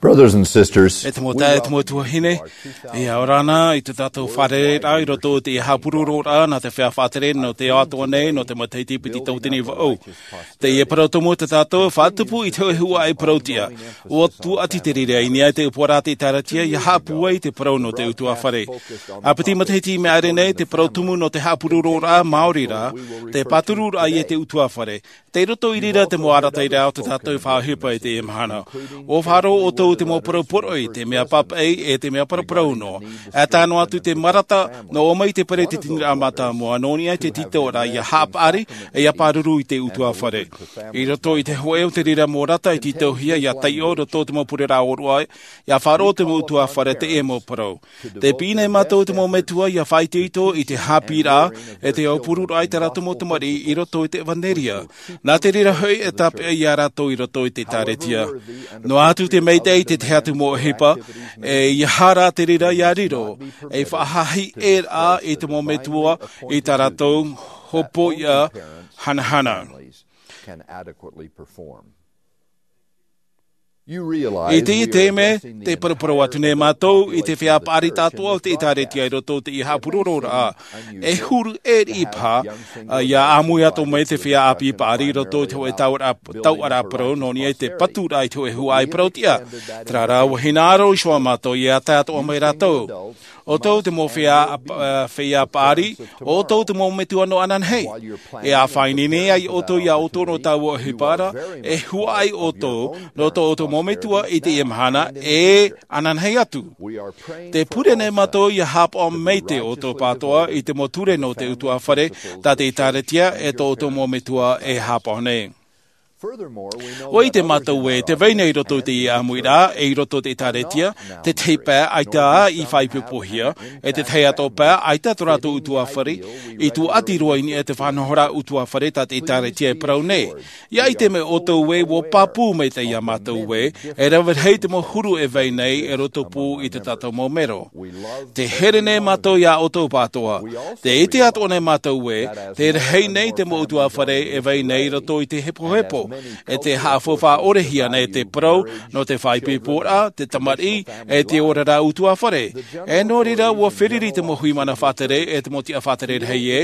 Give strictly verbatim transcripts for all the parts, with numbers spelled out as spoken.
Brothers and sisters, e te mau taeaʻe, e te mau tuahine, e ora na i tō tātou fārereiraʻa i roto i te haʻapurororaʻa nā te feiā faʻatere nō te ao atoʻa nei, nō te matahiti piti tauatini vaʻu. Teie parau tumu tā tātou e faʻatupu i te hōʻē huaʻai parau tiʻa. ʻUa tuati te reira i niʻa i te upoʻoraʻa a te ʻĒkālesia ʻia haʻapūai i te parau nō te ʻutuāfare. Ā piti matahiti i maʻiri nei, te parau tumu nō te haʻapurororaʻa māori rā, te pātururaʻa i te ʻutuāfare. Tei roto i reira te mau arataʻiraʻa o tā tātou e faʻaʻohipa i teie mahana. ʻUa faʻaroʻo ʻoutou i te mau parau poroʻi, te mea pāpaʻi, e te mea paraparau noa. E tae noa atu i te marata, nō ʻō mai te peretiteniraʻa mātāmua, nō niʻa i te tītauʻaraʻa ʻia haʻapaʻari, ʻe ʻia pāruru i te ʻutuāfare. I roto i te hōʻē o te reira mau rata i tītauhia ʻia taiʻo i roto i te mau pureraʻa ʻōroʻa, ʻia faʻaroʻo te mau ʻutuāfare i teie mau parau. Tē piʻi nei mātou i te mau metua ʻia faʻaitoito i te haʻapiʻiraʻa, e te aupururaʻa i tā rātou mau tamariʻi i roto i te ʻevanelia. Nā te reira hoʻi e tāpeʻa ia rātou i roto i te ʻĒkālesia. Noa atu te maitaʻi i te tahi atu mau ʻohipa, e ʻeiaha rā te reira ʻia riro, e faʻahaʻi ʻē rā i te mau metua i tā rātou hopoiʻa hanahana. I teie taime, tē paraparau atu nei mātou i te feiā paʻari tātoʻa o te ʻĒkālesia i roto i te haʻapurororaʻa. E huru ʻē riʻi paha, ā, ʻia ʻāmui atu mai te feiā ʻāpī paʻari i roto i te hōʻē tauʻaraʻa, tauʻaraʻa parau, nō niʻa i te paturaʻa i te hōʻē huaʻai parau tiʻa. Terā rā, ʻua hinaʻaro iho ā mātou ʻia tae atoʻa mai rātou. ʻO ʻoutou te mau feiā, ā, feiā paʻari, ʻo ʻoutou te mau metua nō ananahi. E ʻāfaʻi nei ai ʻoutou ia ʻoutou nō taua ʻohipa ra, e huaʻai ʻoutou, nō tō ʻoutou mau metua i teie mahana, e ananahi atu. Tē pure nei mātou ʻia haʻapaʻo mai te ʻoutou pātoʻa i te mau ture nō te ʻutuāfare, tā te ʻĒkālesia e tō ʻoutou mau metua e haʻapaʻo nei. ʻUa ʻite mātou ē, tē vai nei i roto i teie ʻāmuiraʻa, e i roto i te ʻĒkālesia, te tahi pae ʻaita i faʻaipoipohia, e te tahi atu pae ʻaita tō rātou ʻutuāfare, i tuati roa i niʻa i te faʻanahoraʻa ʻutuāfare tā te ʻĒkālesia e parau nei. ʻIa ʻite mai ʻoutou ē, ʻua pāpū maitaʻi ia mātou ē, e rave rahi te mau huru e vai nei i roto pū i tō tātou mau mero. Tē here nei mātou ia ʻoutou pātoʻa. Tē ʻite atoʻa nei mātou ē, tē rahi nei te mau ʻutuāfare e vai nei i roto i te hepohepo, e tē haʻafaufaʻa ʻore hia nei te parau nō te faʻaipoiporaʻa, te tamariʻi, e te oraraʻa ʻutuāfare. E nō reira, ʻua feruri te mau hui mana faʻatere, e te mau tiʻa faʻatere rahi ē,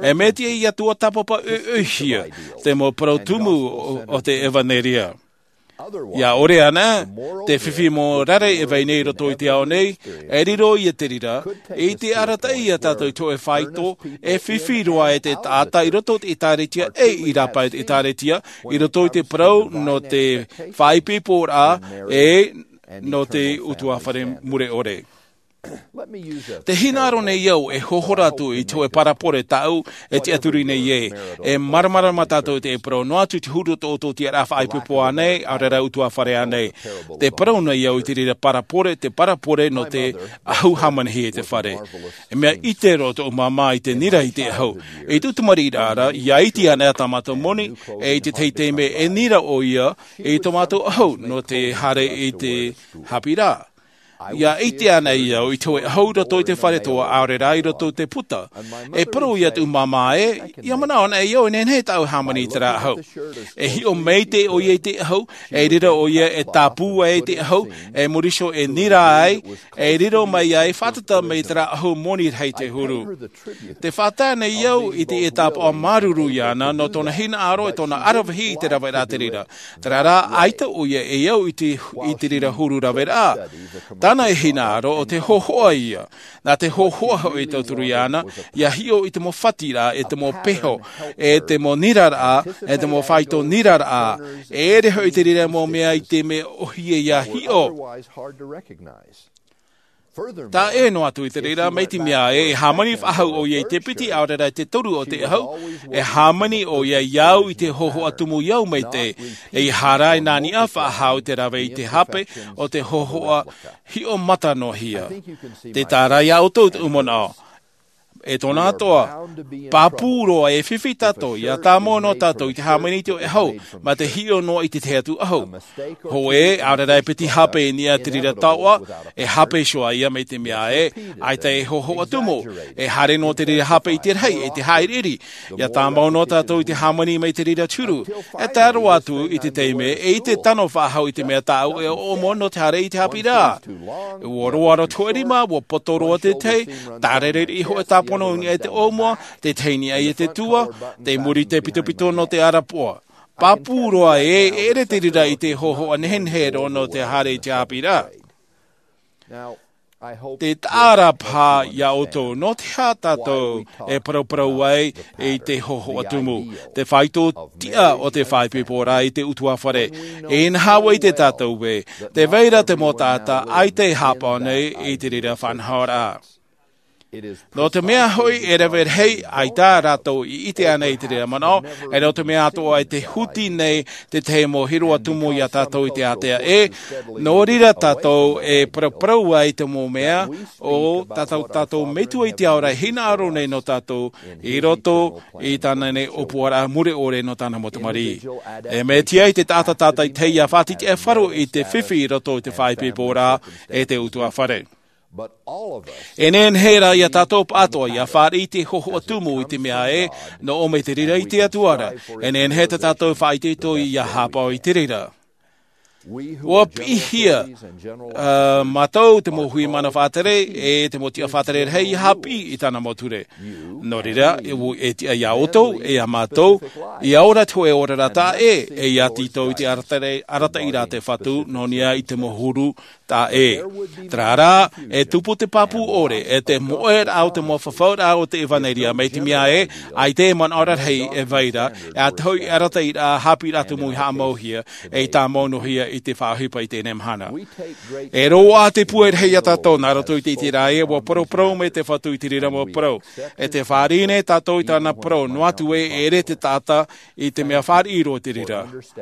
e mea tiʻa ia tuatāpapa ʻoiʻoihia te mau parau tumu o, o te ʻevanelia. ʻIa ʻore ana, te fifi mōrare e vai nei i roto i te ao nei, e riro ia te reira, i te arataʻi ia tātou i te hōʻē faito, e fifi roa e te taʻata i roto i te ʻĒkālesia, e i rāpae i te ʻĒkālesia, i roto i te parau nō te faʻaipoiporaʻa, e nō te ʻutuāfare mure ʻore. Tē hinaʻaro nei au e hohora atu i te hōʻē parabole tāʻu e tiʻaturi nei ē, e māramarama tātou i te parau noa atu i te huru o tō ʻoutou tiʻaraʻa faʻaipoipo ānei, ʻaore rā ʻutuāfare ānei. Tē parau nei au i te reira parabole, te parabole nō te ʻahu hāmanihia i te fare. E mea ʻite roa tōʻu māmā i te nira i te ʻahu. I tōʻu tamariʻiraʻa ra, ʻia iti ana tā mātou moni, e i te tahi taime e nira ʻoia i tō mātou ʻahu nō te haere i te haʻapiʻiraʻa. ʻIa ʻite anaʻe au i te hōʻē ʻahu i roto i te fare toa, ʻaore rā i roto i te puta. E parau ia tōʻu māmā ē, ʻia manaʻo anaʻe au e nehenehe tāʻu e hāmani i terā ʻahu. E hiʻo maitaʻi ʻoia i te ʻahu, e riro ʻoia e tāpū ai i te ʻahu, e muri iho e nira ai, e riro mai ai, fātata mai terā ʻahu moni rahi te huru. Tē fātata nei au i te tāpaʻo māuruuru iāna nō tōna hinaʻaro e tōna ʻaravihi i te raveraʻa te reira. Terā rā, ʻaita ʻoia e au i te, i te reira huru raveraʻa. Tāna e hinaʻaro ʻo te hōhoʻa ïa. Nā te hōhoʻa hoʻi e tauturu iāna, ʻia hiʻo i te mau fatiraʻa, e te mau peho, e te mau niraraʻa, e te mau faito niraraʻa. E ʻere hoʻi te reira mau mea i te mea ʻōhie ʻia hiʻo. Taʻa ʻē noa atu i te reira, mai te mea ē, e hāmani faʻahou ʻoia i te piti, ʻaore rā i te toru o te ʻahu, e hāmani ʻoia ia au i te hōhoʻa tumu i au maitaʻi, ʻeiaha rā e nā niʻa faʻahou i te rave i te hape o te hōhoʻa hiʻo mata noa hia. Tē tae ra ia ʻoutou tōʻu manaʻo. E tōna atoʻa, pāpū roa e fifi tātou ia tāmau noa tātou i te hāmani i te ʻoe ʻahu, mā te hiʻo noa i te tahi atu ʻahu. Hōʻē, ʻaore rā e piti hape i niʻa i te reira taoʻa, e hape iho ā ia mai te mea ē, ʻaita e hōhoʻa tumu, e haere noa te reira hape i te rahi, e te haʻiriʻiri, ia tāmau noa tātou i te hāmani mai te reira turu, e tae roa atu i te taime, e ʻite tano faʻahou i te mea tāʻu e ʻoʻomo nō te haere i te haʻapiʻiraʻa. Ua roa roa te hōʻē rima, ua poto roa te tahi, tārerei hōʻē tāpono i niʻa i te ʻōmua, te tahi i niʻa i te tua, tei muri i te pitopito nō te arapoʻa. Pāpū roa ē, e ʻere te reira i te hōhoʻa nehenehe roa nō te haere i te haʻapiʻiraʻa. Te taʻa ra paha ia ʻoutou, nō te aha tātou e parauparau ai i te hōhoʻa tumu, te faito tiʻa o te faʻaipoiporaʻa i te ʻutuāfare. E inaha ʻoia iā tātou ē, tē vai ra te mau taʻata ʻaita e haʻapaʻo nei i te reira faʻanahoraʻa. Nō te mea hoʻi e rave rahi ʻaita rātou i ʻite ānei i te reira manaʻo, e nō te mea atoʻa e te huti nei te tahi mau hiroʻa tumu iā tātou i te ātea ē, nō reira tātou e parauparau ai te mau mea o tā tātou, tātou Metua i te ao ra e hinaʻaro nei nō tātou i roto i tāna nei ʻōpuaraʻa mure ʻore nō tāna mau tamariʻi. E mea tiʻa i te taʻata tātaʻitahi ia faʻatiʻa e faʻaroʻo i te fifi i roto i te faʻaipoiporaʻa e te ʻutuāfare. E nehenehe rā iā tātou pāʻatoʻa ia fāriʻi i te hōhoʻa tumu i te mea ē, nō ʻō mai te reira i te Atua ra, e nehenehe tā tātou e faʻaitoito ia haʻapaʻo i te reira. ʻUa piʻihia, ā, mātou te mau hui mana faʻatere, e te mau tiʻa faʻatere rahi ia haʻapiʻi i tāna mau ture. Nō reira, e ʻua, e tiʻa iā ʻoutou, e iā mātou, ia ora te hōʻē oraraʻa taʻa ʻē, e ia tītau i te arataʻi-, arataʻiraʻa a te Fatu, nō niʻa i te mau huru taʻa ʻē. Terā rā, e tupu te pāpū ʻore, e te moʻeraʻa o te mau fafauraʻa o te ʻevanelia, mai te mea ē, ʻaita e manaʻo rarahi e vai ra, e ʻaita hoʻi e arataʻiraʻa haʻapiʻiraʻa tumu i haʻamauhia, e i tāmau noa hia i te faʻaʻohipa i teie mahana. E roaʻa te pūai rahi iā tātou, nā roto i te ʻiteraʻa ē, ʻua parauparau mai te Fatu i te reira mau parau. E tē fāriʻi nei tātou i tāna parau, noa atu ē, e ʻere te taʻata i te mea fāriʻi roa i te reira.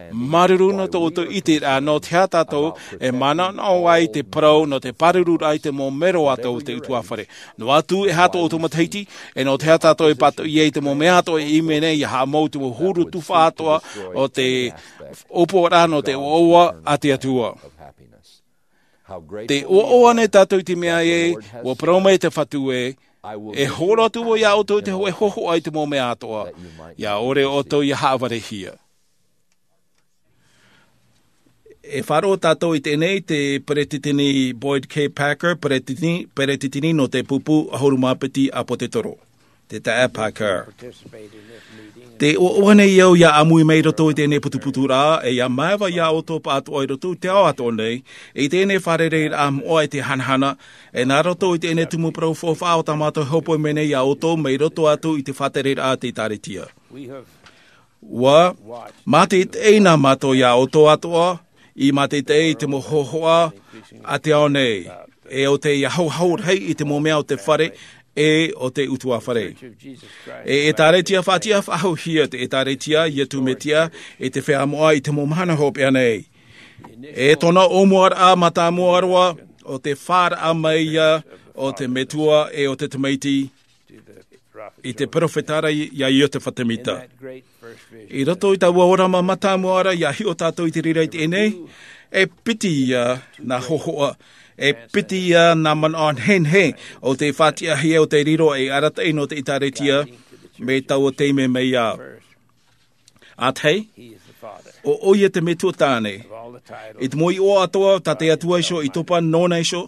Māuruuru nō tō ʻoutou ʻiteraʻa, nō te aha tātou e manaʻonaʻo ai te parau nō te pārururaʻa i te mau mero atoʻa o te ʻutuāfare. Noa atu e aha tō ʻoutou matahiti, e nō te aha tātou e pātoʻi ai i te mau mea atoʻa e ʻimi nei ia haʻamau i te mau huru tufaʻa atoʻa o te ʻōpuaraʻa nō te ʻoaʻoa a te Atua. Tē ʻoaʻoa nei tātou i te mea ē, ʻua parau mai te Fatu ē, e hōroʻa atu vau iā ʻoutou i te hōʻē hōhoʻa i te mau mea atoʻa, ʻia ʻore ʻoutou ia haʻavarehia. E faʻaroʻo tātou i teie nei te Peretiteni Boyd K. Packer, Peretiteni, Peretiteni nō te Pupu ʻAhuru Mā Piti ʻĀpōtetoro. Te taeaʻe Packer. Tē ʻoaʻoa nei au ʻia ʻāmui mai i roto i teie putuputuraʻa, e ʻia māeva iā ʻoutou pāʻatoʻa i roto i te ao atoʻa nei, i teie fārereiraʻa moʻa e te hanahana, e nā roto i teie tumu parau faufaʻa o tā mātou e hōpoi mai nei iā ʻoutou mai roto atu i te faʻatereraʻa a te ʻĒtārētia. ʻUa mātaʻitaʻi nā mātou iā ʻoutou atoʻa, i mātaʻitaʻi i te mau hōhoʻa a te ao nei, e ʻo tei hauhau rahi i te mau mea o te fare, e ʻo te ʻutuāfare. E ʻĒtārētia faʻatiʻa faʻahouhia te ʻĒtārētia a Iesu Mesia i te feiā moʻa i te mau mahana hopeʻa nei. E tōna ʻōmuaraʻa mātāmua roa, ʻo te fāraʻa mai ia o te Metua e o te Tamaiti, i te peropheta ra iā Iotefa Semita. I roto i taua ʻōrama mātāmua ra ʻia hiʻo tātou i te reira i teie nei, e piti ia nā hōhoʻa, e piti ia nā manaʻo nehenehe o tei faʻatiʻahia, o tei riro ei arataʻi nō te ʻĒtārētia, mai taua taime mai ā. ʻA tahi, ʻo, ʻoia te Metua tāne. I te mau iʻoa atoʻa, tā te Atua iho i topa nōna iho.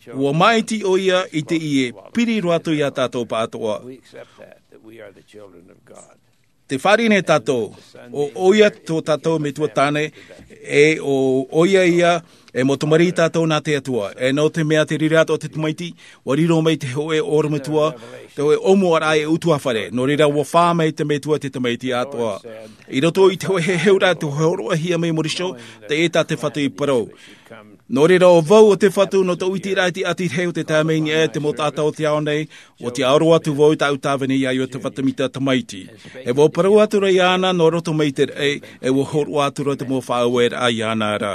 ʻUa māʻiti ʻoia i te ʻie, piri roa atu iā tātou pāʻatoʻa. Tē fāriʻi nei tātou, ʻo, ʻoia tō tātou Metua tāne, e ʻo, ʻoia ia, e mau tamariʻi tātou nā te Atua. E nō te mea te reira atoʻa o te Tamaiti, ʻua riro mai te hōʻē ʻorometua, te hōʻē ʻōmuaraʻa e ʻutuāfare. Nō reira ʻua fā mai te Metua te Tamaiti atoʻa. I roto i te hōʻē heheuraʻa, te hōroʻahia mai Mōriso, teie tā te Fatu i parau. Nō reira ʻo vau ʻo te Fatu, nō tōʻu ʻiteraʻa i te ʻati rahi o te tae mai i niʻa i te mau taʻata o te ao nei, ʻua tiʻaoro atu vau i tāʻu tāvini iā Iotefa Semita tamaiti. E ʻua parau atu ra iāna nō roto mai i te raʻi, e ʻua hōroʻa atu ra te mau faʻaueraʻa iāna ra.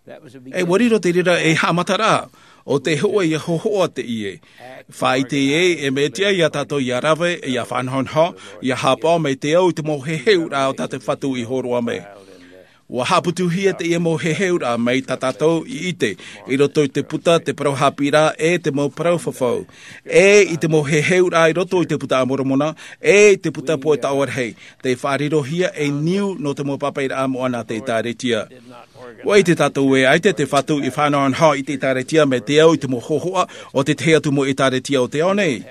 E ʻua riro te reira ei haʻamataraʻa. ʻO te hoʻe ia hohoʻa teie. Faʻaʻite ē, e mea tiʻa ia tātou ia rave, ia faʻanahonaho, ia haʻapaʻo mai te au i te mau heheuraʻa o tā te Fatu i hōroʻa mai. ʻUa haʻaputuhia teie mau heheuraʻa mai tā tātou i ʻite, i roto i te puta, te parau haʻapiʻiraʻa, e te mau parau fafau. E i te mau heheuraʻa i roto i te puta a Moromona, e i te puta poʻe taʻoa rahi. Tē faʻarirohia ei niu nō te mau pāpaʻiraʻa moʻa nā te ʻĒtārētia. ʻUa ʻite tātou ē, ʻaita te Fatu i faʻanahonaho i te ʻĒtārētia mai te au i te mau hohoʻa o te tahi atu mau ʻĒtārētia o te ao nei.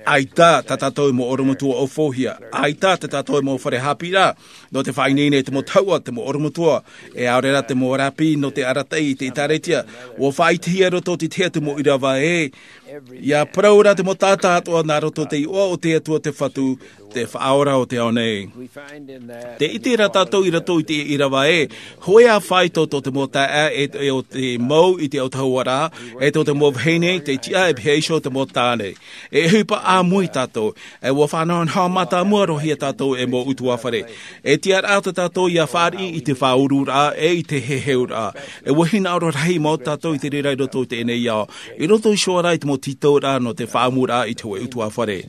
ʻAita tā tātou mau ʻorometua ʻaufauhia, ʻaita tā tātou mau fare haʻapiʻiraʻa, nō te faʻaineine i te mau tahuʻa, te mau ʻorometua, e ʻaore rā te mau ʻarapiʻi nō te arataʻi i te ʻĒtārētia, ʻua faʻaʻitehia i roto i te tahi atu mau ʻīrava ē, ʻia parau ra te mau taʻata atoʻa nā roto i te iʻoa o te Atua te Fatu, te Faʻaora o te ao nei. Tē ʻite ra tātou i roto i te ʻīrava ē, hōʻē ā faito tō te mau taeaʻe e, e ʻo te mau i te autahuʻaraʻa, e tō te mau vahine, tei tiʻa e pihaʻi iho te mau tāne. E ʻohipa ʻāmui tātou, e ʻua faʻanahonaho mātāmua roa hia tātou e mau ʻutuāfare. E tiʻaraʻa tā tātou ʻia fāriʻi i te faʻaururaʻa, e i te heheuraʻa. E ʻua hinaʻaro rahi mau tātou i te reira i roto i teie nei ao. I roto iho ā rā i te mau tītauraʻa nō te faʻaʻamuraʻa i te hōʻē ʻutuāfare.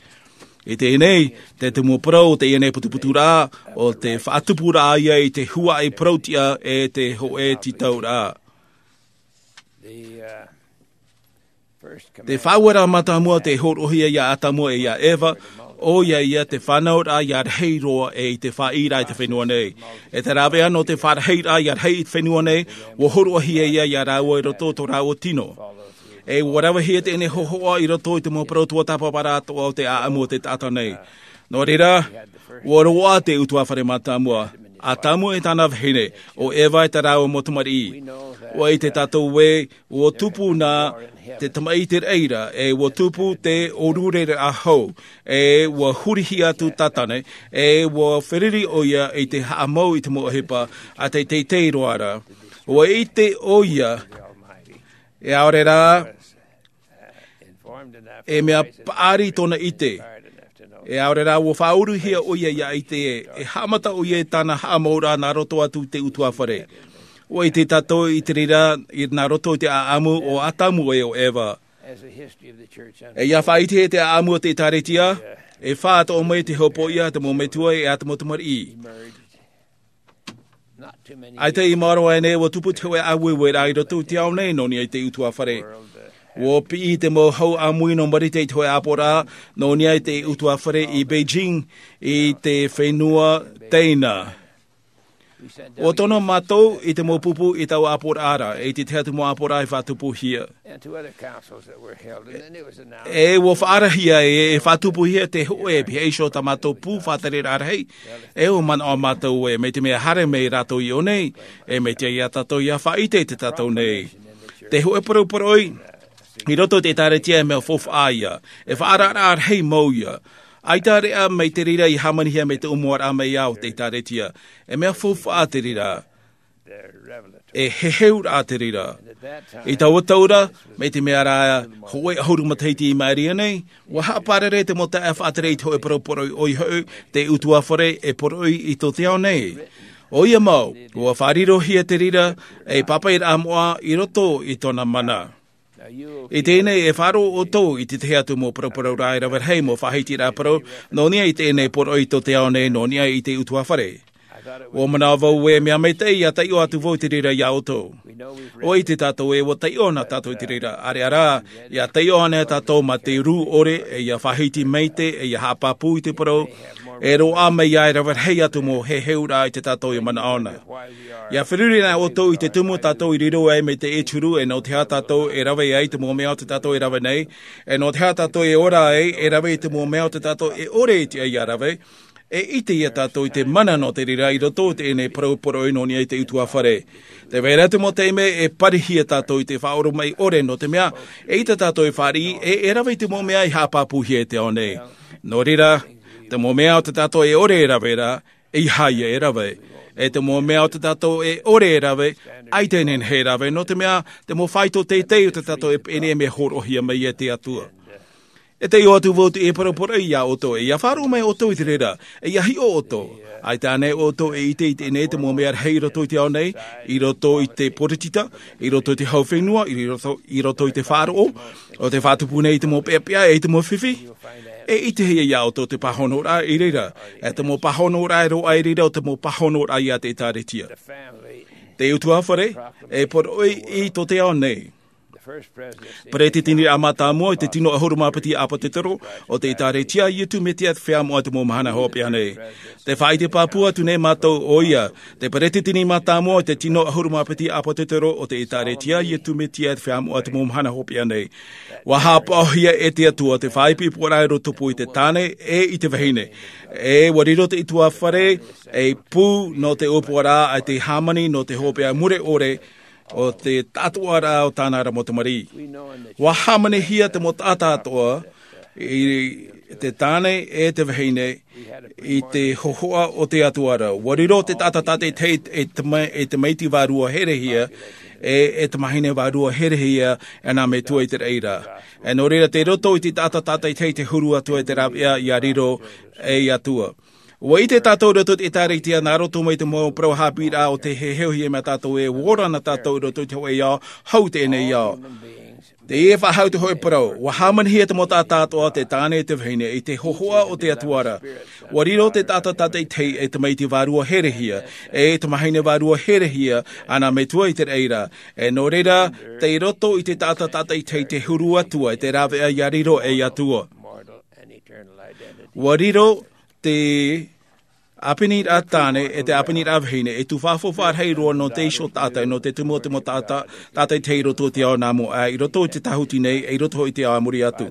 I teie nei, te tumu parau o teie nei putuputuraʻa, ʻo te faʻatupuraʻa ia i te huaʻi parau-tiʻa e te hōʻē tītauraʻa. Te faʻaueraʻa mātāmua tē hōroʻahia ia Atamu e ia Eva, ʻoia ia te fānauraʻa ia rahi roa e i te fāʻiraʻa i te fenua nei. E te rāveʻa nō te fārahiraʻa ia rahi i te fenua nei, ʻua hōroʻahia ia ia rāua i roto i tō rāua tino. E ʻua ravehia teie nei hohoʻa i roto i te mau parau tuatāpaparaʻa atoʻa o te ʻāʻamu o te taʻata nei. Nō reira, ʻua roaʻa te ʻutuāfare mātāmua, Atamu e tāna vahine, ʻo Eva e tā rāua mau tamariʻi. ʻUa ʻite tātou ē, ʻua tupu nā te tamaʻi i te reira, e ʻua tupu te ʻōrureraʻa hou, e ʻua hurihia atu Tātane, e ʻua feruri ʻoia i te haʻamau i te mau ʻohipa, a te teitei roa ra. ʻUa ʻite ʻoia, e ʻaore rā, e mea paʻari tōna ʻite. E ʻaore rā, ʻua faʻauruhia ʻoia ia ʻite ē, e haʻamata ʻoia i tāna haʻamauraʻa nā roto atu i te ʻutuāfare. ʻUa ʻite tātou i te reira, i nā roto i te ʻāʻamu o Atamu e ʻo Eva. E ia faʻaʻite i te ʻāʻamu o te ʻĒtārētia, e fā atoʻa mai te hopoiʻa a te mau metua e a te mau tamariʻi. ʻAita i maoro aʻe nei ʻua tupu te hōʻē ʻāueueraʻa i roto i te ao nei nō niʻa i te ʻutuāfare. ʻUa piʻi te mau hau ʻāmui nō Marite i te hōʻē ʻāpoʻoraʻa, nō niʻa i te ʻutuāfare i Beijing, i te fenua Teina. ʻUa tono mātou i te mau pupu i taua ʻāpoʻoraʻa ra, i te tahi atu mau ʻāpoʻoraʻa i faʻatupuhia. E ʻua faʻaarahia e, e faʻatupuhia te hōʻē e pihaʻi iho tā mātou pū faʻatereraʻa rahi. E ʻua manaʻo mātou ē, mai te mea haere mai rātou i ʻō nei, e mai te ia tātou ia faʻaʻite i te tātou nei. Te hōʻē poroporoʻi, i roto i te ʻĒtārētia e mea faufaʻa ia, e faʻaararaʻa rahi mau ia. ʻAita reʻa mai te reira i hāmanihia mai te ʻōmuaraʻa mai ā o te ʻĒtārētia, e mea faufaʻa te reira. E heheuraʻa te reira. I taua tau ra, mai te mea rā hōʻē ʻahuru matahiti i maʻiri aʻe nei, ʻua haʻapārare te mau taeaʻe faʻatere i te hōʻē poroporoʻi ʻoia hoʻi, te ʻutuāfare e poroʻi i tō te ao nei. ʻOia mau, ʻua faʻarirohia te reira, ei pāpaʻiraʻa moʻa i roto i tōna mana. I teie nei e faʻaroʻo ʻoutou i te tahi atu mau paraparau rā e rave rahi mau faʻahitiraʻa parau, nō niʻa i teie nei poroʻi tō te ao nei nō niʻa i te ʻutuāfare. ʻUa manaʻo vau ē mea maitaʻi ia taiʻo atu vau i te reira ia ʻoutou. ʻUa ʻite tātou ē ʻua taiʻo na tātou i te reira, ʻareʻa rā, ia taiʻo anaʻe tātou mā te rū ʻore, e ia faʻahiti maitaʻi, e ia haʻapāpū i te parau, e roaʻa mai ia e rave rahi atu mau heheuraʻa i tā tātou e manaʻo na. Ia feruri anaʻe ʻoutou i te tumu tātou i riro ai mai te ʻēturu, e nō te aha tātou e rave ai te mau mea o tā tātou e rave nei, e nō te aha tātou e ora ai, e rave i te mau mea o tā tātou e ʻore i te, ia rave, e ʻite ia tātou i te mana nō te reira i roto i teie nei parau poroʻi nō niʻa i te ʻutuāfare. Tē vai ra te mau taime e parihia tātou i te faʻaoromaʻi ʻore, nō te mea, eʻita tātou e fāriʻi, e, e rave i te mau mea i haʻapāpūhia e te ao nei. Nō reira, te mau mea o tā tātou e ʻore e rave ra, ʻeiaha ia e rave. E te mau mea o tā tātou e ʻore e rave, ʻaita e nehenehe e rave, nō te mea, te mau faito teitei o tā tātou e pēni e mea hōroʻahia mai e te Atua. E taiʻo atu vau te e parapara iā ʻoutou, e ia faʻaroʻo mai ʻoutou i te reira, e ia hiʻo ʻoutou. ʻAita ānei ʻoutou e ʻite i teie nei te mau mea rahi i roto i te ao nei, i roto i te poritita, i roto i te hau fenua, i roto, i roto i te faʻaroʻo, ʻo tē faʻatupu nei i te mau peʻapeʻa, e i te mau fifi? E ʻitehia iā ʻoutou te pāhonoraʻa i reira, e te mau pāhonoraʻa e roaʻa i reira, ʻo te mau pāhonoraʻa iā te ʻĒtārētia. Te ʻutuāfare, e poroʻi i tō te ao nei. Peretiteniraʻa mātāmua i te tino ʻahuru mā piti ʻāpōsetolo o te ʻĒtārētia a Iesu Mesia te Feiā Moʻa i te mau mahana hopeʻa nei. Tē faʻaʻite pāpū atu nei mātou ʻo ia, te peretiteni mātāmua i te tino ʻahuru mā piti ʻāpōsetolo o te ʻĒtārētia a Iesu Mesia te Feiā Moʻa i te mau mahana hopeʻa nei. ʻUa haʻapaʻohia e te Atua te faʻaipoiporaʻa i rotopū i te tāne e i te vahine. E ʻua riro te ʻutuāfare ei pū nō te ʻōpuaraʻa a te hāmani nō te hopeʻa mure ʻore, ʻo te taʻatoʻaraʻa o tāna ra mau tamariʻi. ʻUa hāmanihia te mau taʻata atoʻa, i te tāne e te vahine, i te hōhoʻa o te Atua ra. ʻUa riro te taʻata tātaʻitahi e te ma-, e tamaiti vārua herehia, e, e tamahine vārua herehia, e nā metua i te raʻi ra. E nō reira, tei roto i te taʻata tātaʻitahi te huru atu i te rāveʻa ia riro ei Atua. ʻUa ʻite tātou i roto i te ʻĒtārētia nā roto mai te mau parau haʻapiʻiraʻa o tē heheuhia mai tātou e ora na tātou i roto i te hōʻē ao, hau teie nei ao. Tē faʻahou te hōʻē parau, ʻua hāmanihia te mau taʻata atoʻa, te tāne e te vahine, i te hōhoʻa o te Atua ra. ʻUa riro te taʻata tātaʻitahi e tamaiti vārua herehia, e tamahine vārua herehia, e nā metua i te raʻi ra. E nō reira, tei roto i te taʻata tātaʻitahi te huru atu i te rāveʻa ia riro ei Atua. ʻUa riro te ʻāpiniraʻa tāne, e te ʻāpiniraʻa vahine, e tū fāfau faʻarahi roa nō te iho taʻata, nō te tumu o te mau taʻata, tātaʻitahi i roto i te ao nā mua aʻe, i roto i te tāhuti nei, e i roto i te ao a muri atu.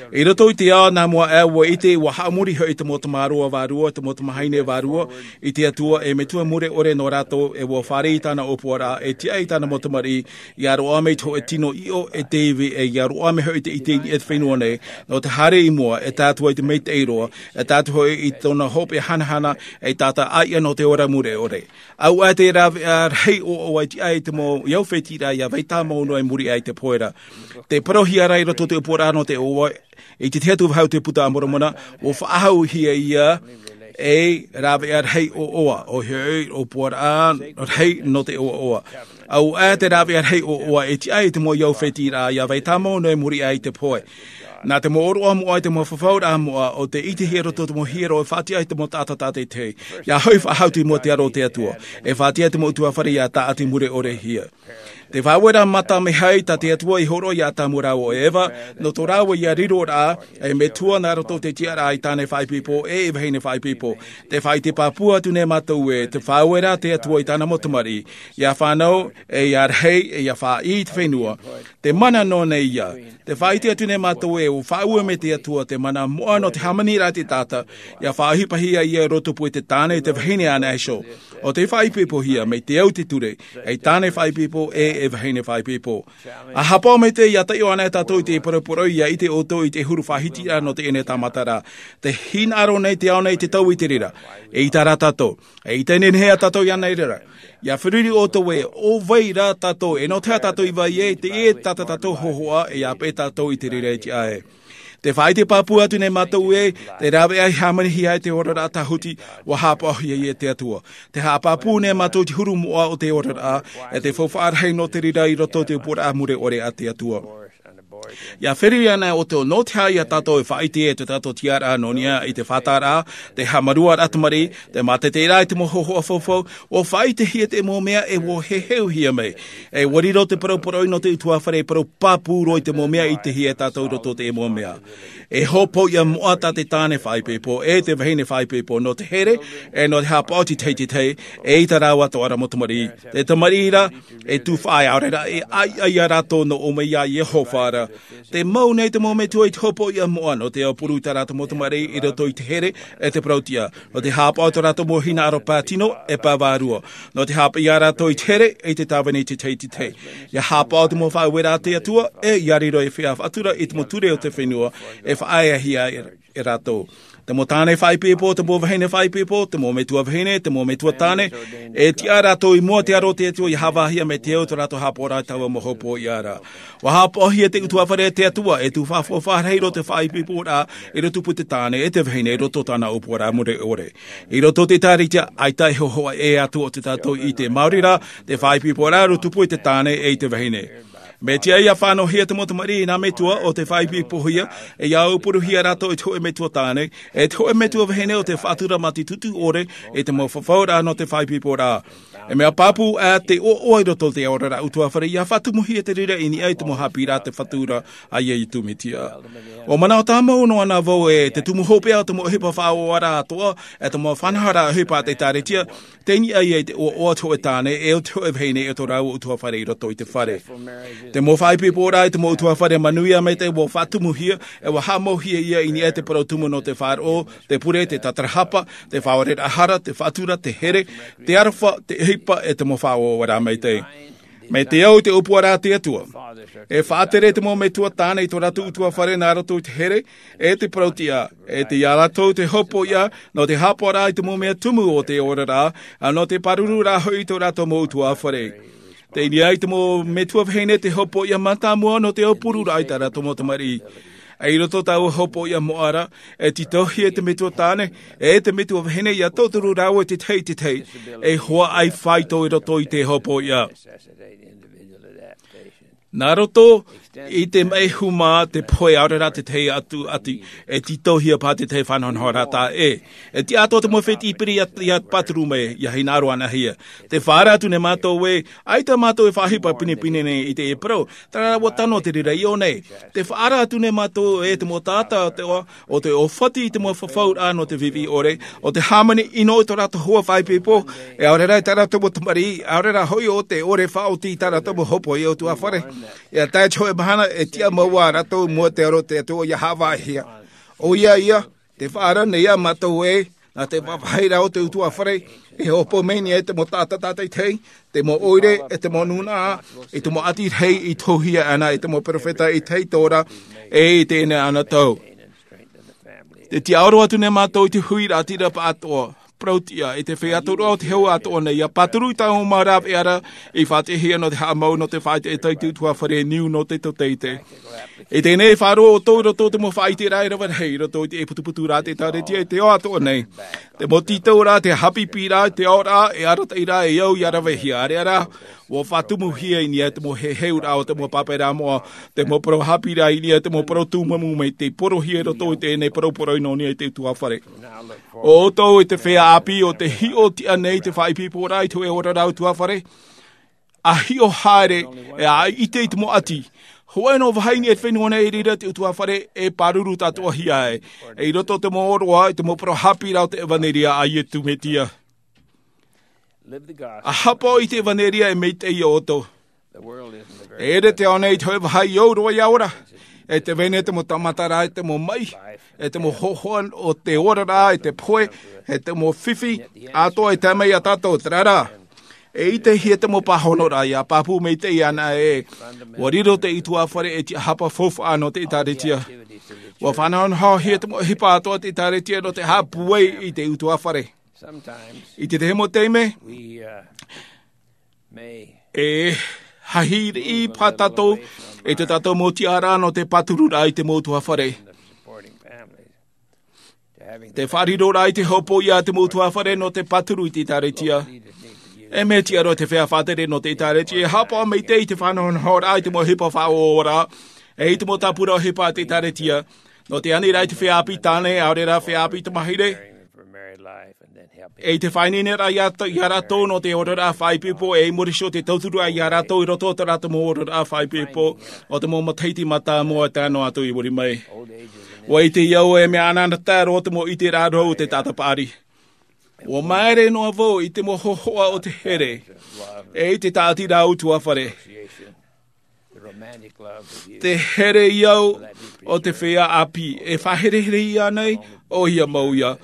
I roto i te ao nā mua aʻe, ʻua ʻite, ʻua haʻamori hoʻi te mau tamāroa vārua, te mau tamahine vārua, i te Atua, e metua mure ʻore nō rātou, e ʻua fāriʻi i tāna ʻōpuaraʻa, e tiʻa i tāna mau tamariʻi, ia roaʻa mai te hōʻē tino ʻiʻo e te ivi, e ia roaʻa mai hoʻi te ʻite i niʻa i te fenua nei, nō te haere i mua, e tae atu ai te maitaʻi roa, e tae atu hoʻi i tōna hopeʻa hanahana, e tātaʻi ʻia nō te ora mure ʻore. ʻAuʻa te rāveʻa rahi ʻoaʻoa i tiʻa i te mau, i au fētiʻi ra, ia vai tāmau noa i muri aʻe i te pohe ra. Te parauhia ra i roto i te ʻōpuaraʻa nō te ʻoaʻoa, i te tahi atu vāhi o te Puta a Moromona, ʻua faʻahouhia ia ei rāveʻa rahi ʻoaʻoa, ʻoia hoʻi, ʻōpuaraʻa rahi nō te ʻoaʻoa. ʻAuʻa te rāveʻa rahi ʻoaʻoa e tiʻa i te mau i au fētiʻi ra, ia vai tāmau noa i muri aʻe i te pohe. Nā te mau ʻōroʻa moʻa, i te mau fafauraʻa moʻa, ʻo tē ʻitehia i roto i te mau hiero, e faʻatiʻa i te mau taʻata tātaʻitahi. Ia hoʻi faʻahou i mua i te aro o te Atua. E faʻatiʻa i te mau ʻutuāfare ia tāʻati mure ʻorehia. Te faʻaueraʻa mata mea rahi tā te Atua i hōroʻa ia Atamu rāua ʻo Eva, nō tō rāua ia riroraʻa, e metua nā roto i te tiʻaraʻa i tāne faʻaipoipo, e i vahine faʻaipoipo. Tē faʻaʻite pāpū atu nei mātou ē, te faʻaueraʻa a te Atua i tāna mau tamariʻi, ia fānau, e ia rahi, e ia faʻaʻī i te fenua. Te mana noa nei ia. Tē faʻaʻite atu nei mātou ē, ʻua faʻaue mai te Atua te mana moʻa nō te hāmaniraʻa a te taʻata, ia faʻaʻohipahia ia i rotopū i te tāne, te vahine anaʻe iho. ʻO tē faʻaipoipohia, mai te au i te ture, ei tāne faʻaipoipo, e ei vahine faʻaipoipo. ʻA haʻapaʻo maitaʻi, ʻia taiʻo anaʻe tātou i te paraparauraʻa, ʻia ʻite ʻoutou i te huru faʻahitiraʻa nō teie nei tāmata ra. Tē hinaʻaro nei te ao nei i te tau i te reira. ʻEita rā tātou. ʻEita e nehenehe ā tātou iāna i reira. ʻIa feruri ʻoutou ē, ʻo vai rā tātou, e nō te aha tātou i vai ai, teie tātou hōhoʻa, e ʻia peʻe tātou i te reira i te ʻae. Tē faʻaʻite pāpū atu nei mātou ē, te rāveʻa i hāmanihia ai te oraraʻa tāhuti, ʻua haʻapaʻohia ia e te Atua. Tē haʻapāpū nei mātou i te huru moʻa o te oraraʻa, e te faufaʻa rahi nō te reira i roto i te ʻōpuaraʻa mure ʻore a te Atua. ʻIa feruri anaʻe ʻoutou, nō te aha ia tātou e faʻaʻite e tō tātou tiʻaraʻa nō niʻa i te fātaraʻa, te haʻamaruaraʻa tamariʻi, te māteteraʻa i te mau hōhoʻa faufaʻa, ʻua faʻaʻitehia te mau mea e ʻua heheuhia mai. E ʻua riro te paraparauraʻa nō te ʻutuāfare e parau pāpū roa i te mau mea ʻitehia e tātou i roto i te mau mea. E hopoiʻa moʻa tā te tāne faʻaipoipo, e te vahine faʻaipoipo, nō te here, e nō te haʻapaʻo i te tahi i te tahi, ʻeita rāua atoʻa ra mau tamariʻi. Te tamariʻi ra, e tū faʻaea, ʻaore rā, e ʻaiʻa ia rātou nō ʻō mai iā Iehova ra. Tē mau nei te mau metua i te hopoiʻa moʻa, nō te aupuru i tā rātou mau tamariʻi i roto i te here, e te parauʻtiʻa. Nō te haʻapaʻo i tō rātou mau hinaʻaro pae tino, e pae vārua. Nō te haʻapaʻo ia rātou i te here, e te tāvini i te tahi i te tahi. ʻIa haʻapaʻo te mau faʻaueraʻa a te Atua, e ʻia riro ei feiā faʻatura i te mau ture o te fenua, e faʻaeahia e e rātou. Te mau tāne faʻaipoipo, te mau vahine faʻaipoipo, te mau metua vahine, te mau metua tāne, e tiʻa rātou i mua te aro o te Atua ia hāvāhia mai te au tō rātou haʻapaʻoraʻa i taua mau hōpoiʻa ra. ʻUa haʻapaʻohia te ʻutuāfare a te Atua, e tū faʻafuafaʻa rahi roto i te faʻaipoiporaʻa, i roto i te tāne, e te vahine, i roto i tāna ʻōpuaraʻa mure ʻore. I roto i te ʻĒtārētia, ʻaita e hōhoʻa ʻē atu ʻo te tātou ʻite. Maori rā, te faʻaipoiporaʻa i roto i te tāne, e i te vahine. Mea tiʻa ia fānauhia te mau tamariʻi nā metua ʻo tē faʻaipoipohia, e ia aupuruhia rātou e te hōʻē metua tāne, e te hōʻē metua vahine ʻo tē faʻatura mā te tūtū ʻore, e te mau fafauraʻa nō te faʻaipoiporaʻa. E mea pāpū ā te ʻoaʻoa i roto i te oraraʻa ʻutuāfare, ia faʻatumuhia te reira i niʻa i te mau haʻapiʻiraʻa te Fatu ra a Iesu Mesia. ʻUa manaʻo tāmau noa na vau e te tumu hopeʻa o te mau ʻohipa faʻaoraraʻa atoʻa, e te mau faʻanahoraʻa ʻohipa a te ʻĒtārētia, tei niʻa ia i te ʻoaʻoa o te hōʻē tāne, e o te hōʻē vahine, e tō rāua ʻutuāfare i roto i te fare. Te mau faʻaipoiporaʻa i te mau ʻutuāfare manuia maitaʻi ʻua faʻatumuhia, e ʻua haʻamauhia ia i niʻa i te parau tumu nō te faʻaroʻo, te pure, te tatarahapa, te faʻaoreraʻa hara, te faʻatura, te here, te aroha, te ʻohipa, e te mau faʻaoraraʻa maitaʻi. Mai te au i te ʻōpuaraʻa a te Atua. E faʻatere te mau metua tāne i tō rātou ʻutuāfare nā roto i te here, e te parau-tiʻa, e tei ia rātou te hōpoiʻa, nō te haʻapaʻoraʻa i te mau mea tumu o te oraraʻa, ā, nō te pārururaʻa hoʻi i tō rātou mau ʻutuāfare. Tei niʻa i te mau metua vahine te hōpoiʻa mātāmua nō te aupururaʻa i tā rātou mau tamariʻi. I roto i taua hōpoiʻa moʻa ra, e tītauhia te metua tāne, e te metua vahine ia tauturu rāua i te tahi i te tahi, e hoa ʻaifāito i roto i te hōpoiʻa. Nā roto i te maʻi huma, te pohe, ʻaore rā te tahi atu, atu, e tītauhia paha te tahi faʻanahonahoraʻa ē. E tiʻa atoʻa te mau fētiʻi piri ia, ia pāturu mai, ia hinaʻaro anahia. Tē faʻaara atu nei mātou ē, ʻaita mātou e faʻaʻohipa pinepine nei i teie parau, terā rā ʻua tano te reira i ʻō nei. Tē faʻaara atu nei mātou ē te mau taʻata o te, ʻo tē ʻōfati i te mau fafauraʻa nō te viʻiviʻi ʻore, ʻo tē hāmani ʻino i tō rātou hoa faʻaipoipo, e ʻaore rā i tā rātou mau tamariʻi, ʻaore rā hoʻi ʻo tē ʻore faʻaoti i tā rātou mau hōpoiʻa ʻutuāfare. E tae i te hōʻē mahana, e tiʻa mau ā rātou i mua i te aro o te Atua ia haʻavāhia. ʻOia ia, tē faʻaara nei ā mātou ē, nā te vāvāhiraʻa o te ʻutuāfare, e hōpoi mai nei e te mau taʻata tātaʻitahi, te mau ʻoire, e te mau nūnaʻa, i te mau ʻati rahi i tohuhia ana e te mau perofeta i te Torah, e i teie nei anotau. Tē tiʻaoro atu nei mātou i te huiraʻatira pāʻatoʻa, parau-tiʻa, i te feiā atoʻa o te hau atoʻa nei, ʻia pāturu i taua mau rāveʻa ra, i faʻaʻitehia nō te haʻamau, nō te faʻaʻiteʻite i te ʻutuāfare niu nō te tauteitei. I teie nei e faʻaroʻo ʻoutou i roto i te mau faʻaʻiteraʻa e rave rahi, i roto i te ʻēputuputu ra a te ʻĒtārētia i te ao atoʻa nei. Te mau tītauraʻa, te haʻapiʻiraʻa, te aoraʻa, e arataʻiraʻa e au ia ravehia, ʻāreʻa rā, ʻua faʻatumuhia i niʻa i te mau heheuraʻa o te mau pāpaʻiraʻa moʻa, te mau parau haʻapiʻiraʻa i niʻa i te mau parau tūmamu mai tei porohia i roto i teie nei parau parau i niʻa i te ʻutuāfare. ʻO ʻoutou e te feiā ʻāpī ʻo tē hiʻo tiʻa nei i te faʻaipoiporaʻa i te hōʻē oraraʻa ʻutuāfare, ʻa hiʻo haere, e ʻa ʻite i te mau ʻati. Hōʻē noa vāhi i niʻa i te fenua nei i reira te ʻutuāfare e pāruru tātoʻahia ai. E i roto i te mau ʻōroʻa, i te mau parau haʻapiʻiraʻa o te ʻevanelia a Iesu Mesia. ʻA haʻapaʻo i te ʻevanelia e maitaʻi ia ʻoutou. E ʻere te ao nei i te hōʻē vāhi i au roa ia ora. E te vai nei te mau taʻamataraʻa, e te mau maʻi, e te mau hōhoʻa o te oraraʻa, e te pohe, e te mau fifi, atoʻa e tae mai ia tātou, terā rā. E ʻitehia te mau pāhonoraʻa ia pāpū maitaʻi ana ē, ʻua riro te ʻutuāfare ei tiʻahapa faufaʻa nō te ʻĒtārētia. ʻUa faʻanahonahohia te mau ʻohipa atoʻa a te ʻĒtārētia nō te haʻapūai i te ʻutuāfare. I te tahi mau taime, e hahi riʻi paha tātou i tō tātou mau tiʻaraʻa nō te pātururaʻa i te mau ʻutuāfare. Te faʻariroraʻa i te hōpoiʻa a te mau ʻutuāfare nō te pāturu i te ʻĒtārētia. E mea tiʻa roa te feiā faʻatere nō te ʻĒtārētia e haʻapaʻo maitaʻi i te faʻanahonahoraʻa i te mau ʻohipa faʻaora, e i te mau tāpura ʻohipa a te ʻĒtārētia. Nō te aniraʻa i te feiā ʻāpī tāne, ʻaore rā feiā ʻāpī tamāhine. E i te faʻaineineraʻa ia, ia rātou nō te oraraʻa faʻaipoipo, e i muri iho te tauturuʻa ia rātou i roto i tō rātou mau oraraʻa faʻaipoipo, ʻo te mau matahiti mātāmua e tae noa atu i muri mai. ʻUa ʻite au e mea anaanatae roa te mau ʻiteraʻa rau o te taʻata paʻari. ʻUa māere noa vau i te mau hōhoʻa o te here, e i te tāʻatiraʻa ʻutuāfare. Te here i au o te feiā ʻāpī, e faʻahereherehia nei, ʻoia mau ia.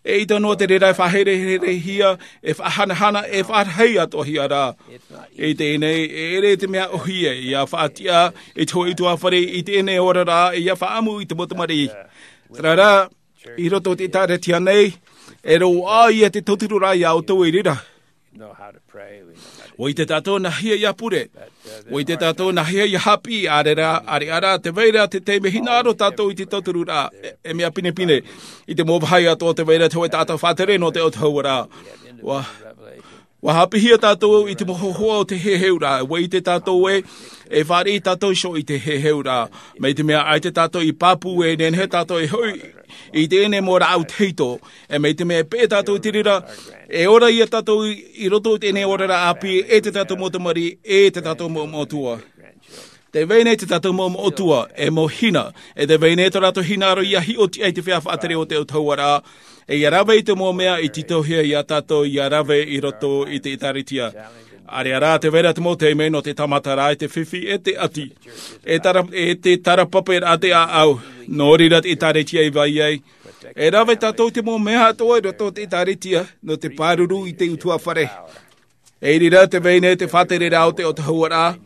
E ʻita noa te reira e faʻahereherehia, e faʻahanahana, e faʻarahi atoʻahia rā. I teie nei, e ʻere te mea ʻōhie ia faʻatiʻa i te hōʻē ʻutuāfare i teie nei oraraʻa, ia faʻaʻamu i te mau tamariʻi. Terā rā, I roto i te ʻĒtārētia nei, e roaʻa ia te tauturu rā iā ʻoutou i reira. ʻUa ʻite tātou nā hea ia pure. ʻUa ʻite tātou nā hea ia hāpiʻi, ʻaore rā, ʻaore rā, tē vai ra te taime hinaʻaro tātou i te tauturu rā, e, e mea pinepine. I te mau vāhi atoʻa tē vai ra te hōʻē taʻata faʻatere nō te autahuʻaraʻa. ʻUa, ʻua hāpiʻihia tātou i te mau hōhoʻa o te heheuraʻa. ʻUa ʻite tātou ē, e fāriʻi tātou iho i te heheuraʻa. Mai te mea ʻaita tātou i pāpū, e nehenehe tātou e hoʻi i teie nei mau rāʻau tahito. E mai te mea e peʻe tātou i te reira, e ora ia tātou i, i roto i teie nei oraraʻa ʻāpī, e tō tātou mau tamariʻi, e tō tātou mau metua. Tē vai nei tō tātou mau metua, e mau hina, e tē vai nei tō rātou hinaʻaro ia hiʻo tiʻa i te feiā faʻatere o te autahuʻaraʻa, e ia rave i te mau mea i tītauhia iā tātou ia rave i roto i te ʻĒtārētia. ʻAore rā, tē vai ra te mau taime nō te tāmata rā, e te fifi, e te ʻati, e tara-, e te tarapaparaʻa te ʻāʻau, nō reira te ʻĒtārētia i vai ai. E rave tātou i te mau mea atoʻa i roto i te ʻĒtārētia, nō te pāruru i te ʻutuāfare. I reira tē vai nei te faʻatereraʻa o te autahuʻaraʻa,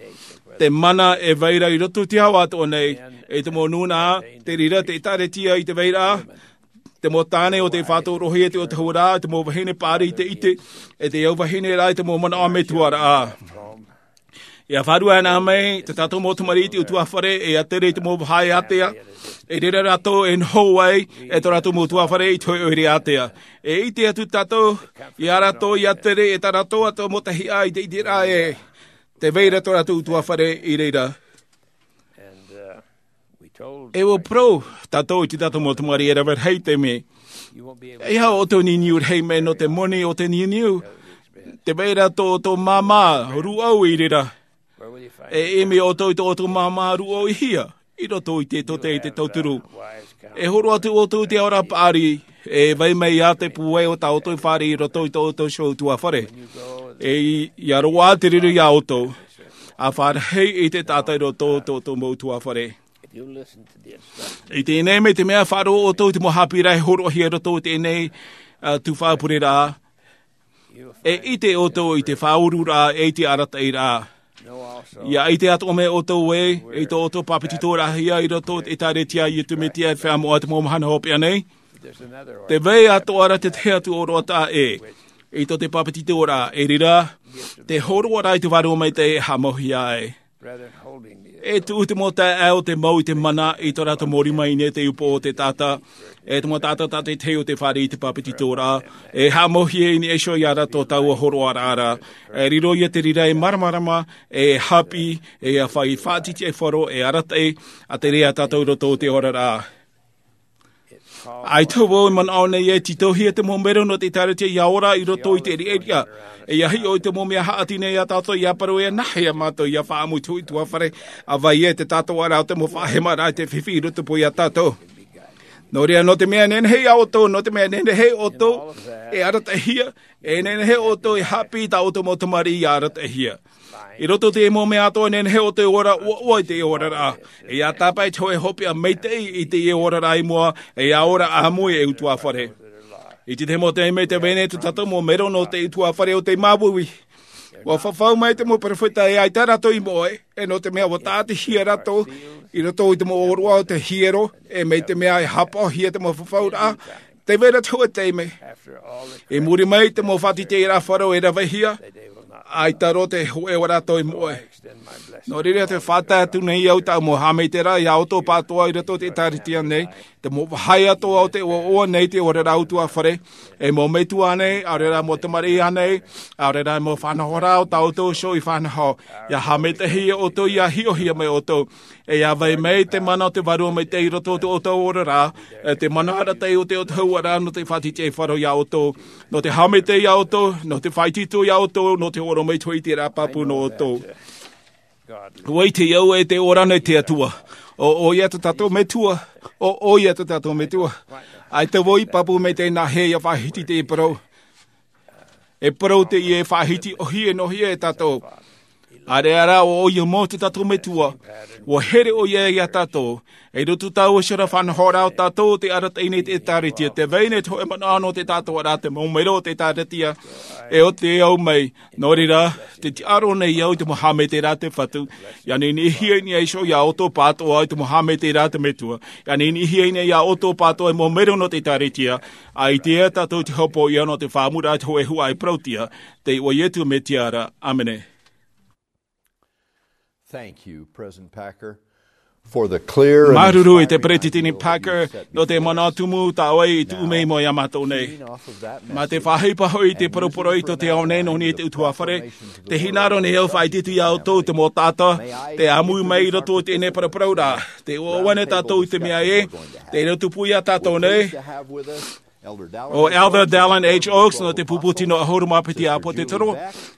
te mana e vai ra i roto i te ao atoʻa nei, e te mau nūnaʻa, te reira te ʻĒtārētia i te vai ra, te mau tāne o tei faʻatorohia te autahuʻaraʻa, te mau vahine paʻari i te ʻite, e te au vahine rā i te mau manaʻo metua rā. ʻIa faʻaruʻe ana mai tō tātou mau tamariʻi i te ʻutuāfare, e ʻia tere i te mau vahaʻa ātea, i reira rātou e noho ai, e tō rātou mau ʻutuāfare i te hōʻē ʻoire ātea. E ʻite atu tātou, iā rātou ʻia tere, e tā rātou atoʻa mau tahiʻa i te ʻiteraʻa ē, tē vai ra tō rātou ʻutuāfare i reira. E ʻua parau tātou i tō tātou mau tamariʻi e rave rahi te mea. E aha ʻoutou e niuniu rahi mai nō te moni o te niuniu? Tē vai ra tō, tō māmā rūʻau i reira. E ʻimi ʻoutou i tō ʻoutou māmā rūʻau i hea? I roto i te tōtē i te tauturu. E horo atu ʻoutou i te ao ra paʻari, e vai mai ā te pūai o tā ʻoutou fāriʻi i roto i tō ʻoutou iho ʻutuāfare. E ʻia roaʻa te reira iā ʻoutou. ʻA fāriʻi i te taʻata i roto i tō ʻoutou mau ʻutuāfare. I teie nei, mai te mea e faʻaroʻo ʻoutou i te mau haʻapiʻiraʻa e hōroʻahia i roto i teie nei, ā, tuhaʻa pureraʻa, e ʻite ʻoutou i te faʻaururaʻa, e i te arataʻiraʻa. ʻIa ʻite atoʻa mai ʻoutou ē, i tō ʻoutou pāpetitoraʻahia i roto i te ʻĒtārētia a Iesu Mesia e feiā moʻa te mau mahana hopeʻa nei. Tē vai atoʻa ra te tahi atu ʻōroʻa taʻa ʻē, i tō te pāpetitoraʻa, i reira, te hōroʻaraʻa i te Vārua Maitaʻi e haʻamauhia ai. E tuʻu te mau taeaʻe o te mau i te mana i tō rātou mau rima i niʻa i te upoʻo o te taʻata, e te mau taʻata tātaʻitahi o tei fāriʻi i te pāpetitoraʻa, e haʻamauhia i niʻa iho iā rātou taua hōroʻaraʻa ra. E riro ia te reira ei māramarama, e haʻapiʻi, e ʻia faʻaʻite i te faro, e arataʻi, ʻa terā ia tātou i roto i te oraraʻa. ʻAita vau e manaʻo nei e tītauhia te mau mero nō te ʻĒtārētia ʻia ora i roto i te riʻariʻa. E ʻia hiʻo i te mau mea haʻati nei iā tātou, ʻia parau ē, nā hea mātou ʻia faʻaʻamu i te hōʻē ʻutuāfare, ʻa vai ē te tātou ara o te mau faʻahemaraʻa i te fifi i rotopū iā tātou. Nō reira, nō te mea e nehenehe iā ʻoutou, nō te mea e nehenehe ʻoutou e arataʻihia, e nehenehe ʻoutou e haʻapiʻi i tā ʻoutou mau tamariʻi ʻia arataʻihia. I roto i te mau mea atoʻa, e nehenehe ʻoutou e ora ʻuaʻua i te oraraʻa. E ʻia tāpaʻo i te hōʻē hopeʻa maitaʻi i te oraraʻa i mua, e ʻia ora ʻāmui ei ʻutuāfare. I te tahi mau taime, tē vai nei tō tātou mau mero nō te ʻutuāfare o tei māuiui. ʻUa fafau mai te mau perofeta ē ʻaita rātou i moʻe, e nō te mea ʻua tāʻatihia rātou i roto i te mau ʻōroʻa o te hiero, e mai te mea e haʻapaʻohia te mau fafauraʻa, tē vai ra te hōʻē taime. I muri mai i te mau faʻatītīraʻa faro e ravehia, ʻaita roa te hōʻē o rātou i moʻe. Nō reira, tē faʻatae atu nei au tāʻu mau haʻamaitaʻiraʻa iā ʻoutou pāʻatoʻa i roto i te ʻĒtārētia nei, te mau vāhi atoʻa o te ʻoaʻoa nei te oraraʻa ʻutuāfare, e mau metua nei, ʻaore rā mau tamariʻi nei, ʻaore rā mau faʻanahoraʻa o tā ʻoutou iho i faʻanaho, ʻia haʻamaitaʻihia ʻoutou, ʻia hiʻohia mai ʻoutou. E ʻia vai mai te mana o te Vārua Maitaʻi i roto i tō ʻoutou oraraʻa, e te mana arataʻi o te autahuʻaraʻa nō te faʻatītīraʻa faro iā ʻoutou, nō te haʻamaitaʻi iā ʻoutou, nō te faʻaitoito iā ʻoutou, nō te orometua i te ʻiteraʻa pāpū nō ʻoutou. ʻUa ʻite au ē tē ora nei te Atua. ʻO, ʻo ia tō tātou Metua, ʻo, ʻo ia tō tātou Metua. ʻAita vau i pāpū maitaʻi nā hea ʻia faʻahiti teie parau. E parau teie e faʻahiti, ʻōhie noa hia e tātou. ʻĀreʻa rā ʻo ʻoia mau te tātou Metua, ʻua here ʻoia iā tātou. I roto tāua i te faʻanahoraʻa o tātou te arataʻi nei te ʻĒtārētia, tē vai nei te hōʻē manaʻo nō te tātou ra te mau mero o te ʻĒtārētia, e ʻo te au mai. Nō reira, tē tiʻaro nei au i te mau haʻamaitaʻiraʻa a te Fatu, ʻia niʻiniʻihia nei iho iā ʻoutou pāʻatoʻa i te mau haʻamaitaʻiraʻa a te Metua, ʻia niʻiniʻihia nei iā ʻoutou pāʻatoʻa i te mau mero nō te ʻĒtārētia, ʻaita tātou te hopoiʻa nō te faʻaʻamuraʻa i te hōʻē huaʻai parauʻtiʻa, tei iʻoa o Ietu Metia ra. ʻĀmene. Thank you, President Packer, for the clear and Māuruuru i te inspiring Peresideni Packer nō te manaʻo tumu tā ʻoe i tuʻu mai iā mātou nei. Mā te faʻaʻohipa hoʻi i te poroporoʻi tō te ao nei nō niʻa i te ʻutuāfare, tē hinaʻaro nei au e faʻaʻiteʻite iā ʻoutou te mau taʻata tei ʻāmui mai i roto i teie nei paraparauraʻa. Tē ʻoaʻoa nei tātou i te mea ē, tē riro tupu iā tātou nei ʻo Elder Dallin H. Oaks nō te pupu tino ʻahuru mā piti ʻĀpōtetoro,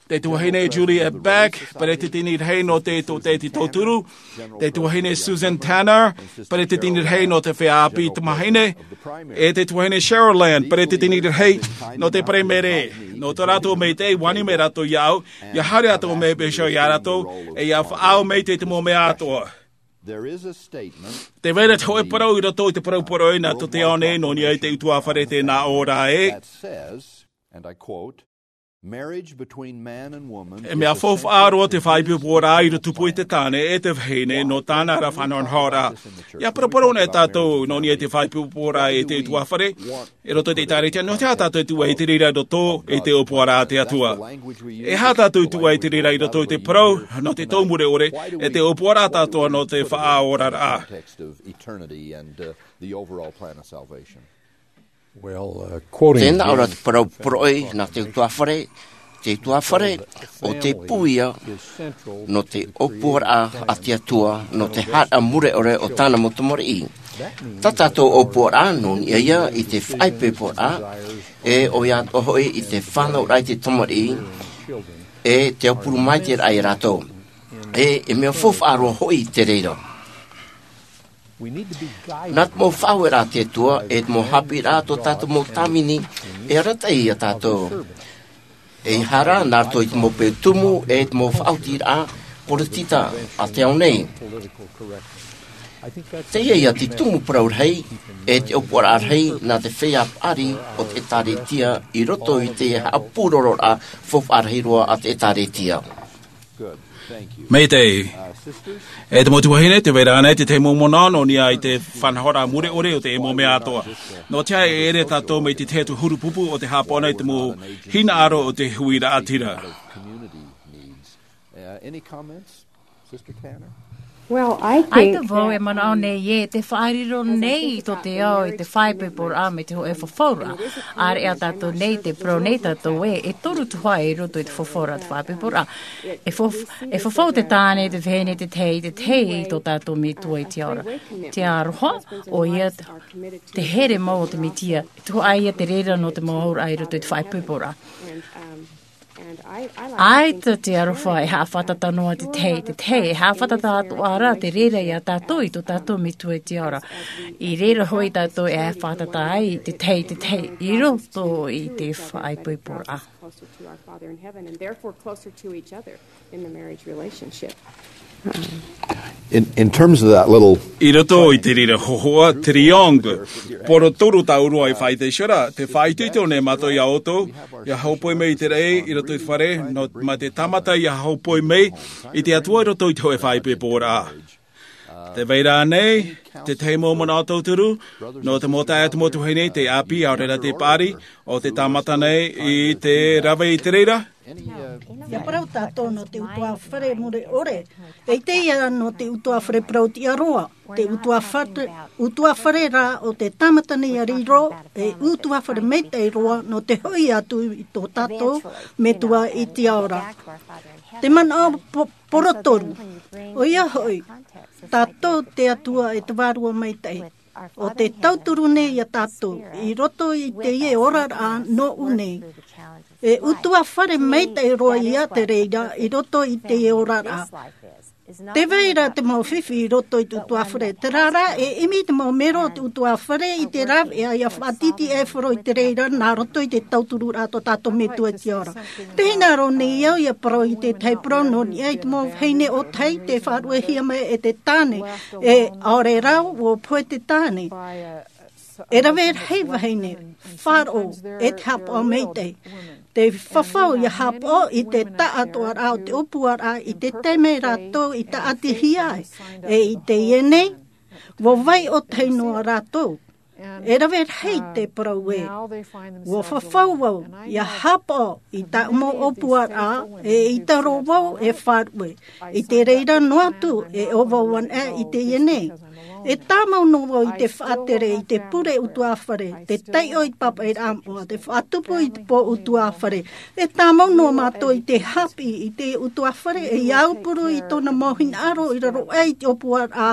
te tuahine Juliet Beck, peresideni rahi nō te tōtaiete tauturu, te tuahine Susan Tanner, peresideni rahi nō te feiā ʻāpī tamāhine, e te tuahine Cheryl Land, peresideni rahi nō te Paraimere. Nō tō rātou maitaʻi, ʻua ani mai rātou iāʻu, ʻia haere atu mai e pēhea iā rātou, e ʻia faʻaau mai i te mau mea atoʻa. There is a statement Tē vai ra te hōʻē parau i roto i te parau poroʻi nā tō te ao nei nō niʻa i te ʻutuāfare tēnā ʻō ra ē. That says, and I quote, "Marriage between man and woman E mea is a faufaʻa central roa te faʻaipoiporaʻa i roto tupu i te tāne e te vahine nō tāna ra faʻanahonahoraʻa." ʻIa paraparau nei tātou nō niʻa i te faʻaipoiporaʻa e te ʻutuāfare i roto i te ʻĒtārētia, nō te aha tātou e tuʻu ai i te reira i roto i te ʻōpuaraʻa a te Atua? E aha tātou e tuʻu ai i te reira i roto i te parau nō te tau mure ʻore, e te ʻōpuaraʻa atoʻa nō te faʻaoraraʻa? Context of eternity and, uh, the overall plan of salvation. Well, uh, quoting Tēnā ʻo rā James te parau poroʻi nā te ʻutuāfare, te ʻutuāfare, ʻo te pū ia nō te ʻōpuaraʻa a te Atua, nō te haʻapaʻo mure ʻore o tāna mau tamariʻi. Tā tātou ʻōpuaraʻa nō niʻa ia i te faʻaipoiporaʻa, e ʻoia atoʻa hoʻi i te fānauraʻa i te tamariʻi, e te aupuru maitaʻiraʻa ia rātou. E, e mea faufaʻa roa hoʻi te reira. Nā te mau faʻaueraʻa a te Atua, e te mau haʻapiʻiraʻa tō tātou mau tāvini, e arataʻi iā tātou. E ʻaita rā, nā roto i te mau peu tumu, e te mau faʻaotiraʻa poritita a te ao nei. Teie ia te tumu parau rahi, e te ʻōpuaraʻa rahi, nā te feiā paʻari o te ʻĒtārētia, i roto i te haʻapūrororaʻa faufaʻa rahi roa a te ʻĒtārētia. Maitaʻi. E te mau tuahine, tē vai ra ānei te tahi mau manaʻo nō niʻa i te faʻanahoraʻa mure ʻore o te mau mea atoʻa? Nō te aha e ʻere tātou mai te tahi atu huru pupu o te haʻapaʻo nei i te mau hinaʻaro o te huiraʻatira? Uh, any comments, Sister Tanner? Well, I ʻAita think vau that e manaʻo nei ē, te faʻariro nei tō te ao i te faʻaipoiporaʻa mai te hōʻē fafauraʻa. ʻĀreʻa tātou nei, tē parau nei tātou ē, e toru atoʻa i roto i te fafauraʻa te faʻaipoiporaʻa. E faf-, e fafau te tāne, te vahine, te tahi, te tahi i tō tātou Metua i te ao ra. Te aroha, ʻoia te here mau o te Mesia, e tuhaʻa ia te reira nō te mau auraʻa i roto i te faʻaipoiporaʻa. ʻAita te aroha e haʻafātata noa te tahi, te tahi, e haʻafātata atoʻa ra te reira iā tātou i tō tātou Metua i te ao ra. I reira hoʻi tātou e haʻafātata ai te tahi, te tahi, i roto i te faʻaipoiporaʻa. Closer to our Father in heaven and therefore closer to each other in the marriage relationship. In, in terms of that little I roto i te reira hōhoʻa, triangle, poro toru tāʻu roa i faʻaʻite iho ra, tē faʻaʻiteʻite nei mātou iā ʻoutou, ʻia hōpoi mai i te raʻi i roto i te fare, nō, mā te tāmata ʻia hōpoi mai i te Atua i roto i te hōʻē faʻaipoiporaʻa. Tē vai ra ānei te tahi mau manaʻo tauturu nō te mau taeaʻe, te mau tuahine, te ʻāpī, ʻaore rā te paʻari, ʻo te tāmata nei i te rave i te reira? ʻIa parau tātou nō te ʻutuāfare mure ʻore. ʻEita ia nō te ʻutuāfare parauʻtiʻa roa, te ʻutuāfare, ʻutuāfare rā o te tāmata nei ʻia riro, e ʻutuāfare maitaʻi roa nō te hoʻi atu i tō tātou Metua i te ao ra. Te manaʻo po-, porotoru. ʻOia hoʻi, tātou te Atua e te Vārua Maitaʻi. ʻO tē tauturu nei iā tātou, i roto i teie oraraʻa nōʻu nei. E ʻutuāfare maitaʻi roa ia te reira, i roto i teie oraraʻa. Tē vai ra te mau fifi i roto i te ʻutuāfare. Terā rā, e ʻimi te mau mero o te ʻutuāfare i te rāveʻa ʻia faʻatītīʻaifaro i te reira nā roto i te tautururaʻa tō tātou Metua i te ao ra. Tē hinaʻaro nei au ʻia parau i te tahi parau nō niʻa i te mau vahine ʻōtahi tei faʻaruʻehia mai e te tāne, e ʻaore rā ʻua pohe te tāne. E rave rahi vahine, faʻaroʻo, e te haʻapaʻo maitaʻi. Tē fafau ʻia haʻapaʻo i te taʻatoʻaraʻa o te ʻōpuaraʻa i te taime rātou i tāʻatihia ai, e i teie nei, ʻua vai ʻōtahi noa rātou. E rave rahi te parau ē, ʻua fafau vau ʻia haʻapaʻo i taʻu mau ʻōpuaraʻa, e ʻaita roa vau e faʻaruʻe. I te reira noa atu e ʻo vau anaʻe i teie nei. E tāmau noa vau i te faʻatere i te pure ʻutuāfare, te taiʻo i te pāpaʻiraʻa moʻa, te faʻatupu i te pō ʻutuāfare. E tāmau noa mātou i te haʻapiʻi i te ʻutuāfare, e ʻia aupuru i tōna mau hinaʻaro i raro aʻe i te ʻōpuaraʻa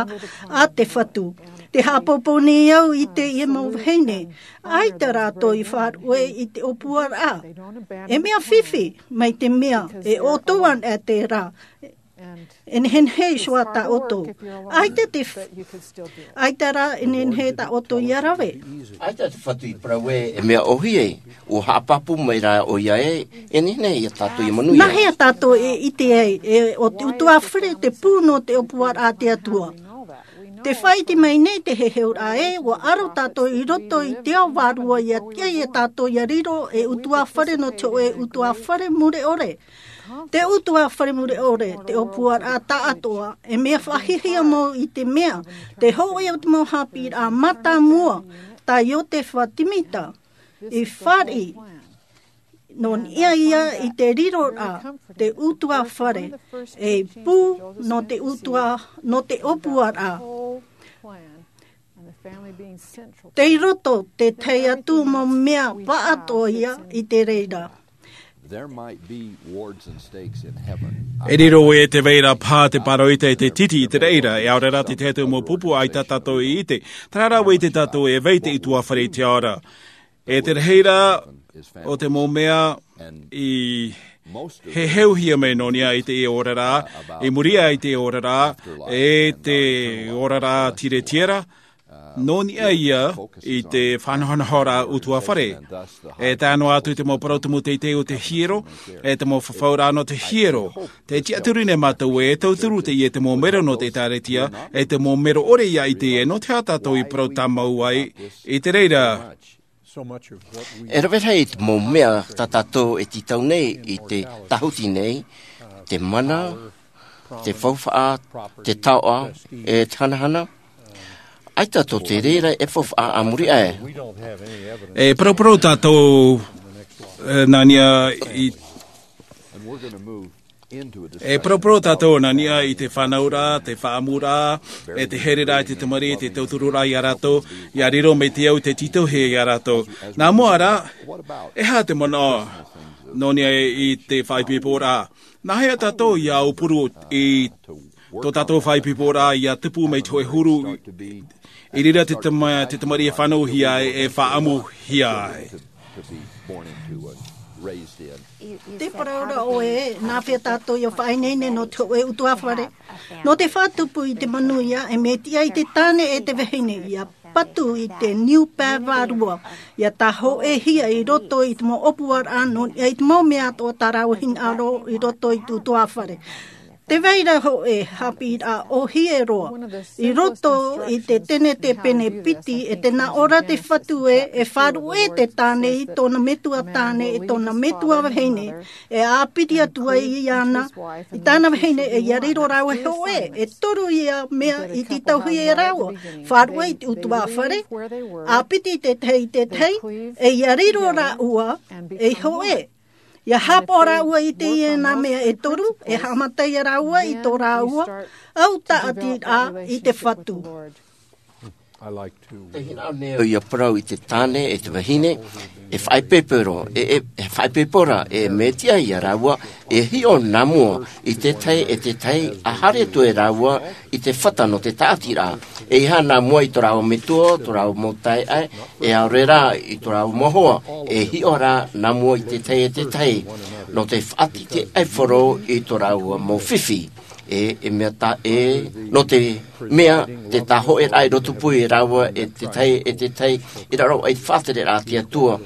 a te Fatu. Tē haʻapāpū nei au i teie mau vahine, ʻaita rātou i faʻaruʻe i te ʻōpuaraʻa. E mea fifi, mai te mea, e ʻoutou anaʻe terā. E nehenehe iho ā tā ʻoutou. ʻAita te f-, ʻaita rā e nehenehe tā ʻoutou ʻia rave. ʻAita te Fatu i parau ē, e mea ʻōhie, ʻua haʻapāpū mai rā ʻoia ē, e nehenehe ia tātou ʻia manuia. Nā hea tātou e ʻite ai, e, ʻo te ʻutuāfare te pū nō te ʻōpuaraʻa a te Atua. Tē faʻaʻite mai nei te heheuraʻa ē, ʻua aro tātou i roto i te ao vārua ʻia tiʻa ia tātou ʻia riro ei ʻutuāfare nō te hōʻē ʻutuāfare mure ʻore. Te ʻutuāfare mure ʻore, te ʻōpuaraʻa taʻatoʻa, e mea faʻahiahia mau i te mea, te hōʻē o te mau haʻapiʻiraʻa mātāmua, tā Iotefa Timita, i fāriʻi, nō niʻa ia i te riroraʻa, te ʻutuāfare, ei pū nō te ʻutua-, nō te ʻōpuaraʻa. Tei roto te tahi atu mau mea pāʻatoʻa ia i te reira. There might be wards and stakes in heaven. E riro ē tē vai ra paha te pāroita e te titi i te reira, e ʻaore rā te tahi atu mau pupu ʻaita tātou i ʻite. Terā rā ʻua ʻite tātou e vai te ʻutuāfare i te ao ra. E te rahi rā o te mau mea i heheuhia mai nō niʻa i te oraraʻa, i muri aʻe i te oraraʻa, e te oraraʻa tiretiera, nō niʻa ia i te faʻanahonahoraʻa ʻutuāfare. E tae noa atu te mau parau tumu teitei o te hiero, e te mau fafauraʻa nō te hiero. Tē tiʻaturi nei mātou e tauturu teie te mau mero nō te ʻĒtārētia, e te mau mero ʻore ia i teie, nō te aha tātou i parau tāmau ai i te reira. E rave rahi te mau mea tā tātou e tītau nei i te tāhuti nei, te mana, te faufaʻa, te taoʻa, e te hanahana. ʻAita tō te reira e faufaʻa a muri aʻe. E paraparau tātou, e, nā niʻa i, e paraparau tātou nā niʻa i te fānauraʻa, te faʻaʻamuraʻa, e te haereraʻa i te tamariʻi, te tautururaʻa ia rātou, ʻia riro mai te au i te tītauhia ia rātou. Nā mua rā, e aha te manaʻo nō niʻa i te faʻaipoiporaʻa? Nā hea tātou ʻia aupuru i tō tātou faʻaipoiporaʻa ʻia tupu mai te hōʻē huru, i reira te tama-, te tamariʻi e fānauhia ai, e faʻaʻamuhia ai? Tē parau ra ʻoe, nā hea tātou ʻia faʻaineine nō te hōʻē ʻutuāfare? Nō te faʻatupu i te manuia, e mea tiʻa i te tāne e te vahine ʻia patu i te niu pae vārua, ʻia tāhōʻēhia i roto i te mau ʻōpuaraʻa nō niʻa i te mau mea atoʻa tā rāua hinaʻaro i roto i te ʻutuāfare. Tē vai ra hōʻē haʻapiʻiraʻa ʻōhie roa. I roto i te Tenete pene piti, e tē nā ʻō ra te Fatu ē, e faʻaruʻe te tāne i tōna metua tāne, e tōna metua vahine, e ʻāpiti atu ai iāna, i tāna vahine, e ʻia riro rāua hōʻē, e toru ia mea i tītauhia e rāua, faʻaruʻe i te ʻutuāfare, ʻāpiti te tahi i te tahi, e ʻia riro rāua, ei hōʻē. ʻIa haʻapaʻo rāua i teie nā mea e toru, e haʻamata ia rāua i tō rāua au tāʻatiraʻa i te Fatu. Tē hinaʻaro nei au ʻia parau i te tāne e te vahine, e faʻaipoipora, e, e, e faʻaipoipora, e mea tiʻa ia rāua, e hiʻo nā mua i te tahi e te tahi, ʻa haere atu e rāua i te fata nō te tāʻatiraʻa. E ʻeiaha nā mua i tō rāua metua, tō rāua mau taeaʻe, e ʻaore rā i tō rāua mau hoa, e hiʻo rā nā mua i te tahi e te tahi, nō te faʻatītīʻaifaro i tō rāua mau fifi. E, e mea tā, e, nō te mea, te tāhoʻe rā i roto pū e rāua, e te tahi, e te tahi, i raro ai te faʻatereraʻa a te Atua,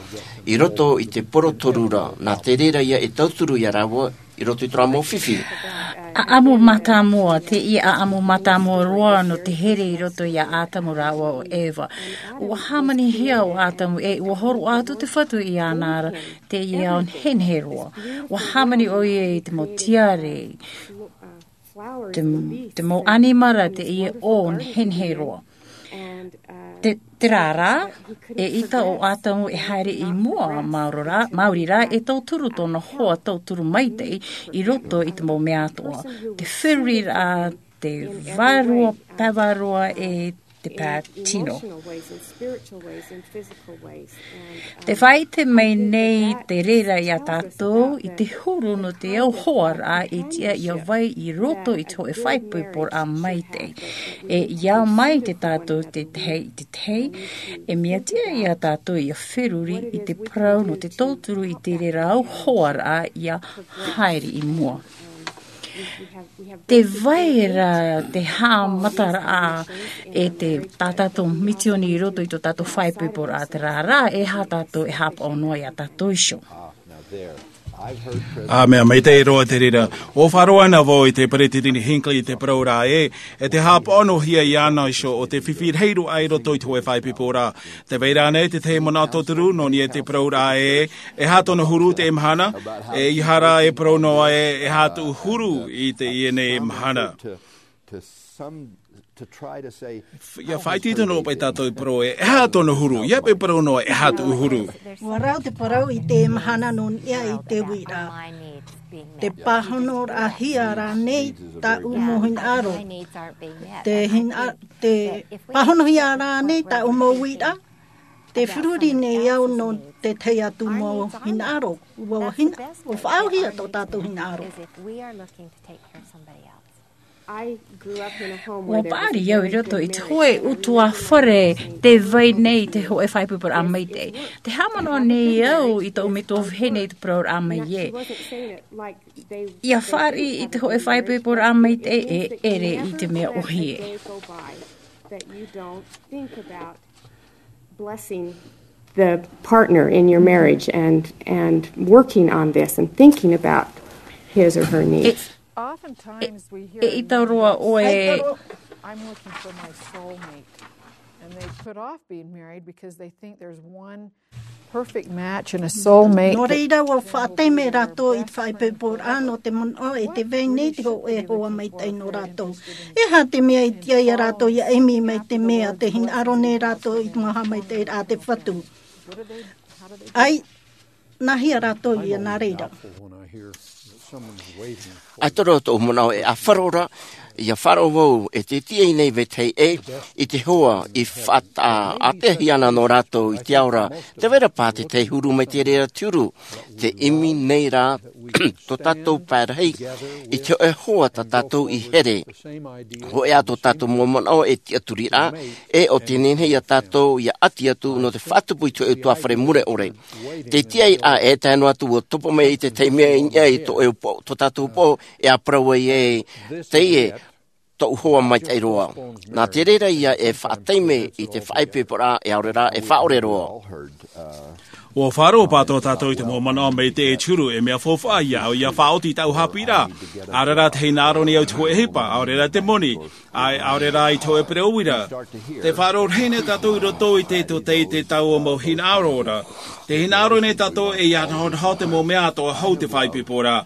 i roto i te poro toru ra, nā te reira ia e tauturu ia rāua, i roto i tō rāua mau fifi. ʻAʻamu mātāmua, teie ʻaʻamu mātāmua roa nō te here i roto ia Atamu rāua ʻo Eva. ʻUa hāmanihia ʻo Atamu, e ʻua hōroʻa atu te Fatu iāna ra, teie ao nehenehe roa. ʻUa hāmani ʻoia i te mau tiare, te, te mau ʻanimara, teie ʻō nehenehe roa. Te, terā rā, eʻita ʻo Atamu e haere i mua, māuri rā, māuri rā, e tauturu tōna hoa tauturu maitaʻi i roto i te mau mea atoʻa. Te feruriraʻa, te vārua, pae vārua, e te pae tino. Te faʻaʻite mai nei te reira ia tātou i te huru nō te au hoaraʻa e tiʻa ia vai i roto i te hōʻē faʻaipoiporaʻa maitaʻi. E ia mai te tātou te tahi i te tahi, e mea tiʻa ia tātou ia feruri i te parau nō te tauturu i te reira au hoaraʻa ia haere i mua. Te vai ra te haʻamataraʻa e te tā tātou misioni i roto i tō tātou faʻaipoiporaʻa, terā rā, e aha tātou e haʻapaʻo noa ia tātou iho. ʻĀ, mea maitaʻi roa te reira. ʻUa faʻaroʻo ana vau i te Peresideni Hinckley i te parau ra ē, e te haʻapaʻohia iāna iho ʻo te fifi rahi roa i roto i te hōʻē faʻaipoiporaʻa. Tē vai ra ānei te tahi manaʻo tauturu nō niʻa i te parau ra ē, e aha tōna huru i teie mahana, e ʻeiaha rā e parau noa ē, e aha tōʻu huru i teie nei mahana. Ia faʻaitoito noa paʻi tātou i te parau ē, e aha tōna huru, ʻia paʻi parau noa, e aha tōʻu huru. ʻUa rau te parau i teie mahana nō niʻa i te uiraʻa. Tē pāhonoraʻahia rānei tāʻu mau hinaʻaro. Tē hina-, tē pāhonohia rānei tāʻu mau uiraʻa. Tē feruri nei au nō te tahi atu mau hinaʻaro. ʻUa hina-, ʻua faʻaauhia tō tātou hinaʻaro. ʻUa paʻari au i roto i te hōʻē ʻutuāfare tē vai nei i te hōʻē faʻaipoiporaʻa maitaʻi. Tē haʻamanaʻo nei au i tōʻu metua vahine i te parauraʻa mai ē. ʻIa fāriʻi i te hōʻē faʻaipoiporaʻa maitaʻi e ʻere i te mea ʻōhie. Blessing the partner in your marriage and, and working on this and thinking about his or her needs. E, e, e ʻita roa ʻoe. I'm looking for my soulmate. And they put off being married because they think there's one perfect match and a soulmate. Nō reira, ʻua faʻataime rātou i te faʻaipoiporaʻa nō te manaʻo e tē vai nei te hōʻē hoa maitaʻi nō rātou. E aha te mea i tiʻa ia rātou ʻia ʻimi mai te mea tē hinaʻaro nei rātou i te mau haʻamaitaʻiraʻa a te Fatu? ʻAi, nāhea rātou ia nā reira? ʻAita roa tōʻu manaʻo e ʻāfaro ra, ʻia faʻaroʻo vau e te tiʻa nei vetahi ʻē, i te hoa i faʻaʻāteahia ana nō rātou i te ao ra, tē vai ra paha te tahi huru mai te reira te huru, tē ʻimi nei rā tō tātou pae rahi, i te hōʻē hoa tā tātou i here. Hōʻē ā tō tātou mau manaʻo e tiʻaturiraʻa, e ʻo tē nehenehe ia tātou ʻia ʻati atu nō te faʻatupu i te hōʻē ʻutuāfare mure ʻore. Te tiʻa i rā e tae noa atu ʻua topa mai i te tahi mea i niʻa i tō ʻoe upoʻo, tō tātou upoʻo, e ʻa parau ai ē, teie tōʻu hoa maitaʻi roa. Nā te reira ia e faʻataime i te faʻaipoiporaʻa e ʻaore rā e faʻaʻore roa. ʻUa faʻaroʻo paha tō tātou i te mau manaʻo maitaʻi e te huru, e mea faufaʻa ia au ʻia faʻaoti i tāʻu haʻapiʻiraʻa. ʻAore rā tē hinaʻaro nei au i te hōʻē ʻohipa, ʻaore rā te moni, ʻae, ʻaore rā i te hōʻē pereʻoʻo uira. Tē faʻaroʻo rahi nei tātou i roto i te tōtaiete taua mau hinaʻaro ra. Tē hinaʻaro nei tātou e ʻia nahonaho te mau mea atoʻa hou te faʻaipoiporaʻa.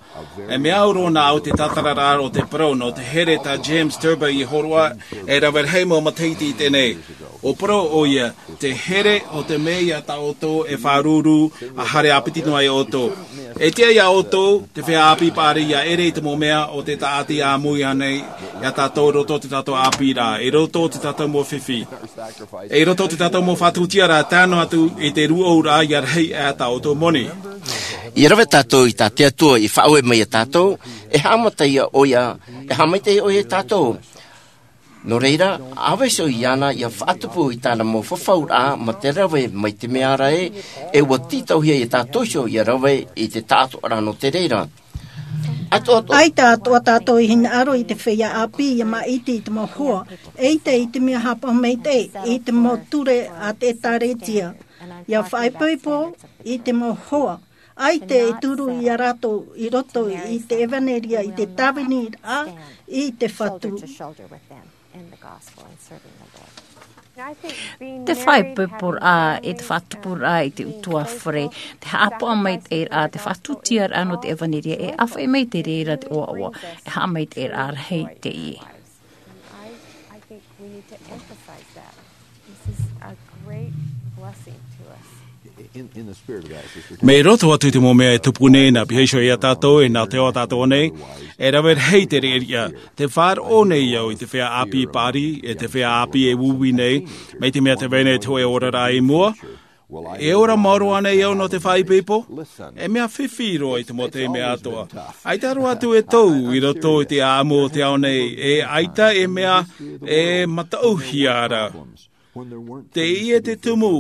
E mea au roa nā au te tātararaʻa o te parau nō te here tā James Thurber i hōroʻa, e rave rahi mau matahiti i teie nei. ʻUa parau ʻoia, te here ʻo te mea ia tā ʻoutou e faʻaruru, ʻa haere ʻāpiti noa ia ʻoutou. E tiʻa ia ʻoutou, te feiā ʻāpī paʻari ʻia ʻere i te mau mea o te tāʻati ʻāmui ānei, ia tātou i roto i tō tātou ʻāpīraʻa, i roto i tō tātou mau fifi. E i roto i tō tātou mau faʻatuʻutiaraʻa tae noa atu i te rūʻauraʻa ʻia rahi aʻe tā ʻoutou moni. ʻIa rave tātou i tā te Atua i faʻaue mai ia tātou, e haʻamata ia ʻoia, e haʻamaitaʻi ʻoia ia tātou. Nō reira, ʻa vaiiho iāna ʻia faʻatupu i tāna mau fafauraʻa mā te rave mai te mea ra ē, e ʻua tītauhia ia tātou iho ʻia rave i te taʻatoʻaraʻa nō te reira. ʻAtoʻa. ʻAita atoʻa tātou i hinaʻaro i te feiā ʻāpī ʻia māʻiti i te mau hoa, ʻeita i te mea haʻapaʻo maitaʻi i te mau ture a te ʻĒtārētia. ʻIa faʻaipoipo i te mau hoa, ʻaita e turu ia rātou i roto i te ʻevaneria, i te tāviniraʻa, i te Fatu. Te faʻaipoiporaʻa e te faʻatupuraʻa i te ʻutuāfare, te haʻapaʻo maitaʻiraʻa, te faʻatūtiaraʻa nō te ʻevaneria, e ʻāfaʻi mai te reira te ʻoaʻoa, e haʻamaitaʻiraʻa rahi teie. And I, I think we need to emphasize that. This is a great blessing to us. In, in the spirit of that, Sister Mea i roto atu i te mau mea e tupu nei, nā piha iho ia tātou, e nā te ao tātou nei, e rave rahi te reira. Te faʻaroʻo nei au i te feiā ʻāpī pāri, e te feiā ʻāpī e uiui nei, mai te mea tē vai nei te hōʻē oraraʻa i mua. E ora maoro ānei au nō te faʻaipoipo? E mea fifi roa i te mau taime atoʻa. ʻAita roa atu e tau i roto i te ʻāʻamu o te ao nei, e ʻaita e mea e mataʻuhia ra. Teie te tumu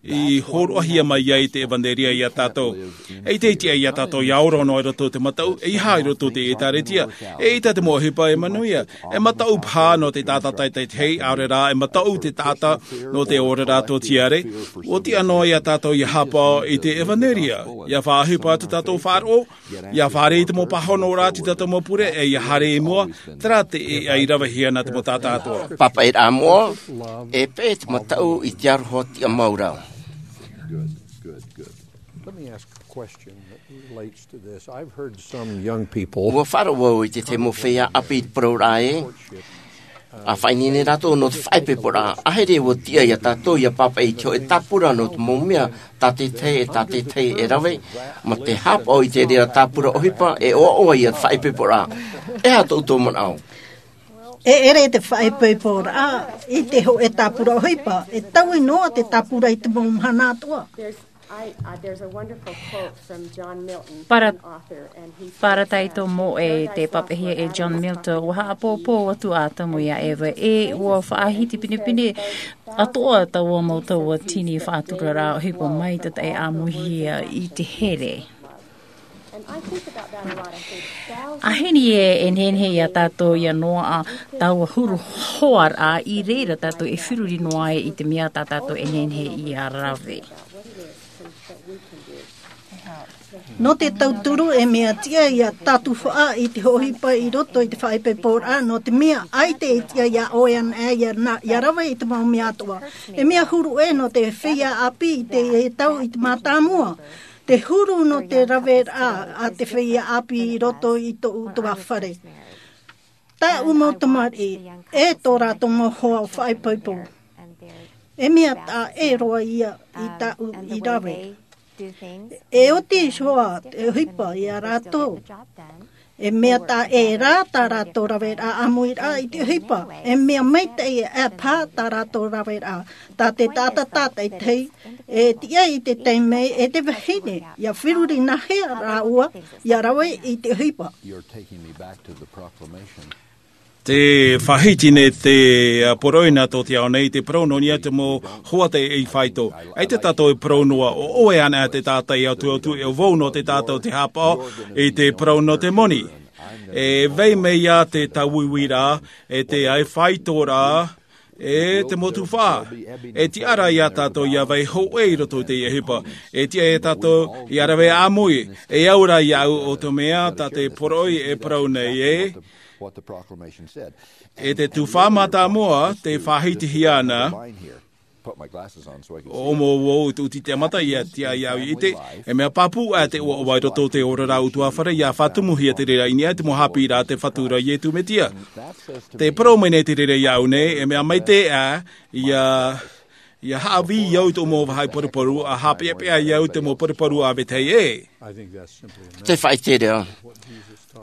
i hōroʻahia mai ai te ʻevaneria ia tātou. ʻEita e tiʻa ia tātou ʻia ora noa i roto i te mataʻu, ʻeiaha i roto i te ʻĒtārētia. ʻEita te mau ʻohipa e manuia. E mataʻu paha nō te taʻata tātaʻitahi, ʻaore rā, e mataʻu te taʻata nō te oraraʻa tōtiare. ʻUa tiʻa noa ia tātou ʻia haʻapaʻo i te ʻevaneria, ʻia faʻaʻohipa atu tātou faʻaroʻo, ʻia fāriʻi i te mau pāhonoraʻa a tō tātou mau pure, e ʻia haere i mua, terā te ʻēʻa i ravehia nā te mau taʻata atoʻa. Pāpaʻiraʻa moʻa, e peʻe te mataʻu i te aroha tiʻamau ra. Good, good, good. Let me ask a question that relates to this. I've heard some young people. ʻUa faʻaroʻo vau i te tahi mau feiā ʻāpī i te poroʻraʻa ē. ʻA faʻaineine rātou nō te faʻaipoiporaʻa. ʻAhiri ʻua tiʻa ia tātou ʻia pāpaʻi i te hōʻē tāpura nō te mau mea tātaʻitahi e tātaʻitahi e rave, mā te haʻapaʻo i te reira tāpura ʻohipa, e ʻoaʻoa ia te faʻaipoiporaʻa. E aha tō ʻoutou manaʻo? E ʻere te faʻaipoiporaʻa i te hōʻē tāpura ʻohipa, e taui noa te tāpura i te mau mahana atoʻa. There's, I, uh, there's a wonderful quote from John Milton, Para-, an author, and he says, Parataito uh, moʻe te papahia e John Milton, ʻua haʻapōpō atu ʻo Atamu ia Eva, e ʻua faʻahiti pinepine atoʻa taua mau tauatini faʻaturaraʻa ʻohipa mai te taʻe ʻāmuihia i te here. And I think about that a lot. I think thousands ʻAhiri ē, e nehenehe ia tātou ʻia noaʻa taua huru hoaraʻa i reira tātou e feruri noa ai i te mea tā tātou e nehenehe ʻia rave. Nō te tauturu, e mea tiʻa ia tātou faʻa i te hōʻē ʻohipa i roto i te faʻaipoiporaʻa, nō te mea ʻaita e tiʻa ia ʻoe anaʻe ʻia na-, ʻia rave i te mau mea atoʻa. E mea huru ē nō te feiā ʻāpī i te, e tau i te mātāmua. Te huru nō te raveraʻa a te feiā ʻāpī i roto i tō ʻutuāfare. Tāʻu mau tamariʻi, e tō rātou mau hoa ʻo faʻaipoipo. E mea taʻa ʻē roa ia i tāʻu i rave. E oti iho ā te ʻohipa ia rātou. E mea taʻa ʻē rā tā rātou raveraʻa ʻāmuiraʻa i te ʻohipa. E mea maitaʻi e paha tā rātou raveraʻa. Tā te taʻata tātaʻitahi, e tiʻa i te taime e te vahine, ʻia feruri nāhea rāua ʻia rave i te ʻohipa. You're taking me back to the proclamation. Tē faʻahiti nei te, ā, poroʻi nā tō te ao nei, te parau nō niʻa i te mau hoa tei faito. ʻAita tātou e parau noa, ʻo ʻoe anaʻe te taʻata i ʻatuʻatu, e ʻo vau nō te taʻata ʻo tē haʻapaʻo i te parau nō te moni. E vai mai ia te tāuiuiraʻa, e te ʻaifaitoraʻa, e te mau tuhaʻa. E tiʻa ra ia tātou ʻia vai hōʻē i roto i te ʻohipa. E tiʻa ia tātou ʻia rave ʻāmui. E au ra iāʻu ʻo te mea tā te poroʻi e parau nei ē. E te tuhaʻa mātāmua tē faʻahitihia ana. ʻO mau vau i te ʻuti te mata ʻia tiʻa iāʻu i ʻite. E mea pāpū ā te ʻoaʻoa i roto i te oraraʻa ʻutuāfare ʻia faʻatumuhia te reira i niʻa i te mau haʻapiʻiraʻa a te Fatu ra Iesu Mesia. Tē parau mai nei te reira iāʻu nei, e mea maitaʻi ā, ʻia, ʻia haʻavī au i tō mau vāhi paruparu, ʻa haʻapeʻapeʻa au i te mau paruparu a vetahi ē. Te faʻaʻite ra.